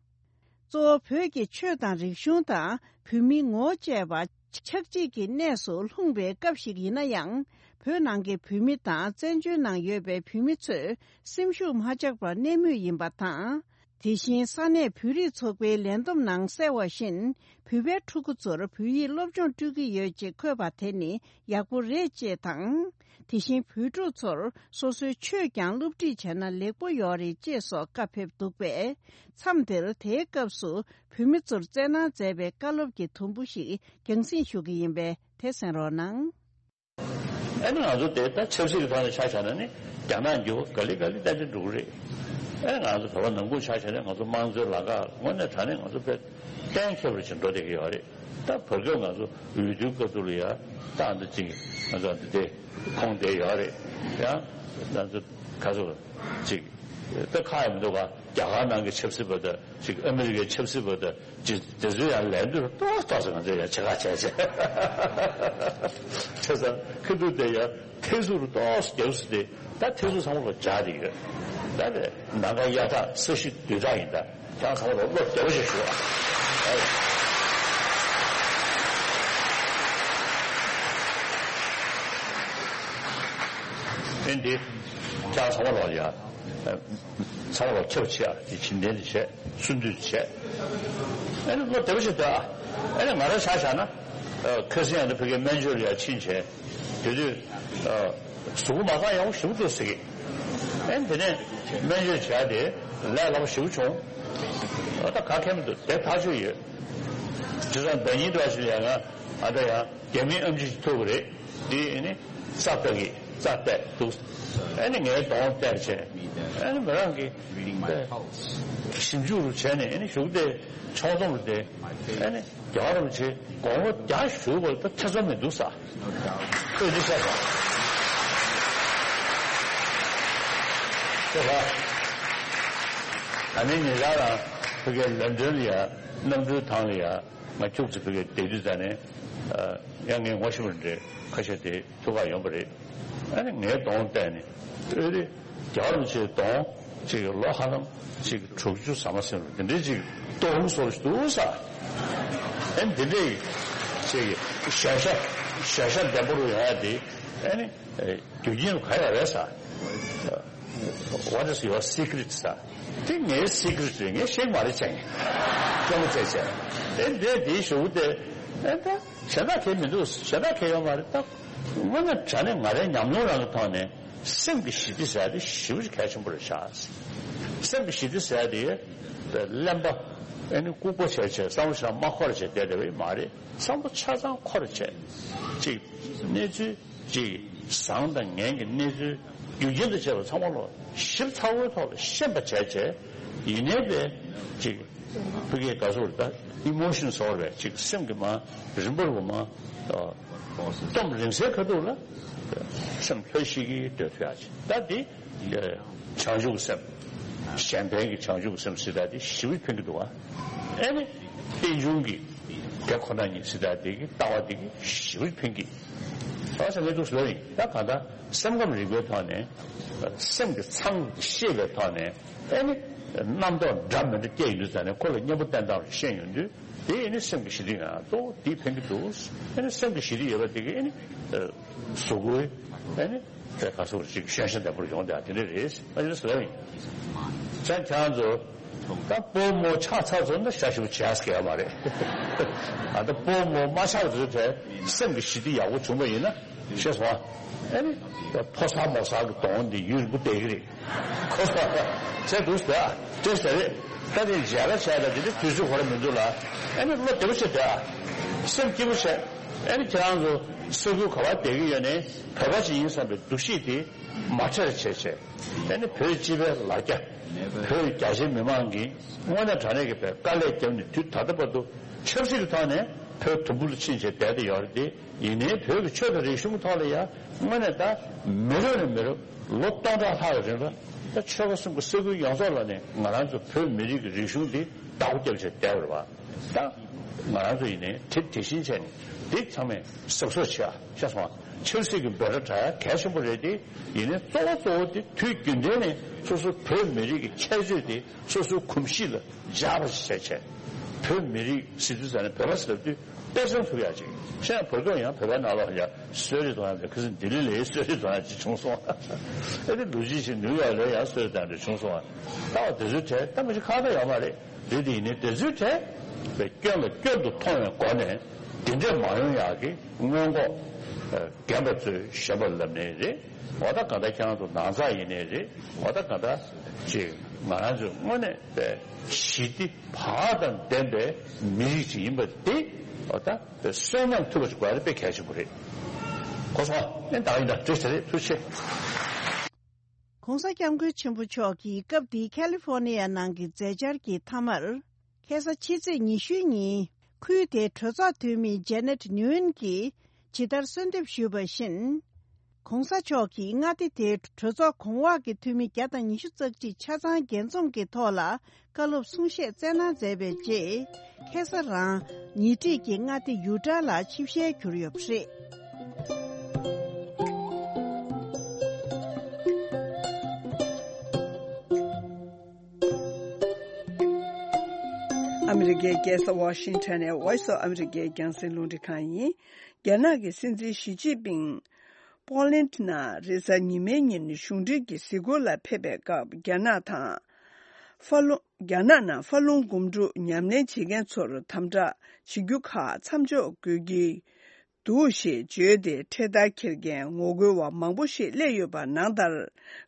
གཙོ་བོ་བོད་ཀྱི་ཆོས་དང་རིག་གཞུང་དང་བོད་མིའི་ངོ་བོ་བཅས་པ་ཆགས་འཇིག་གི་གནས་སུ་ལྷུང་བའི་སྐབས་ཤིག་ཡིན་ན་ཡང་། བོད་ནང་གི་བོད་མི་དང་བཙན་བྱོལ་ནང་ཡོད་པའི་བོད་མི་ཚོས་སེམས་ཤུགས་མ་ཆག་པར་གནས་མུས་ཡིན་པ་དང་། དེ་བཞིན་ས་གནས་བོད་རིགས་ཚོགས་པའི་ལས་བསྡོམས་ནང་གསལ་བ་བཞིན། བོད་པའི་ཕྲུ་གུ་ཚོར་བོད་ཡིག་སློབ་སྦྱོང་སྤྲོད་ཀྱི་ཡོད་ཅེས་འཁོད་པ་དེ་ནི་ཡག་པོ་རེད་ཅེས་དང་། དེ་བཞིན་བོད་ཕྲུག་ཚོར་སོ་སོའི་ཆོས་ཀྱང་སློབ་ཁྲིད་བྱས་ན་ལེགས་པོ་ཡོད་རེད་ཅེས་སོགས་བཀའ་ཕེབས་འདུག་པས། མཚམས་དེར་དེའི་སྐབས་སུ་བོད་མི་ཚོར་བསྩལ་གནང་མཛད་པའི་བཀའ་སློབ་ཀྱི་དུམ་བུ་ཞིག་རྒྱང་སྲིང་ཞུ་གི་ཡིན་པས་དེ་གསན་རོགས་གནང་། ཨ་ནི་ང་ཚོ་དེ་ལྟར་ཆབ་སྲིད་ཀྱི་ཐོག་ནས་ཆ་བཞག་ན་ནི་རྒྱ་ནག་འགྱུར་བ་ག་ལེ་ག་ལེ་ཏན་ཏན་འགྲོ་གི་རེད། ཨ་ནི་ང་ཚོ་བོད་པ་ནང་ཁུལ་ཆ་བཞག་ན་ང་ཚོ་དམངས་གཙོའི་ལམ་ཁ་དངོས་གནས་དྲང་གནས་ང་ཚོ་དཔེ་གཏན་འཁེལ་བ་ཅིག་འགྲོ་བསྡད་ཀྱི་ཡོད་རེད། ད་བར་སྐབས་ང་ཚོ་འོས་བསྡུའི་སྐབས་དུ་ལ་ཡ་ད་ཨ་འདི་ཅིག་ང་ཚོ་འདི་དེ་ཁོང་བསྡད་ཡོད་རེད། ཡང་ང་ཚོ་ག་ཚོད་ཅིག་ད་ཁག་ཡང་མི་འདུག་ག་རྒྱ་གར་ནང་གི་ཆབ་སྲིད་པ་དང་ཅིག་ཨ་མི་རི་ཀའི་ཆབ་སྲིད་པ་དང་། ཅི་དེ་ཚོ་ཡང་ལས་འདུག་ཏོག་ཏོག་ཙམ་ང་ཚོ་ཡང་བྱེད་ཁ་བྱས་བྱས། བྱས་ཙང་ཁ་ཐུག་དེ་ཡང་ཐེག་ཟུར་ཏོག་ཙམ་རྒྱབ་སུ་དེ་ད་ཐེག་ཟུར་ཚང་མ་ལ་སྦྱར་དེ་ཡོད། ད་ནི་ནམ་མཁའ་གཡའ་དག་ས་གཞི་རྡུལ་དག་ཡིན། ད་ཁྱེད་ཚང་མ་ལ་བློ་བདེ་པོ་ཞིག་ཞུ་ཨ། ཕན་དེ་ཁྱེད་ཚང་མ་ལ་ཡ། ཚང་མ་ལ་ཁྱབ་ཆེ་ཨ་དེ་བྱིན་ལྡན་དུ་བྱས་གསུང་འདུས་བྱས། ཨ་ནི་བློ་བདེ་པོ་ཞིག་སྡོད་ཨ། ཨ་ནི་ང་རང་ཆ་བཞག་ན། ཨ་ཁ་སང་ཡང་ན་ཕ་གིའི་སྨན་བཅོས་ལ་ཡང་ཕྱིན་བྱས། དེ་དུས་ཨ་གཟུགས་པོ་མ་རྐང་ཡག་པོ་ཞེ་པོ་འདུག་ཟེར་གི། ཨ་ནི་དེ་ནས་སྨན་བཅོས་བྱས་ཏེ་ལས་སླ་པོ་ཞེ་པོ་བྱུང་། ཨ་ད་ག་གེ་མི་འདུག་དེ་ཐག་ཆོད་ཡོད། དེ་ཙང་ཟླ་ཉིན་འདྲ་ཞིག་ལ་ཡང་ང་ཨ་ད་ཡང་རྒྱ་མིའི་ཨེམ་ཆི་ཞིག་ཐུག་གི་རེད། དེ་ཨ་ནི་རྩ་བལྟ་གི་རྩ་བལྟས་འདུག་ཨ་ནི་ངའི་གདོང་བལྟས་བྱས། ཨ་ནི་མི་རང་གི་ཞིབ་འཇུག་རུ་བྱས་ནས་ཨ་ནི་གཞུག་དེ་ཕྱོགས་བསྡོམས་རུ་དེ་ཨ་ནི་རྒྱལ་བ་རིན་པོ་ཆེ་དགོངས་པ་རྒྱ་ཞུ་བར་ད་ཐེ་ཚོམ་མི་འདུག་ས། ཁོས་འདི་བཤད་སོང་། ཁྱོད་ལ་ད་ནི་ཉེ་ཆར་རང་ཕ་གིའི་ལན་ཌོན་ལ་ཡ་གནམ་གྲུའི་ཐང་ལ་ཡ། ང་ཁྱུག་ཙམ་ཕ་གིར་བསྡད་དུས་ཙ་ནས། ཡང་ངས་ངོ་ཤེས་པ་འདྲ་ཁ་ཤས་དེ་ཐུག་ག་ཡོང་པ་རེད། ཨ་ནི་ངའི་གདོང་བལྟས་ནས་ཨེ་རེད། རྒྱལ་བ་རིན་པོ་ཆེའི་གདོང་ཅིག་ལོ་ཧ་ལམ་ཅིག་དྲུག་ཅུ་ཟ་མ་ཟིན་རུང་དེ་འདྲའི་ཅིག་ཏོག་ཧུང་སོར་ཞིག་འདུག་ས། ཨ་ནི་དེ་འདྲའི་ཅིག་ཞན་ཆ་ཞན་ཆ་ལྡན་པོ་རུ་ཡོང་ཡ་དེ་ཨ་ནི་རྒྱུ་རྐྱེན་རུ་ག་ཡོད་རེད་ས། What is your secret, sir? དེ་ངའི་སི་ཀི་རེ་ཊི་རེད། ངས་བཤད་མ་རེད་བྱས། སྐྱོ་མོ་བྱས་བྱས། དེ་འདྲས་དེའི་ཞུ་དེ། ཨེ་ད་གཞན་དག་གས་མི་འདུག་གཞན་དག་གས་ཡོད་མ་རེད་ད། དངོས་གནས་དྲང་གནས་ང་རའི་ཉམས་མྱོང་རང་གི་ཐོག་ནས་སེམས་ཀྱི་ཞི་བདེ་ཟེར་ཡ་དེ་ཞེ་པོ་ཅིག་གལ་ཆེན་པོ་རེད་ཤག་སེམས་ཀྱི་ཞི་བདེ་ཟེར་ཡ་དེ་གླེན་པ་ཨེ་ནི་ལྐུགས་པ་བྱས་བྱས་བསམ་བློ་ཞིག་མ་འཁོར་བྱས་བསྡད་བསྡད་པ་ཡིན་མ་རེད། བསམ་བློ་ཆ་ཚང་འཁོར་བྱས་ཅིག་གནས་ཚུལ། ཅིག་བཟང་དང་ངན་གྱི་གནས་ཚུལ་རྒྱུ་རྐྱེན་དང་བཅས་པ་ཚང་མ་ལོ་ཞིབ་ཚགས་པོའི་ཐོག་ལ་ཤེས་པ་བྱས་བྱས། ཡིན་ནའི་པས་ཅིག་ཕ་གིའི་ག་ཟེར་ད་ཨི་མོ་ཤན་ཟེར་བས་ཅིག་སེམས་ཀྱི་མ་རིམ་པར་བུ་མ་སྟོབས་རིང་སའི་ཁ་ཐུག་ལ་སེམས་ལྷོད་ཤིག་གིས་སྡོད་ཐུབ་ཡག་ཅིག་ད་འདི་བྱང་ཆུབ་ཀྱི་སེམས། གཞན་ཕན་གྱི་བྱང་ཆུབ་ཀྱི་སེམས་ཟེར་ད་འདི་ཞེ་པོ་ཕན་གྱི་འདུག་ཨ། ཨེ་ནི་རྟེན་འབྱུང་གི་དེ་ཁོ་ན་ཉིད་ཟེར་ད་འདི་གི་ལྟ་བ་འདི་གི་ཞེ་པོ་ཕན་གྱི། ད་ཟེར་ངས་འདུག་ཟེར་ཡིན། ད་གང་ལྟར་སེམས་ཁམས་རིག་པའི་ཐོག་ནས་སེམས་ཀྱི་མཚང་ཤེས་པའི་ཐོག་ནས་ཨེ་ནི་རྣམ་རྟོག་འདྲ་མི་འདྲ་སྐྱེ་ཡོང་དུས་ཙ་ནས་ཁོ་ལ་གཉེན་པོ་བསྟེན་སྟངས་ཤེས་ཡོང་དུས་དེ་ཨེ་ནི་སེམས་ཀྱི་ཞི་བདེ་ཡང་གཙོ་བོ་དེ་ཕན་གྱི་འདུག་ཨེ་ནི་སེམས་ཀྱི་ཞི་བདེ་ཡོད་པ་དེ་གི་ཨེ་ནི་གཟུགས་པོའི་ཨེ་ནི་དེ་ག་སོགས་ཅིག་ཤན་ཤན་ལྡན་པོར་ཡོང་དེ་དེ་འདྲ་རེད། ཨ་ནི་ཟེར་ཡིན། ཙང་ཁྱེད་རང་ཚོ། ད་སྤོ་མོ་ཆགས་ཚར་ཚོ་ན་ཤ་ཞིབ་བྱས་ཟེར་ཡ་མ་རེད། ད་ལྟ་སྤོ་མོ་མ་ཆགས་ཚོ་དེ་སེམས་ཀྱི་ཞི་བདེ་ཡག་པོ་བྱུང་བ་ཡིན་ན་ཤེས་སོང་ཨ། ཨེ་ནི་ཕོ་གསར་མོ་གསར་གྱི་གདོང་འདི་ཡུན་རིང་པོ་བསྡད་ཀྱི་རེད། ཁོ་ཚོ་བྱས་འདུག་ཟེར་ཨ་བྲེལ་ཟེར་རེད། ད་དེ་མཇལ་ཁ་བྱས་ལ་དེ་འདྲ་དུས་ཚོད་གོ་ར་མི་འདུག་ལ། ཨེ་ནི་བློ་བདེ་པོ་བྱས་བསྡད་ཨ། སེམས་སྐྱིད་པོ་བྱས། ཨེ་ནི་ཁྱེད་རང་ཚོ་ས་ཁུལ་ག་བར་བསྡད་ཀྱི་ཡོད་ནའི་བོད་པ་ཅིག་ཡིན་བསམ་པའི་འདུ་ཤེས་དེ་མ་བྲལ་བྱས་བྱས། ཨེ་ནི་བོད་སྤྱི་པའི་ལ་རྒྱ། བོད་རྒྱ་ཆེའི་མི་མང་གིས་དངོས་གནས་དྲང་གནས་ཀྱི་བོད་དཀའ་ལས་བརྒྱབ་ནས་དུས་ད་ལྟ་བར་དུ་ཆབ་སྲིད་ཀྱི་ཐོག་ནས་བོད་དུམ་བུ་ལ་ཕྱིན་བྱས་བསྡད་དེ་ཡོད་རེད་དེ། ཡིན་ནའི་བོད་ཀྱི་ཆོས་དང་རིག་གཞུང་གི་ཐོག་ལ་ཡང་དངོས་གནས་ད་མི་རབས་ནས་མི་རབས་ལོ་སྟོང་ཕྲག་ལྷག་གི་རིང་ལ་ད་ཆོལ་ཁ་གསུམ་གྱི་ས་ཁུལ་ཡོངས་རྫོགས་ལ་ནས་ང་རང་ཚོ་བོད་མི་རིགས་ཀྱི་རིག་གཞུང་འདི་བདག་པོ་བརྒྱབ་བྱས་བསྡད་པ་རེད་བ། ད་ང་རང་ཚོ་ཡིན་ནའི་དེ་དེ་བཞིན་བྱས་ནས་འདི་ཚང་མས་གཟབ་གཟབ་བྱེད་ཨ་ཤེས་སོང་ཨ། ཆབ་སྲིད་ཀྱི་འབོད་སྒྲ་སྒྲག་ཡ་གལ་ཆེན་པོ་རེད་དེ། ཡིན་ནའི་གཙོ་བོ་གཙོ་བོ་དེ་དུས་རྒྱུན་ལྡན་ནས་སོ་སོ་བོད་མི་རིགས་ཀྱི་ཁྱད་ཆོས་དེ་སོ་སོའི་གོམས་གཤིས་ལ་འཇགས་པ་ཞིག་བྱས་བྱས། བོད་མི་རིགས་ཟེར་དུས་ཙམ་ནས་བོད་པ་ཟེར་དུས་ སྟེར་སྲུང་ཐུབ་ཡག་ཅིག་བཤད་ན། བོད་སྐྱོང་ཡང་བོད་པའི་ནང་ལོགས་ཡང་གསོལ་རས་གཏོང་ཡག་དེ། ཁ་སང་ལྡི་ལི་ལ་གསོལ་རས་གཏོང་ཡག་ཅིག་བྱུང་སོང་། ཨེ་དེ་ལོ་རྒྱུས་ཤིག་ནིའུ་ཡོག་ལ་ཡང་གསོལ་རས་གཏོང་ཡག་བྱུང་སོང་། ད་བ་དེ་ཚོའི་གྲས་ད་མི་ཞིག་ཁག་ད་ཡོད་མ་རེད། རེད་དེ་ཡིན་ནའི་དེ་ཚོའི་གྲས་དཔེ་སྐྱོན་ལ་སྐྱོན་དུ་མཐོང་བའི་སྒོ་ནས་དེ་འདྲས་མ་ཡོང་ཡག་གི་སྔོན་འགོག་རྒན་པ་ཚོས་གཞོན་པ་ལབ་ནའི་རེད། འོ་ད་ག་ད་ཁྱེད་རང་ཚོ་ནང་ཚགས་ཡིན་ནའི་རེད། འོ་ད་ག་ད་ཅིག་ང་རང་ཚོས་དངོས་གནས་དཔེ་ཞི་བདེ་བག་དང་ལྡན་པའི་མི་རིགས་ཅིག་ཡིན་པ་དེ། འོ་ད་དཔེ་གསོན་ཉམས་ཐུབ་པ་ཞིག་དགོས་ཡ་དེ་དཔེ་གལ་ཆེན་པོ་རེད། གོ་སོང་། ཨེ་ད་ཡིན་ད་འགྲིག་ས་རེད། ཐུགས་རྗེ་ཆེ། གོང་ས་སྐྱབས་མགོན་ཆེན་པོ་མཆོག་གིས་སྐབས་དེའི་ཁ་ལི་ཧྥོ་ནི་ཡ་ནང་གི་མཛད་འཆར་གྱི་མཐའ་མར། ཁ་སང་ཕྱི་ཚེས་ཉི་ཤུའི་ཉིན་ཁུལ་དེའི་གྲོས་ཚོགས་འཐུས་མི་ཇེ་ནེད་ནིའུ་ཨེན་གྱིས་ཇི་ལྟར་གསོལ་འདེབས་ཞུས་པ་བཞིན། གོང་ས་མཆོག་གིས་མངའ་སྡེ་དེའི་གྲོས་ཚོགས་གོང་འོག་གི་འཐུས་མི་བརྒྱ་དང་ཉི་ཤུ་རྩ་གཅིག་ཆ་ཚང་འགན་འཛོམས་ཀྱི་ཐོག་ལ་བཀའ་སློབ་གསུང་བཤད་སྩལ་གནང་མཛད་པའི་རྗེས། ཁ་སང་རང་ཉེ་འཁྲིས་ཀྱི་མངའ་སྡེ་ཡུ་ཊ་ལ་ཆིབས་ཞལ་གྱུར་ཡོད་པ་རེད། ཨ་མི་རི་ཀའི་རྒྱལ་ས་ཝ་ཤིང་ཊོན་ནས་Voice of America རྒྱང་སྲིང་རླུང་འཕྲིན་ཁང་ཡིན། རྒྱ་ནག་གི་སྲིད་འཛིན་ཞི་ཅིན་ཕིང་པོ་ལན་ནང་རེས་གཟའ་ཉི་མའི་ཉིན་གཞུང་འབྲེལ་གྱི་གཟིགས་སྐོར་ལ་ཕེབས་པའི་སྐབས། རྒྱ་ནག་དང་ཧྥ་ལུང་། རྒྱ་ནག་ནང་ཧྥ་ལུང་སྒོམ་སྒྲུབ་ཉམས་ལེན་བྱེད་མཁན་ཚོར་དམ་དྲག་བྱེད་རྒྱུ་ཁག་མཚམས་འཇོག་དགོས་ཀྱི་འདུག་ཞེས་བརྗོད་དེ། འཕྲེད་དར་འཁྱེར་མཁན་ངོ་རྒོལ་བ་མང་པོ་ཞིག་སླེབས་ཡོད་པ་ནང་ལྟར།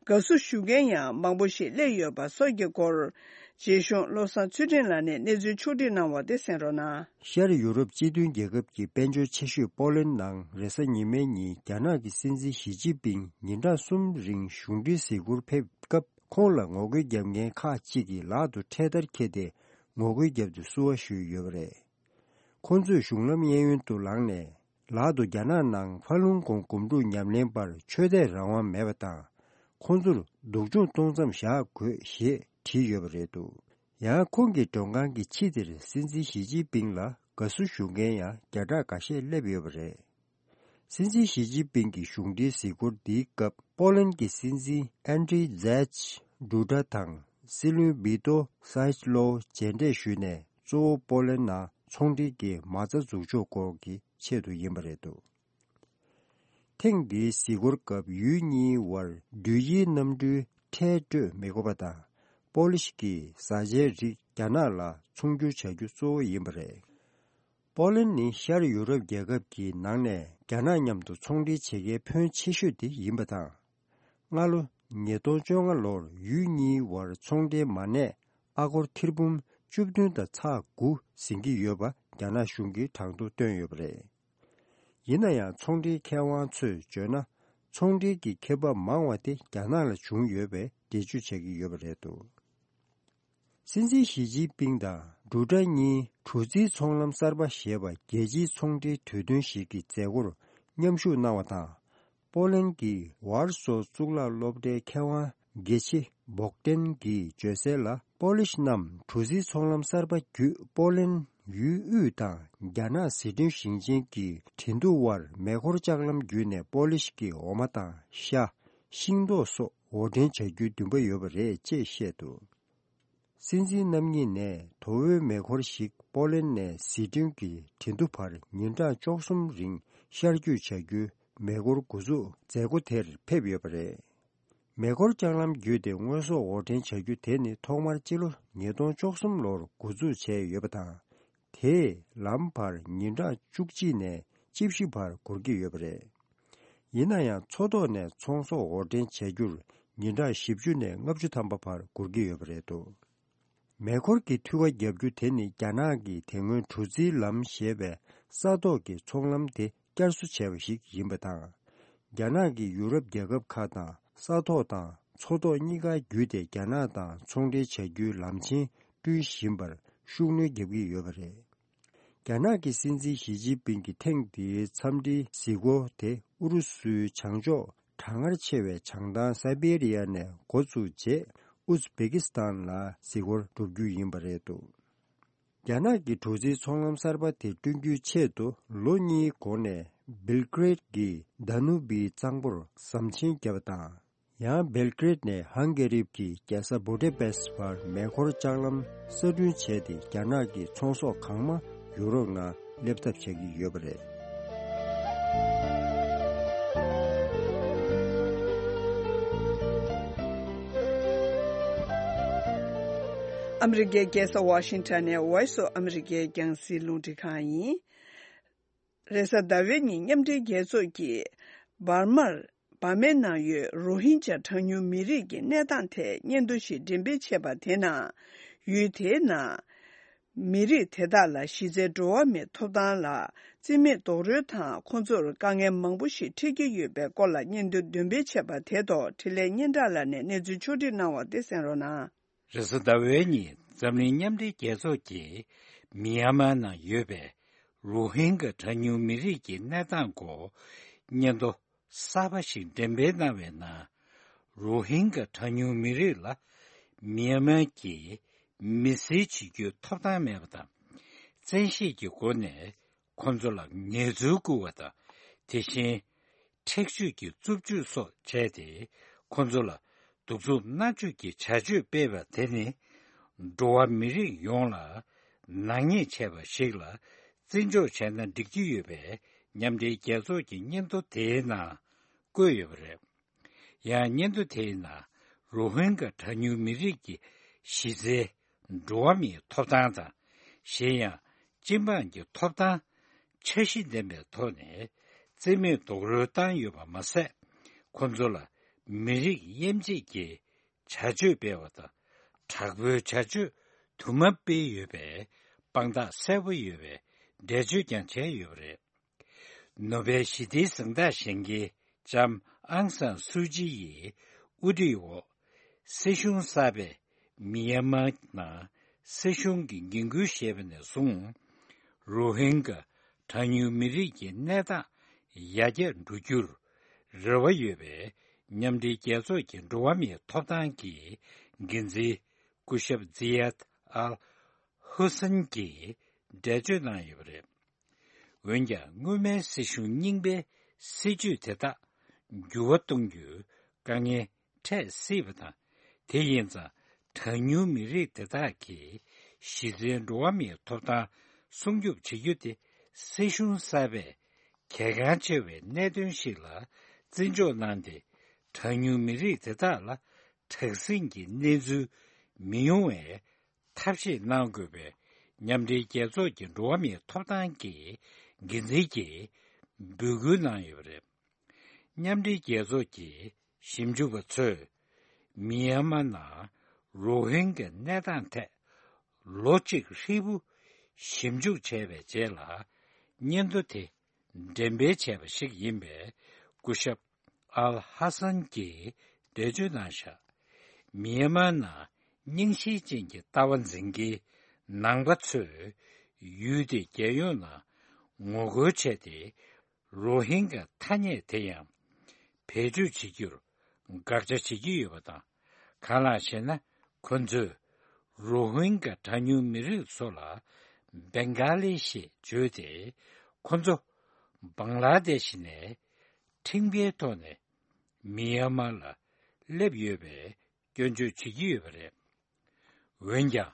དགའ་བསུ་ཞུ་མཁན་ཡང་མང་པོ་ཞིག་སླེབས་ཡོད་པ་སོགས་ཀྱི་སྐོར། རྗེ་གཞུང་བློ་བཟང་ཚུལ་ཁྲིམས་ལགས་ནས་གནས་ཚུལ་ཕྱོགས་སྒྲིག་གནང་བ་དེ་གསན་རོགས་གནང་། ཤར་ཡུ་རོབ་སྤྱི་མཐུན་རྒྱལ་ཁབ་ཀྱི་དཔལ་འབྱོར་ཆེ་ཤོས་པོ་ལན་ནང་རེས་གཟའ་ཉི་མའི་ཉིན་རྒྱ་ནག་གི་སྲིད་འཛིན་ཞི་ཅིན་ཕིང་ཉིན་གྲངས་གསུམ་རིང་གཞུང་འབྲེལ་གཟིགས་སྐོར་ཕེབས་སྐབས། ཁོང་ལ་ངོ་རྒོལ་རྒྱབ་མཁན་ཁག་ཅིག་གིས་ལག་ཏུ་འཕྲེད་དར་འཁྱེར་ཏེ་ངོ་རྒོལ་བརྒྱབ་སྟེ་བསུ་བ་ཞུས་ཡོད་པ་རེད། ཁོང་ཚོས་གཞུང་ལམ་གཡས་གཡོན་དུ་ལངས་ནས། ལག་ཏུ་རྒྱ་ནག་ནང་ཧྥ་ལུང་གོང་སྒོམ་སྒྲུབ་ཉམས་ལེན་པར་ཆོས་དད་རང་དབང་མེད་པ་དང་། ཁོང་ཚོར་སྡུག་སྦྱོང་གཏོང་མཚམས་བཞག་དགོས་ཞེས་བྲིས་ཡོད་པ་རེད་འདུག་ཡང་ཁོང་གི་མགྲོན་ཁང་གི་ཕྱི་དེར་སྲིད་འཛིན་ཞི་ཅིན་ཕིང་ལ་དགའ་བསུ་ཞུ་མཁན་ཡང་བརྒྱ་ཕྲག་འགའ་ཤས་སླེབས་ཡོད་པ་རེད། སྲིད་འཛིན་ཞི་ཅིན་ཕིང་གི་གཞུང་འབྲེལ་གཟིགས་སྐོར་འདིའི་སྐབས། པོ་ལན་གྱི་སྲིད་འཛིན་ཨན་ཌྲི་ཛེཆ་ཌུ་ཌ་དང་སྲིད་བློན་བི་ཏོ་སཱའི་ལོ་མཇལ་འཕྲད་ཞུས་ནས། གཙོ་བོ་པོ་ལན་ནང་ཚོང་འབྲེལ་གྱི་མ་རྩ་འཛུགས་ཕྱོགས་སྐོར་གྱི་ཆེད་དུ་ཡིན་པ་རེད་འདུག་ཐེངས་འདིའི་གཟིགས་སྐོར་སྐབས་ཡུལ་གཉིས་བར་འགྲུལ་བཞིའི་གནམ་གྲུའི་ཁྲལ་སྤྲོད་མི་དགོས་པ་དང་། པོ་ལིཤ་གི་བཟའ་བཅའི་རིགས་རྒྱ་ནག་ལ་ཚོང་སྒྱུར་བྱ་རྒྱུ་གཙོ་བོ་ཡིན་པ་རེད། པོ་ལན་ནི་ཤར་ཡུ་རོབ་རྒྱལ་ཁབ་ཀྱི་ནང་ནས་རྒྱ་ནག་མཉམ་དུ་ཚོང་འབྲེལ་བྱེད་མཁན་ཕོན་ཆེ་ཤོས་དེ་ཡིན་པ་དང་། སྔ་ལོ་ཉིས་སྟོང་བཅོ་ལྔ་ལོར་ཡུལ་གཉིས་བར་ཚོང་འབྲེལ་མ་གནས་ཨ་སྒོར་ཐེར་འབུམ་བཅུ་བདུན་དང་ཚེག་དགུ་ཟིན་གྱི་ཡོད་པ་རྒྱ་ནག་གཞུང་གིས་གྲངས་ཐོ་བཏོན་ཡོད་པ་རེད། ཡིན་ན་ཡང་ཚོང་འབྲེལ་མཁས་དབང་ཚོས་བརྗོད་ན། ཚོང་འབྲེལ་གྱི་ཁེ་འབབ་མང་བ་དེ་རྒྱ་ནག་ལ་བྱུང་ཡོད་པའི་འགྲེལ་བརྗོད་བྱེད་ཀྱི་ཡོད་པ་རེད་འདུག་སྲིད་འཛིན་ཞི་ཅིན་ཕིང་དང་ཌུ་ཌ་གཉིས་གྲུ་རྩིའི་ཚོང་ལམ་གསར་པ་ཞེས་པ་རྒྱལ་སྤྱིའི་ཚོང་འབྲེལ་གྲོས་མཐུན་ཞིག་གི་མཛད་སྒོར་མཉམ་ཞུགས་གནང་བ་དང་། པོ་ལན་གྱི་ཝར་སོ་གཙུག་ལག་སློབ་གྲྭའི་མཁས་དབང་དགེ་ཆེ་བོག་ཏན་གྱིས་བརྗོད་གསལ་ལ། པོ་ལིཤ་རྣམས་གྲུ་རྩིའི་ཚོང་ལམ་གསར་པ་བརྒྱུད་པོ་ལན་ཡུལ་དབུས་དང་རྒྱ་ནག་ཟི་ཀྲིན་ཞིང་ཆེན་གྱི་ཁྲིན་ཏུའུ་བར་མེ་འཁོར་ལྕགས་ལམ་བརྒྱུད་ནས་པོ་ལིཤ་གི་འོ་མ་དང་ཤ། ཤིང་ཏོག་སོགས་འོར་འདྲེན་བྱ་རྒྱུའི་འདུན་པ་ཡོད་པ་རེད་ཅེས་བཤད་འདུག་སྲིད་འཛིན་རྣམ་གཉིས་ནས་དོ་བོའི་མེ་འཁོར་ཞིག་པོ་ལན་ནས་ཟི་ཀྲིན་གྱི་ཁྲིན་ཏུའུ་བར་ཉིན་གྲངས་བཅུ་གསུམ་རིང་ཤར་སྐྱོད་བྱ་རྒྱུའི་མེ་འཁོར་འགོ་འཛུགས་མཛད་སྒོ་དེར་ཕེབས་ཡོད་པ་རེད། མེ་འཁོར་ལྕགས་ལམ་བརྒྱུད་དེ་དངོས་ཟོག་འོར་འདྲེན་བྱ་རྒྱུ་དེ་ནི་ཐོག་མར་སྤྱི་ལོ་ཉིས་སྟོང་བཅུ་གསུམ་ལོར་འགོ་འཛུགས་བྱས་ཡོད་པ་དང་། དེས་ལམ་བར་ཉིན་གྲངས་བཅུ་གཅིག་ནས་བཅུ་བཞི་བར་འགོར་གྱི་ཡོད་པ་རེད། ཡིན་ན་ཡང་མཚོ་ཐོག་ནས་ཚོང་ཟོག་འོར་འདྲེན་བྱ་རྒྱུར་ཉིན་གྲངས་བཞི་བཅུ་ནས་ལྔ་བཅུ་ཐམ་པ་བར་འགོར་གྱི་ཡོད་པ་རེད་འདུག་མེ་འཁོར་གྱི་འཐུས་ཀ་བརྒྱབ་རྒྱུ་དེ་ནི་རྒྱ་ནག་གིས་དེ་སྔོན་གྲུ་རྩིའི་ལམ་ཞེས་པའི་ས་ཐོག་གི་ཚོང་ལམ་དེ་བསྐྱར་གསོ་བྱས་པ་ཞིག་ཡིན་པ་དང་། རྒྱ་ནག་གིས་ཡུ་རོབ་རྒྱལ་ཁབ་ཁག་དང་ས་ཐོག་དང་མཚོ་ཐོག་གཉིས་ཀ་བརྒྱུད་དེ་རྒྱ་ནག་དང་ཚོང་འབྲེལ་བྱ་རྒྱུའི་ལམ་ཆེན་བསྐྲུན་བཞིན་པར་ཤུགས་སྣོན་རྒྱག་གི་ཡོད་པ་རེད། རྒྱ་ནག་གི་སྲིད་འཛིན་ཞི་ཅིན་ཕིང་གི་ཐེངས་འདིའི་འཚམས་འདྲིའི་གཟིགས་སྐོར་དེ་ཨུ་རུ་སུའི་བྱང་ཕྱོགས་གྲང་ངར་ཆེ་བའི་བྱང་ཐང་སའི་བེ་རི་ཡ་ནས་འགོ་བཙུགས་རྗེས། ཨུཛ་བེ་ཀི་སི་ཐན་ལ་གཟིགས་སྐོར་འགྲོ་རྒྱུ་ཡིན་པ་རེད་འདུག་རྒྱ་ནག་གི་གྲུ་རྩིའི་ཚོང་ལམ་གསར་པ་དེ་བསྐྲུན་རྒྱུའི་ཆེད་དུ་ལོ་གཉིས་གོང་ནས་སྦེལ་ཀེ་རེད་ཀྱི་དཱ་ནུ་བིའི་གཙང་པོར་ཟམ་ཆེན་བརྒྱབ་པ་དང་། ཡང་སྦེལ་ཀེ་རེད་ནས་ཧང་གེ་རི་གྱི་རྒྱལ་ས་བུ་ཌེ་པེ་སི་བར་མེ་འཁོར་ལྕགས་ལམ་གསར་སྐྲུན་བྱས་ཏེ། རྒྱ་ནག་གི་ཚོང་ཟོག་གང་མང་ཡུ་རོབ་ནང་ སླེབས་ཐབས་བྱ་གི་ཡོད་པ་རེད། ཨ་མི་རི་ཀའི་རྒྱལ་ས་ཝ་ཤིང་ཊོན་ནས་Voice of America རྒྱང་སྲིང་རླུང་འཕྲིན་ཁང་ཡིན། རེས་གཟའ་ཟླ་བའི་ཉིན་མཉམ་འབྲེལ་རྒྱལ་ཚོགས་ཀྱིས་འབར་མར། འབར་མའི་ནང་ཡོད་རོ་ཧིན་ཇཱ་གྲངས་ཉུང་མི་རིགས་ཀྱི་གནས་སྟངས་ཐད་སྙན་ཐོ་ཞིག་འགྲེམས་སྤེལ་བྱས་པ་དེ་ནང་། ཡུལ་དེའི་ནང་མི་རིགས་དེ་དག་ལ་གཞི་རྩའི་འགྲོ་བ་མིའི་ཐོབ་ཐང་ལ་རྩིས་མེད་རྡོག་རོལ་དང་ཁོང་ཚོར་དཀའ་ངལ་མང་པོ་ཞིག་འཕྲད་ཀྱི་ཡོད་པའི་སྐོར་ལ་སྙན་ཐོ་འདོན་སྤེལ་བྱས་པ་དེ་ཐོག་འཕྲིན་ལས་སྙན་གྲགས་ལགས་ནས་གནས་ཚུལ་ཕྱོགས་སྒྲིག་གནང་བ་དེ་གསན་རོགས་གནང་། རེས་གཟའ་ཟླ་བའི་ཉིན་འཛམ་གླིང་མཉམ་འབྲེལ་རྒྱལ་ཚོགས་ཀྱིས་མི་ཡན་མར་ནང་ཡོད་པའི་རོ་ཧིན་གྷ་གྲངས་ཉུང་མི་རིགས་ཀྱི་གནས་སྟངས་སྐོར་སྙན་ཐོ་གསར་པ་ཞིག་འགྲེམས་སྤེལ་གནང་བའི་ནང་། རོ་ཧིན་གྷ་གྲངས་ཉུང་མི་རིགས་ལ་མི་ཡན་མར་གྱིས་མི་སེར་བྱེད་རྒྱུའི་ཐོབ་ཐང་མེད་པ་དང་། བཙན་ཤེད་ཀྱི་སྒོ་ནས་ཁོང་ཚོ་ལ་ངལ་རྩོལ་བསྐུར་བ་དང་། དེ་བཞིན་འཁྲིག་སྤྱོད་ཀྱི་རྩུབ་སྤྱོད་སོགས་བྱས་ཏེ། ཁོང་ཚོ་ལ་གདུག་རྩུབ་མནར་གཅོད་ཀྱི་བྱ་སྤྱོད་སྤེལ་བ་དེ་ནི། འགྲོ་བ་མི་རིགས་ཡོངས་ལ་ནག་ཉེས་བྱས་པ་ཞིག་ལ་བརྩི་འཇོག་བྱས་ན་འགྲིག་གི་ཡོད་པའི་མཉམ་འབྲེལ་རྒྱལ་ཚོགས་ཀྱི་སྙན་ཐོ་དེའི་ནང་བཀོད་ཡོད་པ་རེད། ཡང་སྙན་ཐོ་དེའི་ནང་རོ་ཧིན་གྷ་གྲངས་ཉུང་མི་རིགས་ཀྱི་གཞི་རྩའི་འགྲོ་བ་མིའི་ཐོབ་ཐང་དང་། གཞན་ཡང་སྤྱི་འབངས་ཀྱི་ཐོབ་ཐང་འཆར་གཞི་ལྡན་པའི་ཐོག་ནས་རྩིས་མེད་རྡོག་རོལ་བཏང་ཡོད་པ་མ་ཟད། ཁོང་ཚོ་ལ་མི་རིགས་དབྱེ་འབྱེད་ཀྱི་བྱ་སྤྱོད་སྤེལ་བ་དང་། དྲག་པོའི་བྱ་སྤྱོད་དུ་མ་སྤེལ་ཡོད་པའི་དཔང་རྟགས་གསལ་པོ་ཡོད་པའི་འགྲེལ་བརྗོད་ཀྱང་བྱས་ཡོད་པ་རེད། ནོ་བེལ་ཞི་བདེའི་གཟེངས་རྟགས་བཞེས་མཁན་ལྕམ་ཨང་སན་སུའུ་ཅི་ཡི་དབུ་ཁྲིད་འོག་སྲིད་གཞུང་གསར་པས་མི་ཡན་མར་ནང་སྲིད་གཞུང་གི་འགན་འཁུར་བཞེས་པ་ནས་བཟུང་། རོ་ཧིན་གྷ་གྲངས་ཉུང་མི་རིགས་ཀྱི་གནས་སྟངས་ཡར་རྒྱས་འགྲོ་རྒྱུར་རེ་བ་ཡོད་པའི་མཉམ་འབྲེལ་རྒྱལ་ཚོགས་ཀྱི་འགྲོ་བ་མིའི་ཐོབ་ཐང་གི་འགན་འཛིན་སྐུ་ཞབས་ཛི་ཡད་ཨལ་ཧུ་སན་གྱིས་འགྲེལ་བརྗོད་གནང་ཡོད་པ་རེད། འོན་ཀྱང་། སྔོན་མའི་སྲིད་གཞུང་རྙིང་པའི་སྲིད་ཇུས་དེ་དག་འགྱུར་བ་གཏོང་རྒྱུའི་དཀའ་ངལ་འཕྲད་སྲིད་པ་དང་། དེ་ཡིན་ཙང་། གྲངས་ཉུང་མི་རིགས་དེ་དག་གི་གཞི་རྩའི་འགྲོ་བ་མིའི་ཐོབ་ཐང་སྲུང་སྐྱོབ་བྱེད་རྒྱུ་དེ། སྲིད་གཞུང་གསར་པས་གལ་འགངས་ཆེ་བའི་གནད་དོན་ཞིག་ལ་བརྩི་འཇོག་གནང་སྟེ། གྲངས་ཉུང་མི་རིགས་དེ་དག་ལ་དྲག་ཟིང་གི་གནས་ཚུལ་མི་ཡོང་བའི་ཐབས་ཤེས་གནང་དགོས་པའི་མཉམ་འབྲེལ་རྒྱལ་ཚོགས་ཀྱི་འགྲོ་བ་མིའི་ཐོབ་ཐང་གི་འགན་འཛིན་གྱིས་འབོད་སྐུལ་གནང་ཡོད་པ་རེད། མཉམ་འབྲེལ་རྒྱལ་ཚོགས་ཀྱི་ཞིབ་འཇུག་པ་ཚོས་མི་ཡན་མར་ནང་རོ་ཧིན་གྱི་གནས་སྟངས་ཐད་ལོ་གཅིག་ཧྲིལ་པོ་ཞིབ་འཇུག་བྱས་པའི་རྗེས་ལ། སྙན་ཐོ་དེ་འགྲེམས་སྤེལ་བྱས་པ་ཞིག་ཡིན་པས། སྐུ་ཞབས་ཨལ་ཧ་སན་གྱིས་འགྲེལ་བརྗོད་གནང་བཞག་མི་ཡན་མར་ནང་རྙིང་ཞེན་ཅན་གྱི་ལྟ་བ་འཛིན་མཁན་ནང་པ་ཚོས་ཡུལ་དེའི་རྒྱལ་ཡོངས་ནང་ངོ་རྒོལ་བྱས་ཏེ། རོ་ཧིན་གྱི་ཐ་སྙད་དེ་ཡང་བེད་སྤྱོད་བྱེད་རྒྱུར་དགག་བྱ་བྱེད་ཀྱི་ཡོད་པ་དང་། གང་ལགས་ཤེ་ན། ཁོ་ཚོས་རོ་ཧིན་གྱི་གྲངས་ཉུང་མི་རིགས་ཚོ་ལ་བེང་ག་ལི་ཞེས་བརྗོད་དེ། ཁོ་ཚོ་བང་ལ་དེ་ཤི་ནས་ཁྲིམས་འགལ་ཐོག་ནས་མི་ཡན་མར་ལ་སླེབས་ཡོད་པའི་སྐྱོན་བརྗོད་བྱེད་ཀྱི་ཡོད་པ་རེད། འོན་ཀྱང་།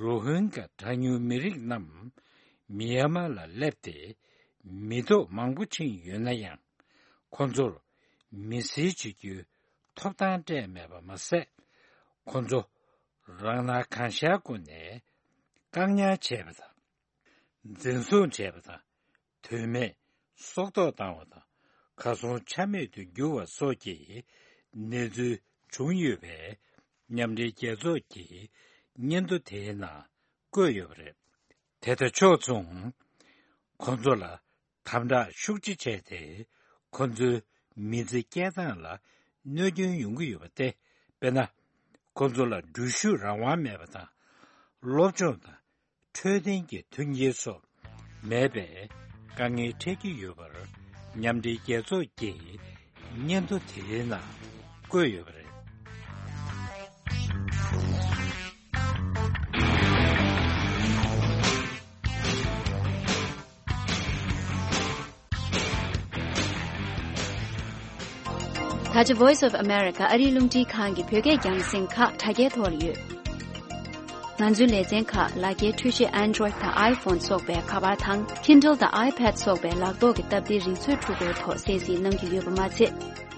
རོ་ཧིན་གྱི་གྲངས་ཉུང་མི་རིགས་རྣམས་མི་ཡན་མར་ལ་སླེབས་ཏེ་མི་ཐོག་མང་པོ་ཕྱིན་ཡོད་ན་ཡང་། ཁོ་ཚོར་མི་སེར་བྱེད་རྒྱུའི་ཐོབ་ཐང་སྤྲད་མེད་པ་མ་ཟད། ཁོ་ཚོ་རང་སྣང་གང་ཤར་སྒོ་ནས་བཀག་ཉར་བྱས་པ་དང་། འཛིན་བཟུང་བྱས་པ་དང་། དོན་མེད་སྲོག་ཐོག་བཏང་བ་དང་། གར་སོང་ཆ་མེད་དུ་གྱུར་བ་སོགས་ཀྱི་གནས་ཚུལ་བྱུང་ཡོད་པས། མཉམ་འབྲེལ་རྒྱལ་ཚོགས་ཀྱི་སྙན་ཐོ་དེའི་ནང་བཀོད་ཡོད་པ་རེད། དེ་དང་ཕྱོགས་མཚུངས། ཁོང་ཚོ་ལ་དམ་དྲག་ཤུགས་ཆེ་བྱས་ཏེ། ཁོང་ཚོའི་མི་ཚེ་སྐྱེལ་སྟངས་ལ་གནོད་སྐྱོན་ཡོང་གི་ཡོད་པ་སྟེ། དཔེར་ན། ཁོང་ཚོ་ལ་འགྲུལ་བཞུད་རང་དབང་མེད་པ་དང་། སློབ་སྦྱོང་དང་འཕྲོད་བསྟེན་གྱི་མཐུན་རྐྱེན་སོགས་མེད་པའི་དཀའ་ངལ་འཕྲད་ཀྱི་ཡོད་པར། མཉམ་འབྲེལ་རྒྱལ་ཚོགས་ཀྱི་སྙན་ཐོ་དེའི་ནང་བཀོད་ཡོད་པ་རེད། ད་ཆ་Voice of America ཨ་རིའི་རླུང་འཕྲིན་ཁང་གི་བོད་སྐད་རྒྱང་སྲིང་ཁག་དྲ་རྒྱའི་ཐོག་ལ་ཡོད། ང་ཚོའི་ལེ་ཚན་ཁག་ལག་འཁྱེར་འཕྲུལ་ཆས་Android་དང་iPhone་སོགས་པའི་ཁ་པར་དང་Kindle་དང་iPad་སོགས་པའི་ལག་ཐོག་གི་སྟབས་བདེའི་རིག་མཛོད་འཕྲུལ་འཁོར་ཐོག་གསན་གཟིགས་གནང་རྒྱུ་ཡོད་པ་མ་ཚད།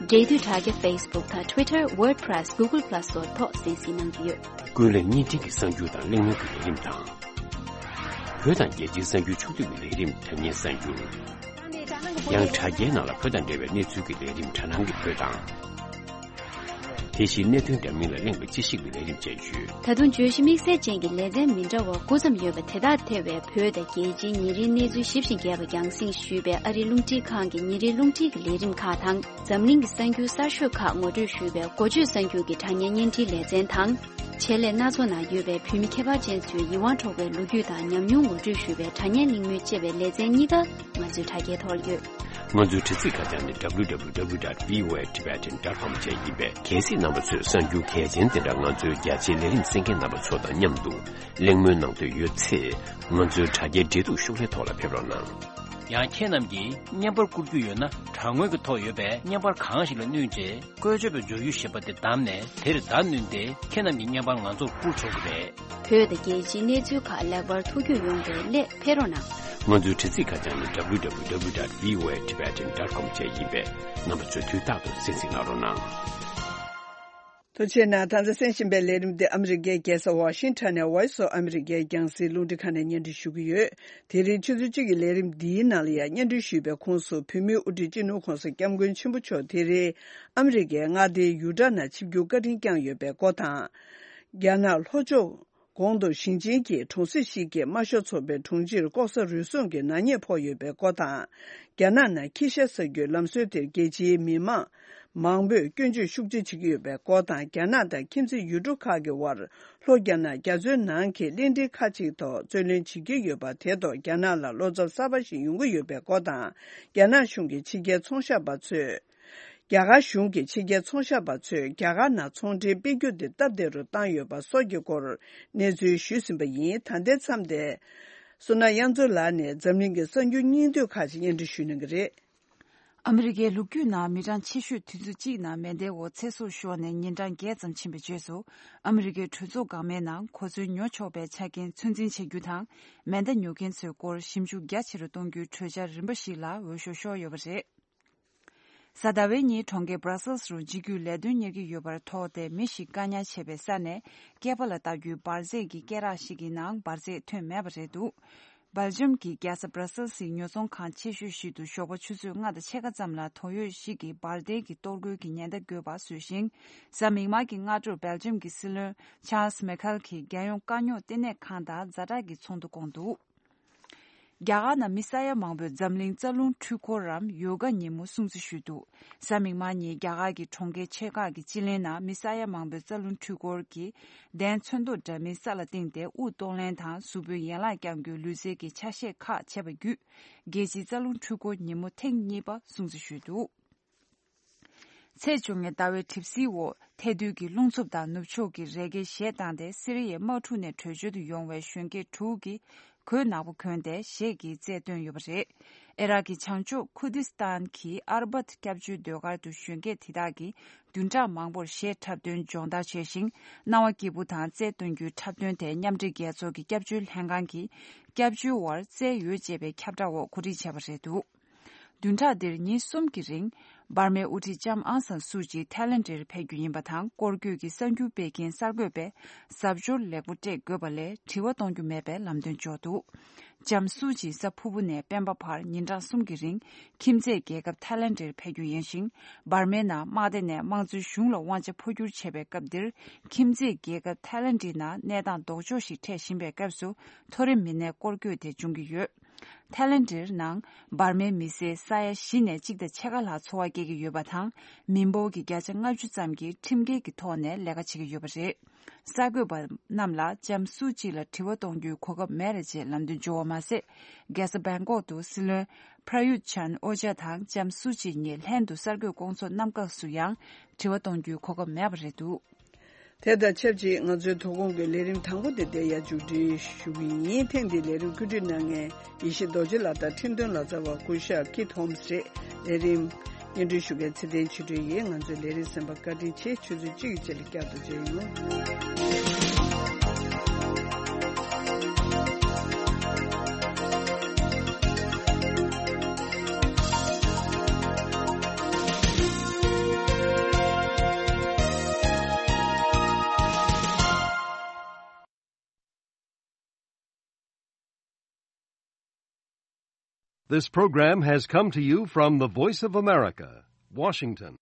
འབྲེལ་མཐུད་དྲ་རྒྱ་Facebook་དང་Twitter WordPress Google Plus་སོགས་ཐོག་གསན་གཟིགས་གནང་རྒྱུ་ཡོད། ཀུན་གླེང་བརྙན་འཕྲིན་གྱི་གསར་འགྱུར་དང་གླེང་མོལ་གྱི་ལས་རིམ་དང་། བོད་དང་རྒྱལ་སྤྱིའི་གསར་འགྱུར་ཕྱོགས་བསྡུས་ཀྱི་ལས་རིམ་དྲ་བརྙན་གསར་འགྱུར། ཡང་དྲ་རྒྱའི་ནང་ལ་བོད་དང་འབྲེལ་བའི་གནས་ཚུལ་གྱི་ལས་རིམ་དྲ་སྣང་གི་བོད་དང་། དེ་བཞིན་གནད་དོན་འདྲ་མིན་ལ་གླེང་བའི་དཔྱད་ཞིབ་ཀྱི་ལས་རིམ་བཅས་ཡོད། ད་དུང་བརྗོད་གཞི་དམིགས་བསལ་ཅན་གྱི་ལེ་ཚན་མི་འདྲ་བ་དགུ་ཙམ་ཡོད་པ་དེ་དག་ཐེ་བའི་བོད་དང་རྒྱལ་སྤྱིའི་ཉིན་རེའི་གནས་ཚུལ་ཞིབ་ཅིང་རྒྱས་པ་རྒྱང་སྲིང་ཞུས་པའི་ཨ་རིའི་རླུང་འཕྲིན་ཁང་གི་ཉིན་རེའི་རླུང་འཕྲིན་གྱི་ལས་རིམ་ཁག་དང་། འཛམ་གླིང་གི་གསར་འགྱུར་གསར་ཤོས་ཁག་ངོ་སྤྲོད་ཞུས་པའི་འགོ་བརྗོད་གསར་འགྱུར་གྱི་དྲ་བརྙན་བརྙན་འཕྲིན་ལེ་ཚན་དང་། ཆེད་ལས་སྣ་ཚོགས་ནང་ཡོད་པའི་བོད་མི་ཁྱད་པར་ཅན་ཚོའི་ཡིད་དབང་འཕྲོག་པའི་ལོ་རྒྱུས་དང་ཉམས་མྱོང་ངོ་སྤྲོད་ཞུས་པའི་དྲ་བརྙན་གླེང་མོལ་བཅས་པའི་ལེ་ཚན་གཉིས་ཀ་ང་ཚོའི་དྲ་རྒྱའི་ཐོག་ལ་ཡོད། ང་ཚོའི་དྲ་ཚིགས་ཁ་བྱང་ནི་W W W dot V O A Tibetan dot com བཅས་ཡིན་པས། གལ་སྲིད་རྣམ་པ་ཚོས་གསར་འགྱུར་གལ་ཆེན་དེ་འདྲ་ང་ཚོའི་རྒྱ་ཆེའི་ལས་རིམ་གསན་མཁན་རྣམ་པ་ཚོ་དང་མཉམ་དུ་གླེང་མོལ་གནང་འདོད་ཡོད་ཚེ། ང་ཚོའི་དྲ་རྒྱའི་འབྲེལ་གཏུག་ཤོག་ལྷེ་ཐོག་ལ་ཕེབས་རོགས་གནང་། ཡང་ཁྱེད་རྣམས་ཀྱིས་བརྙན་པར་བསྐུར་རྒྱུ་ཡོད་ན། དྲ་ངོས་ཀྱི་ཐོག་ཡོད་པའི་བརྙན་པར་གང་ཞིག་ལ་བསྣུན་རྗེས། བཀོལ་སྤྱོད་པའི་འབྱོར་རྒྱུ་ཞེས་པ་དེ་བདམས་ནས། དེར་བརྡ་བསྣུན་ཏེ། ཁྱེད་རྣམས་ཀྱི་བརྙན་པར་ང་ཚོར་བསྐུར་ཆོག་གི་རེད། བོད་དང་རྒྱལ་སྤྱིའི་གནས་ཚུལ་ཁག་ལེགས་པར་ཐུགས་རྒྱུས་ཡོང་བའི་སླད་ཕེབས་རོགས་གནང་། ང་ཚོའི་དྲ་ཚིགས་ཁ་བྱང་ནི་W W W dot V O A Tibetan dot com བཅས་ཡིན་པས། རྣམ་པ་ཚོས་དུས་རྟག་ཏུ་གསན་གཟིགས་གནང་རོགས་གནང་། ཐུགས་རྗེ་ཆེ་གནང་། ད་ལྟ་གསན་བཞིན་པའི་ལས་རིམ་འདི་ཨ་མི་རི་ཀའི་རྒྱལ་ས་ཝ་ཤིང་ཊོན་ནས་Voice of America རྒྱང་སྲིང་རླུང་འཕྲིན་ཁང་ནས་སྙན་སྒྲོན་ཞུ་གི་ཡོད། དེ་རིང་ཆུ་ཚོད་གཅིག་གི་ལས་རིམ་འདིའི་ནང་ལ་ཡང་སྙན་སྒྲོན་ཞུས་པའི་ཁོངས་སུ། བོད་མིའི་དབུ་ཁྲིད་སྤྱི་ནོར་༧གོང་ས་༧སྐྱབས་མགོན་ཆེན་པོ་མཆོག་དེ་རིང་ཨ་མི་རི་ཀའི་མངའ་སྡེ་ཡུ་ཊ་ནང་ཆིབས་བསྒྱུར་བཀའ་དྲིན་བསྐྱངས་ཡོད་པའི་སྐོར་དང་། རྒྱ་ནག་ལྷོ་ཕྱོགས་གོང་དུ་ཞིང་ཆེན་གྱི་གྲོང་གསེབ་ཞིག་གི་དམར་ཤོག་ཚོགས་པའི་དྲུང་ཆེར་ལྐོག་ཟ་རུལ་སུངས་ཀྱི་ནག་ཉེས་ཕོག་ཡོད་པའི་སྐོར་དང་། རྒྱ་ནག་ནང་ཁྱི་ཤ་ཟ་རྒྱུའི་ལམ་སྲོལ་དེར་རྒྱལ་སྤྱིའི་མི་མང་མང་པོས་སྐྱོན་བརྗོད་ཤུགས་ཆེ་བྱེད་ཀྱི་ཡོད་པའི་སྐོར་དང་། རྒྱ་ནག་དང་ཁྱིམ་མཚེས་ཡུལ་གྲུ་ཁག་གི་དབར་ལྷོ་རྒྱ་ནག་རྒྱ་མཚོའི་ནང་གི་གླིང་ཕྲན་ཁག་ཅིག་ཐོག་རྩོད་ལེན་བྱེད་ཀྱི་ཡོད་པ་དེ་ཐོག་རྒྱ་ནག་ལ་བློ་འཚབ་གསར་པ་ཞིག་ཡོང་གི་ཡོད་པའི་སྐོར་དང་། རྒྱ་ནག་གཞུང་གིས་ཕྱི་རྒྱལ་ཚོང་ཤག་པ་ཚོས། རྒྱ་གར་གཞུང་གིས་ཕྱི་རྒྱལ་ཚོང་ཤག་པ་ཚོས་རྒྱ་གར་ནང་ཚོང་འབྲེལ་སྤེལ་རྒྱུ་དེ་སྟབས་བདེ་རུ་བཏང་ཡོད་པ་སོགས་ཀྱི་སྐོར་གནས་ཚུལ་ཞུས་ཟིན་པ་ཡིན། ད་ལྟའི་མཚམས་དེ། བསོད་ནམས་དབྱངས་མཚོ་ལགས་ནས་འཛམ་གླིང་གི་གསར་འགྱུར་སྙིང་བསྡུས་ཁག་ཅིག་སྙན་སྒྲོན་ཞུ་གནང་གི་རེད། ཨ་མི་རི་ཀའི་ལོ་རྒྱུས་ནང་མི་གྲངས་ཆེ་ཤོས་དུས་ཚོད་གཅིག་ནང་མེ་མདའི་འོག་ཚེ་སྲོག་ཤོར་ནས་ཉིན་གྲངས་བརྒྱད་ཙམ་ཕྱིན་པའི་རྗེས་སུ། ཨ་མི་རི་ཀའི་གྲོས་ཚོགས་འགག་མེད་ནང་གོ་མཚོན་ཉོ་ཆོག་པའི་ཆ་རྐྱེན་ཚོད་འཛིན་བྱེད་རྒྱུ་དང་། མེ་མདའ་ཉོ་མཁན་ཚོའི་སྐོར་ཞིབ་འཇུག་རྒྱ་ཆེ་རུ་གཏོང་རྒྱུའི་གྲོས་འཆར་རིམ་པ་ཞིག་ལ་འོས་ཤོག་ཤོར་ཡོད་པ་རེད། གཟའ་ཟླ་བའི་ཉིན་གྲོང་ཁྱེར་Brussels་རུ་འཇིགས་སྐུལ་ལས་དོན་གཉེར་གྱི་ཡོད་པར་དོགས་ཏེ། མི་ཞིག་བཀག་ཉར་བྱས་པའི་ས་ནས་སྐེད་པ་ལ་བཏགས་རྒྱུའི་འབར་རྫས་ཀྱི་སྐེ་རགས་ཤིག་གི་ནང་འབར་རྫས་ཐོན་མེད་པ་རེད་འདུག། སྦེལ་ཇམ་གྱི་རྒྱལ་ས་Brussels་ཡི་ཉོ་ཚོང་ཁང་ཆེ་ཤོས་ཤིག་ཏུ་ཞོགས་པ་ཆུ་ཚོད་ལྔ་དང་ཕྱེད་ཀ་ཙམ་ལ་དོགས་ཡོད་ཞིག་གིས་འབར་མདེལ་གྱི་གཏོར་རྒོལ་གྱི་ཉེན་བརྡ་བཀོད་པ་བཟོས་ཤིང་། གཟའ་མིག་དམར་གྱི་སྔ་དྲོར་སྦེལ་ཇམ་གྱི་སྲིད་བློན་Charles Michel་གྱིས་རྒྱལ་ཡོངས་དཀའ་རྙོག་བསྟི་གནས་ཁང་དང་ཛ་དྲག་གི་ཚོགས་འདུ་བསྐོངས་འདུག། རྒྱ་གར་ནང་མི་ས་ཡ་མང་པོས་འཛམ་གླིང་རྩ་རླུང་འཕྲུལ་འཁོར་རམ་ཡོ་ག་ཉིན་མོ་སྲུང་བརྩི་ཞུས་འདུག། གཟའ་མིག་དམར་ཉིན་རྒྱ་གར་གྱི་གྲོང་ཁྱེར་ཆེ་ཁག་གི་སྤྱི་གླིང་ནང་མི་ས་ཡ་མང་པོས་རྩ་རླུང་འཕྲུལ་འཁོར་གྱི་གདན་ཚོན་མདོག་འདྲ་མིན་ས་ལ་བཏིང་སྟེ་དབུགས་གཏོང་ལེན་དང་གཟུགས་པོའི་ཡན་ལག་བརྐྱང་རྒྱུའི་ལུས་རྩལ་གྱི་ཆ་ཤས་ཁག་བྱས་པ་བརྒྱུད། རྒྱལ་སྤྱིའི་རྩ་རླུང་འཕྲུལ་འཁོར་ཉིན་མོ་ཐེངས་གཉིས་པ་སྲུང་བརྩི་ཞུས་འདུག། ཚེས་བཅོ་ལྔའི་ཟླ་བའི་གྲིབ་བསིལ་འོག་ཐལ་རྡུལ་གྱི་རླུང་འཚུབ་དང་ནུབ་ཕྱོགས་ཀྱི་རི་སྐྱེས་གཞས་བཏང་སྟེ། སི་རི་ཡའི་དམག་འཁྲུག་ནས་བྲོས་བྱོལ་དུ་ཡོང་བའི་གཞོན་སྐྱེས་དྲུག་གིས་གོས་ནག་པོ་གོན་ཏེ་གཞས་ཀྱི་རྩལ་བཏོན་ཡོད་པ་རེད། ཨི་རག་གི་བྱང་ཕྱོགས་ཁུར་དིས་ཏཱན་གྱི་ཨར་བཱད་སྐྱབས་བཅོལ་སྡོད་སྒར་དུ་གཞོན་སྐྱེས་དེ་དག་གིས་བདུན་ཕྲག་མང་པོར་གཞས་འཁྲབ་སྟོན་སྦྱོང་བརྡར་བྱས་ཤིང་། སྣང་བ་སྐྱིད་པོ་དང་རྩལ་སྟོན་རྒྱུའི་འཁྲབ་སྟོན་དེ་མཉམ་འབྲེལ་རྒྱལ་ཚོགས་ཀྱི་སྐྱབས་བཅོལ་ལྷན་ཁང་གིས་སྐྱབས་བཅོལ་བར་རྩལ་ཡོད་ཅེས་པའི་ཁྱབ་བསྒྲགས་འོག་གོ་སྒྲིག་བྱས་པ་རེད་འདུག། བདུན་ཕྲག་འདིར་ཉིན་གསུམ་གྱི་རིང་འབར་མའི་དབུ་ཁྲིད་ལྕམ་ཨང་སན་སུའུ་ཅི་ཐའི་ལེན་ཌར་ཕེབས་རྒྱུ་ཡིན་པ་དང་། སྐོར་སྐྱོད་ཀྱི་གསར་འགྱུར་སྤེལ་མཁན་གསར་འགོད་པས་གཟབ་མཆོར་ལེགས་པོ་སྤྲས་དགོས་པ་ལས་དྲི་བ་གཏོང་རྒྱུ་མེད་པའི་ལམ་སྟོན་འབྱོར་འདུག། ལྕམ་སུའུ་ཅི་གཟའ་ཕུར་བུ་ནས་སྤེན་པ་བར་ཉིན་གྲངས་གསུམ་གྱི་རིང་ཁྱིམ་མཚེས་རྒྱལ་ཁབ་ཐའི་ལེན་ཌར་ཕེབས་རྒྱུ་ཡིན་ཞིང་། འབར་མའི་ནང་དམག་སྡེ་ནས་དམངས་གཙོའི་གཞུང་ལ་དབང་ཆ་འཕོ་འགྱུར་བྱས་པའི་སྐབས་འདིར། ཁྱིམ་མཚེས་རྒྱལ་ཁབ་ཐའི་ལེན་ཌའི་ནང་གནས་སྟངས་ལྡོག་ཕྱོགས་ཤིག་འཕྲད་བཞིན་པའི་སྐབས་སུ། མཐོ་རིམ་མི་སྣའི་སྐོར་སྐྱོད་དེ་འབྱུང་གི་ཡོད། ཐའི་ལེན་ཌའི་ནང་འབར་མའི་མི་སེར་ས་ཡ་བཞི་ནས་གཅིག་དང་ཕྱེད་ཀ་ལྷག་འཚོ་བ་སྐྱེལ་གྱི་ཡོད་པ་དང་། མི་འབོར་གྱི་བརྒྱ་ཆ་ལྔ་བཅུ་ཙམ་གྱིས་ཁྲིམས་འགལ་གྱི་ཐོག་ནས་ལས་ཀ་བྱེད་ཀྱི་ཡོད་པ་རེད། གསར་འགོད་པ་རྣམས་ལ་ལྕམ་སུའུ་ཅི་ལ་དྲི་བ་གཏོང་རྒྱུའི་གོ་སྐབས་མེད་རེད་ཅེས་ལམ་སྟོན་བྱུང་བ་མ་ཟད། རྒྱལ་ས་བེང་ཀོག་ཏུ་སྲིད་བློན་པྲ་ཡུད་ཆན་ཨོ་ཅཱ་དང་ལྕམ་སུའུ་ཅི་གཉིས་ལྷན་དུ་གསར་འགོད་སྐོང་ཚོགས་གནང་སྐབས་སུ་ཡང་དྲི་བ་གཏོང་རྒྱུའི་གོ་སྐབས་མེད་པ་རེད་འདུག། དེ་དང་ཆབས་ཅིག་ང་ཚོའི་དོ་དགོང་གི་ལས་རིམ་དང་པོ་དེ་འདིར་ཡར་མཇུག་སྒྲིལ་ཞུ་གི་ཡིན། ཐེངས་འདིའི་ལས་རིམ་བཀོད་སྒྲིག་གནང་མཁན་ཡེ་ཤེས་རྡོ་རྗེ་ལགས་དང་ཁྲིམས་དོན་ལག་རྩལ་བ་སྐུ་ཞབས་ཀིད་ཧོམ་སི་རེད། ལས་རིམ་སྙན་སྒྲོན་ཞུ་མཁན་ཚེ་བརྟན་ཆོས་སྒྲོན་ཡིན། ང་ཚོའི་ལས་རིམ་གསན་པར་བཀའ་དྲིན་ཆེ། ཆུ་ཚོད་གཅིག་གི་རྗེས་ལ་བསྐྱར་དུ་མཇལ་ཡོང་། This program has come to you from the Voice of America, Washington.